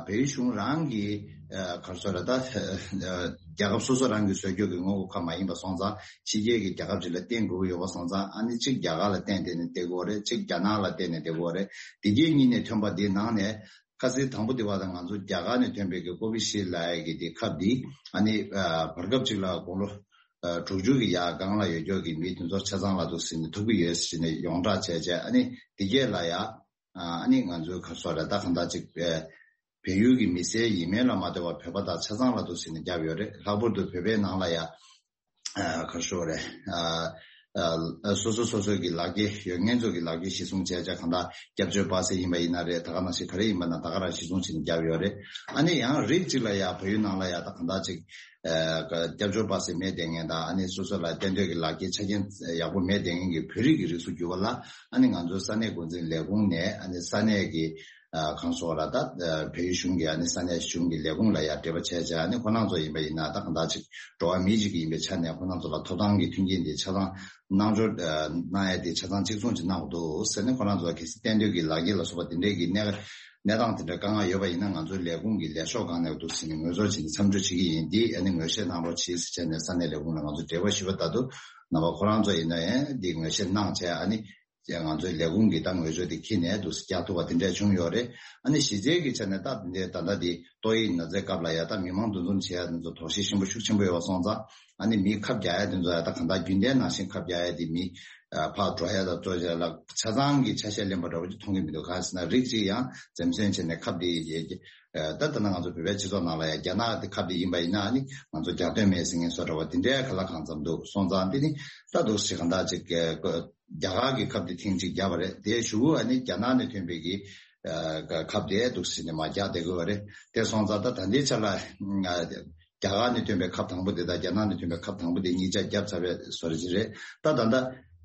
བལ་ཡུལ་གཞུང་རང་གི་ག་རེ་ཟེར་རེད་ད་རྒྱལ་ཁབ་སོ་སོ་རང་གི་བཟོ་རྒྱུ་གི་སྔོན་འགོག་ཁབ་མ་ཡིན་པ་སོང་ཙང་ཕྱི་རྒྱལ་གྱི་རྒྱལ་ཁབ་ཅིག་ལ་བརྟེན་དགོས་ཀྱི་ཡོད་པ་སོང་ཙང་ཨ་ནི་གཅིག་རྒྱ་གར་ལ་བརྟེན་བསྡད་ནས་བསྡད་དགོས་རེད། གཅིག་རྒྱ་ནག་ལ་བརྟེན་ནས་བསྡད་དགོས་རེད། དེ་གའི་གཉིས་ནས་ཐོན་པ་དེ་ནང་ནས། ཁ་སང་དང་པོ་དེ་བར་དུ་ང་ཚོ་རྒྱ་གར་ནས་ཐོན་པའི་གི་ཀོ་བི་ཤིལ་ལབ་ཡ་གི་དེ་ཁབ་འདི་ཨ་ནི་བར་སྐབས་ཅིག་ལ་དགུང་ལོ་དྲུག་ཅུ་གི་ཡར་སྒང་ལ་ཡོད་ཀྱོག་གི་མི་དེ་ཚོ་ཆ་ཚང་ལ་འདུག་ཟིན་ནས་ཐུབ་ཀྱི་ཡོད་ཟེར་ནས་ཡོངས་གྲགས་བྱས་བྱས་ཨ་ནི་དེ་གས་ལ་ཡ་ཨ་ནི་ང་ཚོའི་ཁ་སོ་ར་ད་གང་ལྟར་ཅིག་བལ་ཡུལ་གྱི་མི་སེར་ཡིན་མིན་ལ་མ་ལྟོས་པར་བོད་པ་དང་ཆ་ཚང་ལ་འདུག་ཟིན་ནས་བརྒྱབ་ཡོད་རེད། ལྷག་པར་དུ་བོད་པའི་ནང་ལ་ཡ། ཁ་ཤོ་རེད། ཨ་སོ་སོ་སོ་སོའི་གི་ལག་འཁྱེར་ཡོད་མཁན་ཚོ་གི་ལག་འཁྱེར་གཞི་བཟུང་བྱས་བྱས་གང་ལྟར་སྐྱབས་བཅོལ་པ་སེ་ཡིན་པ་ཡིན་ན་རེད། ད་ག་ནང་བཞིན་ག་རེ་ཡིན་པ་ན་ད་ག་རང་གཞི་བཟུང་བྱས་ནས་བརྒྱབ་ཡོད་རེད། ཨ་ནི་ཡང་རིགས་གཅིག་ལ་ཡ་བལ་ཡུལ་ནང་ལ་ཡ་ད་གང་ལྟར་ཅིག་ཨ་སྐྱབས་བཅོལ་པ་སེ་མེད་བསྡད་མཁན་དང་། ཨ་ནི་སོ་སོ་ལ་གཏན་སྡོད་ཀྱི་ལག་འཁྱེར་ཆ་རྐྱེན་ཡག་པོ་མེད་བསྡད་མཁན་གྱི་བོད་རིགས་ཀྱི་རིགས་སུ་གྱུར་པ་ལ། ཨ་ནི་ང་ཚོའི་ས་གནས་འགོ་འཛིན་ལས་ཁུངས་ནས་ཨ་ནི་ས་གནས་ཀྱི་ཨ་གང་སོགས་ལ་ད་ཨ་བལ་ཡུལ་གཞུང་གི་ཨ་ནི་ས་གནས་གཞུང་གི་ལས་ཁུངས་ལ་ཡ་འབྲེལ་བ་བྱས་བྱས། ཨ་ནི་ཁོ་རང་ཚོ་ཡིན་པ་ཡིན་ན་ད་གང་ལྟར་ཅིག་འགྲོ་བ་མི་གཅིག་ཡིན་པའི་ཆ་ནས་ཁོ་རང་ཚོ་ལ་ཐོབ་ཐང་གི་མཐུན་རྐྱེན་དེ་ཆ་ཚང་གནང་འབྱོར་ཨ་གནང་ཡ་དེ་ཆ་ཚང་གཅིག་མཚུངས་ཅིག་གནང་དགོས་འདུག་ཟེར་ནས། ཁོ་རང་ཚོ་གལ་སྲིད་གཏན་སྡོད་ཀྱི་ལག་འཁྱེར་ལ་སོགས་པ་དེ་འདྲས་ཀྱི་གནས་གནས་སྟངས་དེ་འདྲ་དཀའ་ངལ་ཡོད་པ་ཡིན་ན། ང་ཚོའི་ལས་ཁུངས་ཀྱི་ལས་ཤོག་སྒང་ནས་འདུག་ཟེར་ནས་ངོས་འཛུགས་བྱས་ནས་མཚམས་འཇོག་བྱེད་ཀྱི་ཡིན། འདི་ཨ་ནི་ངོས་བཞེས་གནང་རོགས་གྱིས་ཟེར་བྱས་ནས་ས་གནས་ལས་ཁུངས་ལ་ང་ཚོ་འབྲེལ་བ་ཞུས་པ་ལྟར་དུ། རྣམ་པ་ཁོ་རང་ཚོ་ཡིན་ན་ཡང་འདི་ངོས་བཞེས་གནང་བྱས། ཨ་ནི་ང་ཚོའི་ལས་ཁུངས་ཀྱིས་ད་ངོས་བཟོ་དེ་འཁྱེར་ནས་འདུག་སེ་རྒྱག་ཐུབ་པ་དེ་འདྲས་བྱུང་ཡོད་རེད། ཨ་ནི་གཞི་རྩའི་གི་ཆ་ནས་ད་འདི་ད་ལྟ་འདི་ཏོག་དབྱིབས་ན་ཚའི་སྐབས་ལ་ཡ་ད་མི་མང་འདུ་འཛོམས་བྱེད་ཡ་དེ་ཚོ་དོགས་གཞི་ཆེན་པོ་ཤུགས་ཆེན་པོ་ཡོད་པ་སོང་ཙང་། ཨ་ནི་མིས་ཁབ་རྒྱག་ཡ་དེ་ཚོ་ཡ་ད་གང་ལྟར་རྒྱུན་ལྡན་ནང་བཞིན་ཁབ་རྒྱག་ཡ་དེ་མི་ཕར་འགྲོ་ཡ་དང་ཚུར་ཡ་ལ་ཆ་ཚང་གི་ཆ་ཤས་ལེན་པ་འདྲ་བོ་ཅིག་མཐོང་གི་མི་འདུག་གང་ཟེར་ན་རིགས་གཅིག་ཡང་འཛེམ་ཟོན་བྱས་ནས་ཁབ་དེ་ཡ་ད་ད་ལྟ་ང་ཚོ་བོད་པའི་སྤྱི་ཚོགས་ནང་ལ་ཡ་རྒྱ་ནག་དེ་ཁབ་དེ་ཡིན་པ་ཡིན་ན། ཨ་ནི་ང་ཚོ་རྒྱག་འདོད་མེད་ཟེར་མཁན་བཟོ་འདྲ་བ་དེ་འདྲའི་ག་ལ་གང་འཚམ་འདུག་སོང་ཙང་། དེ་ནི་ད་འདུག་སེ་གང་ལྟར་ཅིག་རྒྱ་གར་གྱི་ཁབ་དེ་ཐེངས་གཅིག་བརྒྱབ་པ་རེད། དེའི་གཞུག་གུ་ཨ་ནི་རྒྱ་ནག་ནས་ཐོན་པའི་གི་ཨ་ཁབ་དེ་འདུག་སེ་ནས་མར་རྒྱག་བསྡད་དགོས་པ་རེད། དེ་སོང་ཙང་ད་ད་ལྟའི་ཆ་ལ་ཨ་རྒྱ་གར་ནས་ཐོན་པའི་ཁབ་དང་པོ་དེ་དང་རྒྱ་ནག་ནས་ཐོན་པའི་ཁབ་དང་པོ་དེ་གཉིས་ཆ་བརྒྱབ་ཚར་བའི་བཟོ་འདྲ་ཅིག་རེད། ད་ད་ལྟ་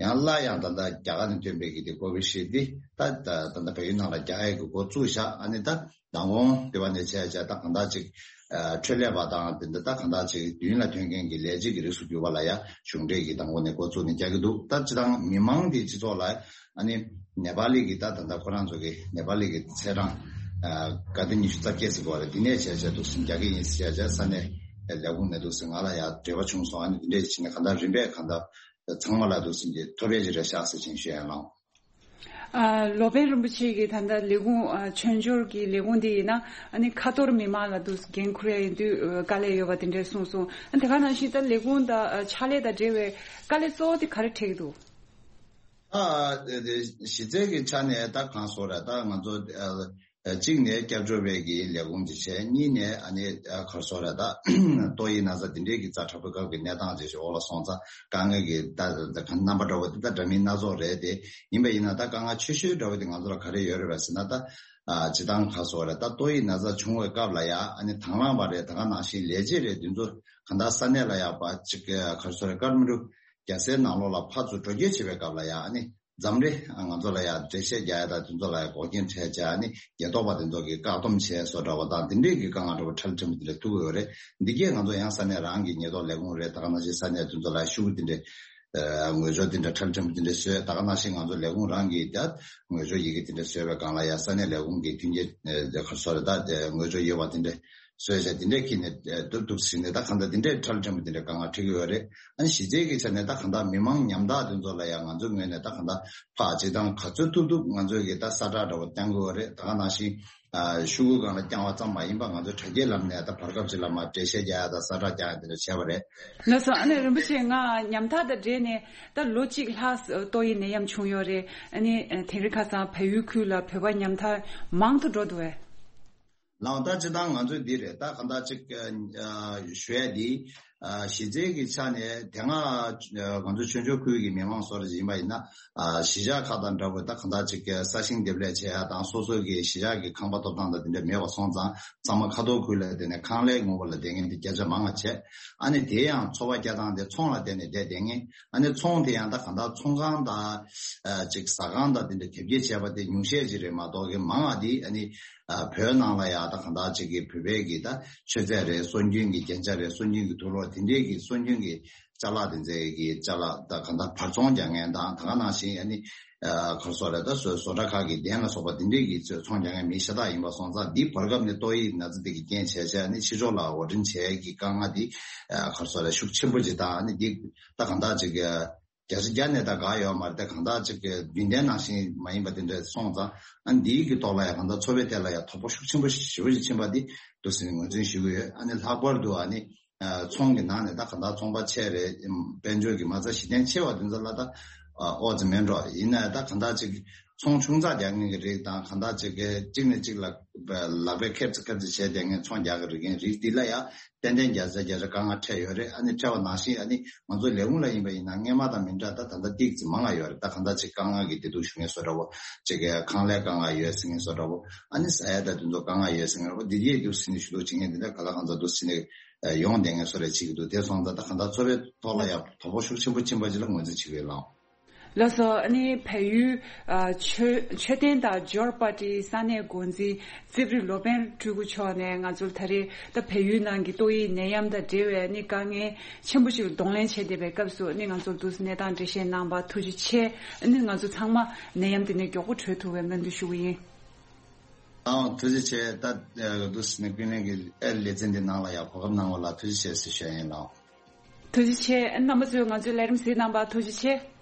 ཡང་སླར་ཡང་ད་ལྟ་རྒྱ་གར་ནས་ཐོན་པའི་གི་དེ་ཀོ་བི་ཤིལ་དེ་ད་ད་ད་ལྟ་བལ་ཡུལ་ནང་ལ་རྒྱག་ཡས་ཀྱི་འགོ་བཙུགས་བཞག་ཨ་ནི་ད་མདང་དགོང་དེ་བ་ནས་བྱས་བྱས་ད་གང་ལྟར་ཅིག་ཨ་འཕྲོད་ལས་པ་དང་དེ་འདྲ་ད་གང་ལྟར་ཅིག་མདུན་ལ་ཐོན་མཁན་གྱི་ལས་བྱེད་ཀྱི་རིགས་སུ་གྱུར་པ་ལ་ཡ་གཞུང་འབྲེལ་གྱི་མདང་དགོང་ནས་འགོ་བཙུགས་ནས་རྒྱག་གི་འདུག་ད་སྤྱིར་བཏང་མི་མང་དེ་སྤྱི་ཚོགས་ལ་ཨ་ནི་ནེ་པ་ལི་གི་ད་ད་ལྟ་ཁོ་རང་ཚོ་གི་ནེ་པ་ལི་གི་ཚེས་གྲངས་ཨ་ག་དེ་ཉི་ཤུ་རྩ་བརྒྱད་ཟེར་གོ་རེད། དེ་ནས་བྱས་བྱས་འདུག་སེ་རྒྱག་གི་ཡིན་ཟེར་བྱས་བྱས་ས་གནས་ལས་ཁུངས་ནས་འདུག་སེ་ང་ལ་ཡ་འབྲེལ་བ་བྱུང་སོང་། ཨ་ནི་དེ་འདྲས་བྱས་ནས་གང་ལྟར་རིམ་པས་གང་ལྟར་ཚང་མ་ལ་འདུག་སེ་གི་ཐོབ་པའི་ཅིག་རེད་ཤག་ཟེར་བྱས་ཞུ་ཡ་ལང་། ཨ་ལོ་པཎ་རིན་པོ་ཆེ་གིས་ད་ལྟ་ལས་ཁུངས་ཨ་མཆོད་འཇོར་གྱི་ལས་ཁུངས་འདི་ཡིན་ན་ཨ་ནི་ཁ་ཐོར་མི་མང་ལ་འདུག་འགན་འཁུར་ཡ་ཡིན་དུས་ཨ་དཀའ་ལས་ཡོད་པ་དེ་འདྲས་གསུངས་སོང་། ཨ་དེ་ག་ནང་བཞིན་ད་ལས་ཁུངས་དང་ཨ་ཕྱག་ལས་དང་འབྲེལ་བའི་དཀའ་ལས་གཙོ་བོ་དེ་ག་རེ་འཕྲད་ཀྱི་འདུག་ཨ་དེ་དེ་གཞི་རྩའི་གི་ཆ་ནས་ད་གང་སོགས་རེད། ད་ང་ཚོ་ཨ་གཅིག་ནས་སྐྱབས་བཅོལ་བའི་གི་ལས་ཁུངས་ཅིག་བྱས། གཉིས་ནས་ཨ་ནི་ཨ་ག་རེ་ཟེར་རེད། ད་ཏོག་དབྱིབས་ན་ཚ་འདི་འདྲའི་གི་ཛ་དྲག་པོའི་སྐབས་ཀྱི་གནས་སྟངས་ཅིག་འོག་ལ་སོང་ཙང་དཀའ་ངལ་གྱི་ད་ད་རྣམ་པ་འདྲ་བོ་དེ་ད་འདྲ་མིན་སྣ་ཚོགས་རེད། དེ་ཡིན་པ་ཡིན་ན་ད་དཀའ་ངལ་ཆེ་ཤོས་འདྲ་བོ་དེ་ང་ཚོ་ལ་ག་རེ་ཡོད་རེད་པ་ཟེར་ན། ད་ཨ་སྤྱིར་བཏང་ག་རེ་ཟེར་རེད། ད་ཏོག་དབྱིབས་ན་ཚ་བྱུང་བའི་སྐབས་ལ་ཡ་ཨ་ནི་དང་བླངས་པ་རེད། ད་ག་ནང་བཞིན་ལས་བྱེད་རེད། འདི་ཚོ་གང་ལྟར་ས་གནས་ལ་ཡ་པ་ཅིག་ག་རེ་ཟེར་རེད། ཀ་ཐ་མན་གྲུ་རྒྱལ་སའི་ནང་ལོགས་ལ་ཕར་ཚུར་འགྲོ་སྐྱོད་བྱེད་པའི་སྐབས་ལ་ཡ་ཨ་ནི་འཛམ་རེ་ང་ཚོ་ལ་ཡ་འགྲེལ་བཤད་རྒྱག་ཡ་དང་དེ་ཚོ་ལ་ཡ་འགོག་རྐྱེན་འཕྲད་བྱས། ཨ་ནི་ཉེན་རྟོག་པ་དེ་ཚོ་གིས་བཀག་སྡོམ་བྱས་སོགས་འདྲ་བ་དང་། དེ་འདྲས་ཀྱི་དཀའ་ངལ་འདྲ་བོ་ཕྲ་ལ་ཕྲན་བུ་དེ་འདྲ་ཐུག་གི་ཡོད་རེད། འདི་གས་ང་ཚོ་ཡང་ས་གནས་རང་གི་ཉེན་རྟོག་ལས་ཁུངས་རེད། ད་ག་ནང་བཞིན་ས་གནས་དེ་ཚོ་ལ་ཤུགས་དེ་འདྲས་ཨ་ངོས་སྦྱོར་དེ་འདྲས་ཕྲ་ལ་ཕྲན་བུ་དེ་འདྲས་བཟོས། ད་ག་ནང་བཞིན་ང་ཚོ་ལས་ཁུངས་རང་གིས་ད་ངོས་སྦྱོར་ཡི་གེ་དེ་འདྲས་བཟོས་པའི་སྒང་ལ་ཡ་ས་གནས་ལས་ཁུངས་ཀྱི་མཐུན་རྐྱེན་ཨ་ག་རེ་ཟེར་རེད། ད་ངོས་སྦྱོར་ཡོད་པ་དེ་འདྲས་བཟོས་བྱས་དེ་འདྲས་ཁྱེར་ནས་ཨ་ཐུབ་ཐུབ་ཟིན་ནས་ད་གང་ལྟར་དེ་འདྲས་ཕྲ་ལ་ཕྲན་བུ་དེ་འདྲས་དཀའ་ངལ་འཕྲད་ཀྱི་ཡོད་རེད། ཨ་ནི་གཞི་རྩའི་གི་ཆ་ནས་ད་གང་ལྟར་མི་མང་ཉམ་ཐག་དེ་ཚོ་ལ་ཡང་ང་ཚོའི་ངོས་ནས་ད་གང་ལྟར་ཕར་སྤྱིར་བཏང་ག་ཚོད་ཐུབ་ཐུབ་ང་ཚོས་གི་ད་གསལ་བསྒྲགས་འདྲ་བོ་བཏང་གི་ཡོད་རེད། ད་ག་ནང་བཞིན་ཨ་ཤོག་གུ་སྒང་ལ་བརྐྱང་བ་ཙམ་མ་ཡིན་པ་ང་ཚོས་དྲ་རྒྱའི་ལམ་ནས་ད་བར་སྐབས་ཅིག་ལ་མར་འགྲེལ་བཤད་རྒྱག་ཡ་དང་གསལ་བསྒྲགས་རྒྱག་ཡ་དེ་འདྲ་བྱས་པ་རེད། ལགས་སོ། ཨ་ནི་རིན་པོ་ཆེ་ང་ཉམ་ཐག་དང་འབྲེལ་ནས་ད་ལོ་གཅིག་ལྷག་ཏོག་དབྱིབས་ནད་ཡམས་བྱུང་ཡོད་རེད། ཨ་ནི་དེང་རིང་ཁ་སང་བལ་ཡུལ་ཁུལ་ལ་བོད་པ་ཉམ་ཐག་མང་དུ་འགྲོ་འདུག་བས། ལགས། ད་སྤྱིར་བཏང་ང་ཚོས་འདི་རེད། ད་གང་ལྟར་ཅིག་ཨ་ཞུ་ཡ་འདི་ཨ་གཞི་རྩའི་གི་ཆ་ནས་དེ་སྔ་ཨ་ང་ཚོ་ཆོས་འབྱོར་ཁུལ་གྱི་མི་མང་སོགས་རེ་ཡིན་པ་ཡིན་ན་ཨ་གཞིས་ཆགས་ཁག་དང་འདྲ་བོ་ད་གང་ལྟར་ཅིག་ས་ཞིང་འདེབས་ལས་བྱེད་ཡ་དང་སོ་སོ་གི་གཞིས་ཆགས་ཀྱི་ཁང་པ་ཐོབ་ཐང་དང་དེ་འདྲ་མེད་པ་སོང་ཙང་ཚང་མ་ཁ་ཐོར་ཁུལ་ལ་བསྡད་ནས་ཁང་ལས་ངོ་བོ་ལ་བསྡད་མཁན་དེ་བརྒྱ་ཆ་མང་བ་བྱས། ཨ་ནི་དེ་ཡང་འཚོ་བ་སྐྱེལ་སྟངས་དེ་ཚོང་ལ་བརྟེན་ནས་བསྡད་བསྡད་མཁན། ཨ་ནི་ཚོང་དེ་ཡང་ད་གང་ལྟར་ཚོང་ཁང་དང་ཨ་ཅིག་ཟ་ཁང་དང་དེ་འདྲ་དེབ་སྐྱེལ་བྱས་པ་དེ་ཉུང་ཤས་ཅིག་རེད་མ་གཏོགས་གི་མང་བ་དེ་ཨ་ནི་ཨ་བོད་ནང་ལ་ཡ་ད་གང་ལྟར་ཅིག་གི་བོད་པའི་གི་ད་མཆོད་རྫས་རེད། སྲོལ་རྒྱུན་གྱི་རྒྱན་ཆ་རེད། སྲོལ་རྒྱུན་གྱི་དུག་ལོག་དེ་འདྲས་ཀྱི་སྲོལ་རྒྱུན་གྱི་ཅ་ལག་དེ་ཚོའི་གི་ཅ་ལག་ད་གང་ལྟར་བར་ཚོང་རྒྱག་མཁན་དང་། ད་ག་ནང་བཞིན་ཨ་ནི་ཨ་ག་རེ་ཟེར་རེད། ད་བཟོ་བཟོ་གྲྭ་ཁག་གི་གདན་ལ་སོགས་པ་དེ་འདྲས་ཀྱི་ཚོང་རྒྱག་མཁན་མི་ཤ་སྟག་ཡིན་པ་སོང་ཙང་འདི་བར་སྐབས་ནས་ཏོག་དབྱིབས་ན་ཚ་དེ་གི་རྐྱེན་བྱས་བྱས་ཨ་ནི་ཕྱི་ཕྱོགས་ལ་འོར་འདྲེན་བྱས་ཀྱི་དཀའ་ངལ་འདི་ཨ་ག་རེ་ཟེར་རེད། ཤུགས་ཆེན་པོ་ཅིག་དང་། ཨ་ནི་འདི་ད་གང་ལྟར་ཅིག་གི་བརྒྱ་ཆ་བརྒྱ་ནས་ད་འགག་ཡོད་མ་རེད། ད་གང་ལྟར་ཅིག་གི་རྒྱུན་ལྡན་ནང་བཞིན་མ་ཡིན་པ་དེ་འདྲ་སོང་ཙང་། ཨ་ནི་འདིའི་གི་ཐོག་ལ་ཡང་གང་ལྟར་འཚོ་བའི་ཐད་ལ་ཡང་དོ་ཕོག་ཤུགས་ཆེན་པོ་ཞེ་པོ་ཅིག་ཕྱིན་པ་འདི་འདུག་ཟེར་ནས་ངོས་འཛིན་ཞུ་གི་ཡོད། ཨ་ནི་ལྷག་པར་དུ་ཨ་ནི་ཨ་ཚོང་གི་ནང་ནས་ད་གང་ལྟར་ཚོང་པ་ཆེ་རེད། དཔལ་འབྱོར་གྱི་མ་རྩ་གཞི་རྟེན་ཆེ་བ་དེ་ཚོ་ལ་ད་ཨ་ཨོ་ཙི་མེད་འགྲོ། ཡིན་ན་ད་གང་ལྟར་ཅིག་ ཚོང་ཆུང་ཙག་རྒྱག་མཁན་གྱི་རིགས་དང་གང་ལྟར་ཅིག་གི་གཅིག་ནས་གཅིག་ལ་ལག་པས་ཁེབས་ཙམ་ཁེབས་ཙམ་བྱས་བསྡད་མཁན་ཚོང་རྒྱག་གི་རིགས་མཁན་རིགས་འདི་ལ་ཡང་ཏན་ཏན་བརྒྱ་ཆ་བརྒྱ་ཆ་དཀའ་ངལ་འཕྲད་ཡོད་རེད། ཨ་ནི་འཕྲད་པ་ནང་བཞིན་ཨ་ནི་ང་ཚོ་ལས་ཁུངས་ལ་ཡིན་པ་ཡིན་ན་སྔས་མ་དང་མི་འདྲ། ད་ད་ལྟ་ཏིག་ཙམ་མང་ང་ཡོད་རེད། ད་གང་ལྟར་ཅིག་དཀའ་ངལ་གྱི་བདེ་སྡུག་ཞུ་མཁན་བཟོ་འདྲ་བོ་ཅིག་གི་ཁང་ལས་དཀའ་ངལ་ཡོད་ཟེར་མཁན་བཟོ་འདྲ་བོ། ཨ་ནི་ཟ་ཡ་ད་དེ་ཚོ་དཀའ་ངལ་ཡོད་ཟེར་མཁན་བཟོ་འདྲ་བོ། འདི་ཡས་འདུག་ཟེར་ནས་ཞུ་གཏུག་བྱེད་མཁན་འདི་འདྲ་ག་ལ་གང་འཚམ་འདུག་ཟེར་ནས་ཡོང་བསྡད་མཁན་བཟོ་འདྲ་བྱེད་ཀྱི་འདུག་དེ་སོང་ཙང་ད་གང་ལྟར་འཚོ་བའི་ཐོག་ལ་ཡང་དོ་ཕོག་ཤུགས་ཆེན་པོ་ཕྱིན་པ་ཅིག་ལ་ངོས་འཛིན་བྱེད་ཀྱི་ཡོད་ལགས། ལགས་སོ། ཨ་ནི་བལ་ཡུལ་ཨ་མཆོད་མཆོད་རྟེན་དང་འབྱོར་པ་ཊིའི་ས་གནས་འགོ་འཛིན་རྩིབ་རི་ལོ་པཎ་སྤྲུལ་སྐུ་མཆོག་ནས་ང་ཚོར་ད་རེས་ད་བལ་ཡུལ་ནང་གི་ཏོག་དབྱིབས་ནད་ཡམས་དང་འབྲེལ་བའི་ཨ་ནི་དཀའ་ངལ་ཆེན་པོ་ཞིག་ལ་གདོང་ལེན་བྱས་བསྡད་པའི་སྐབས་སུ་ཨ་ནི་ང་ཚོར་འདུག་སེ་གནས་སྟངས་འགྲེལ་བཤད་གནང་བར་ཐུགས་རྗེ་ཆེ། ཨ་ནི་ང་ཚོ་ཚང་མ་ནད་ཡམས་དེ་ནས་མགྱོགས་པོ་གྲོལ་ཐུབ་པའི་སྨོན་འདུན་ཞུ་གི་ཡིན། ཨང་། ཐུགས་རྗེ་ཆེ། ད་འདུག་སེ་ནས་ཀུན་གླེང་གི་ཨེ་ལེ་ཚན་འདི་ནང་ལ་ཡང་གོ་སྐབས་གནང་བ་ལ་ཐུགས་རྗེ་ཆེ་ཟེར་ཞུ་ཡ་ཡིན་ལགས། ཐུགས་རྗེ་ཆེ། རྣམ་པ་ཚོས་ང་ཚོའི་ལས་རིམ་གཟིགས་གནང་བར་ཐུགས་རྗེ་ཆེ།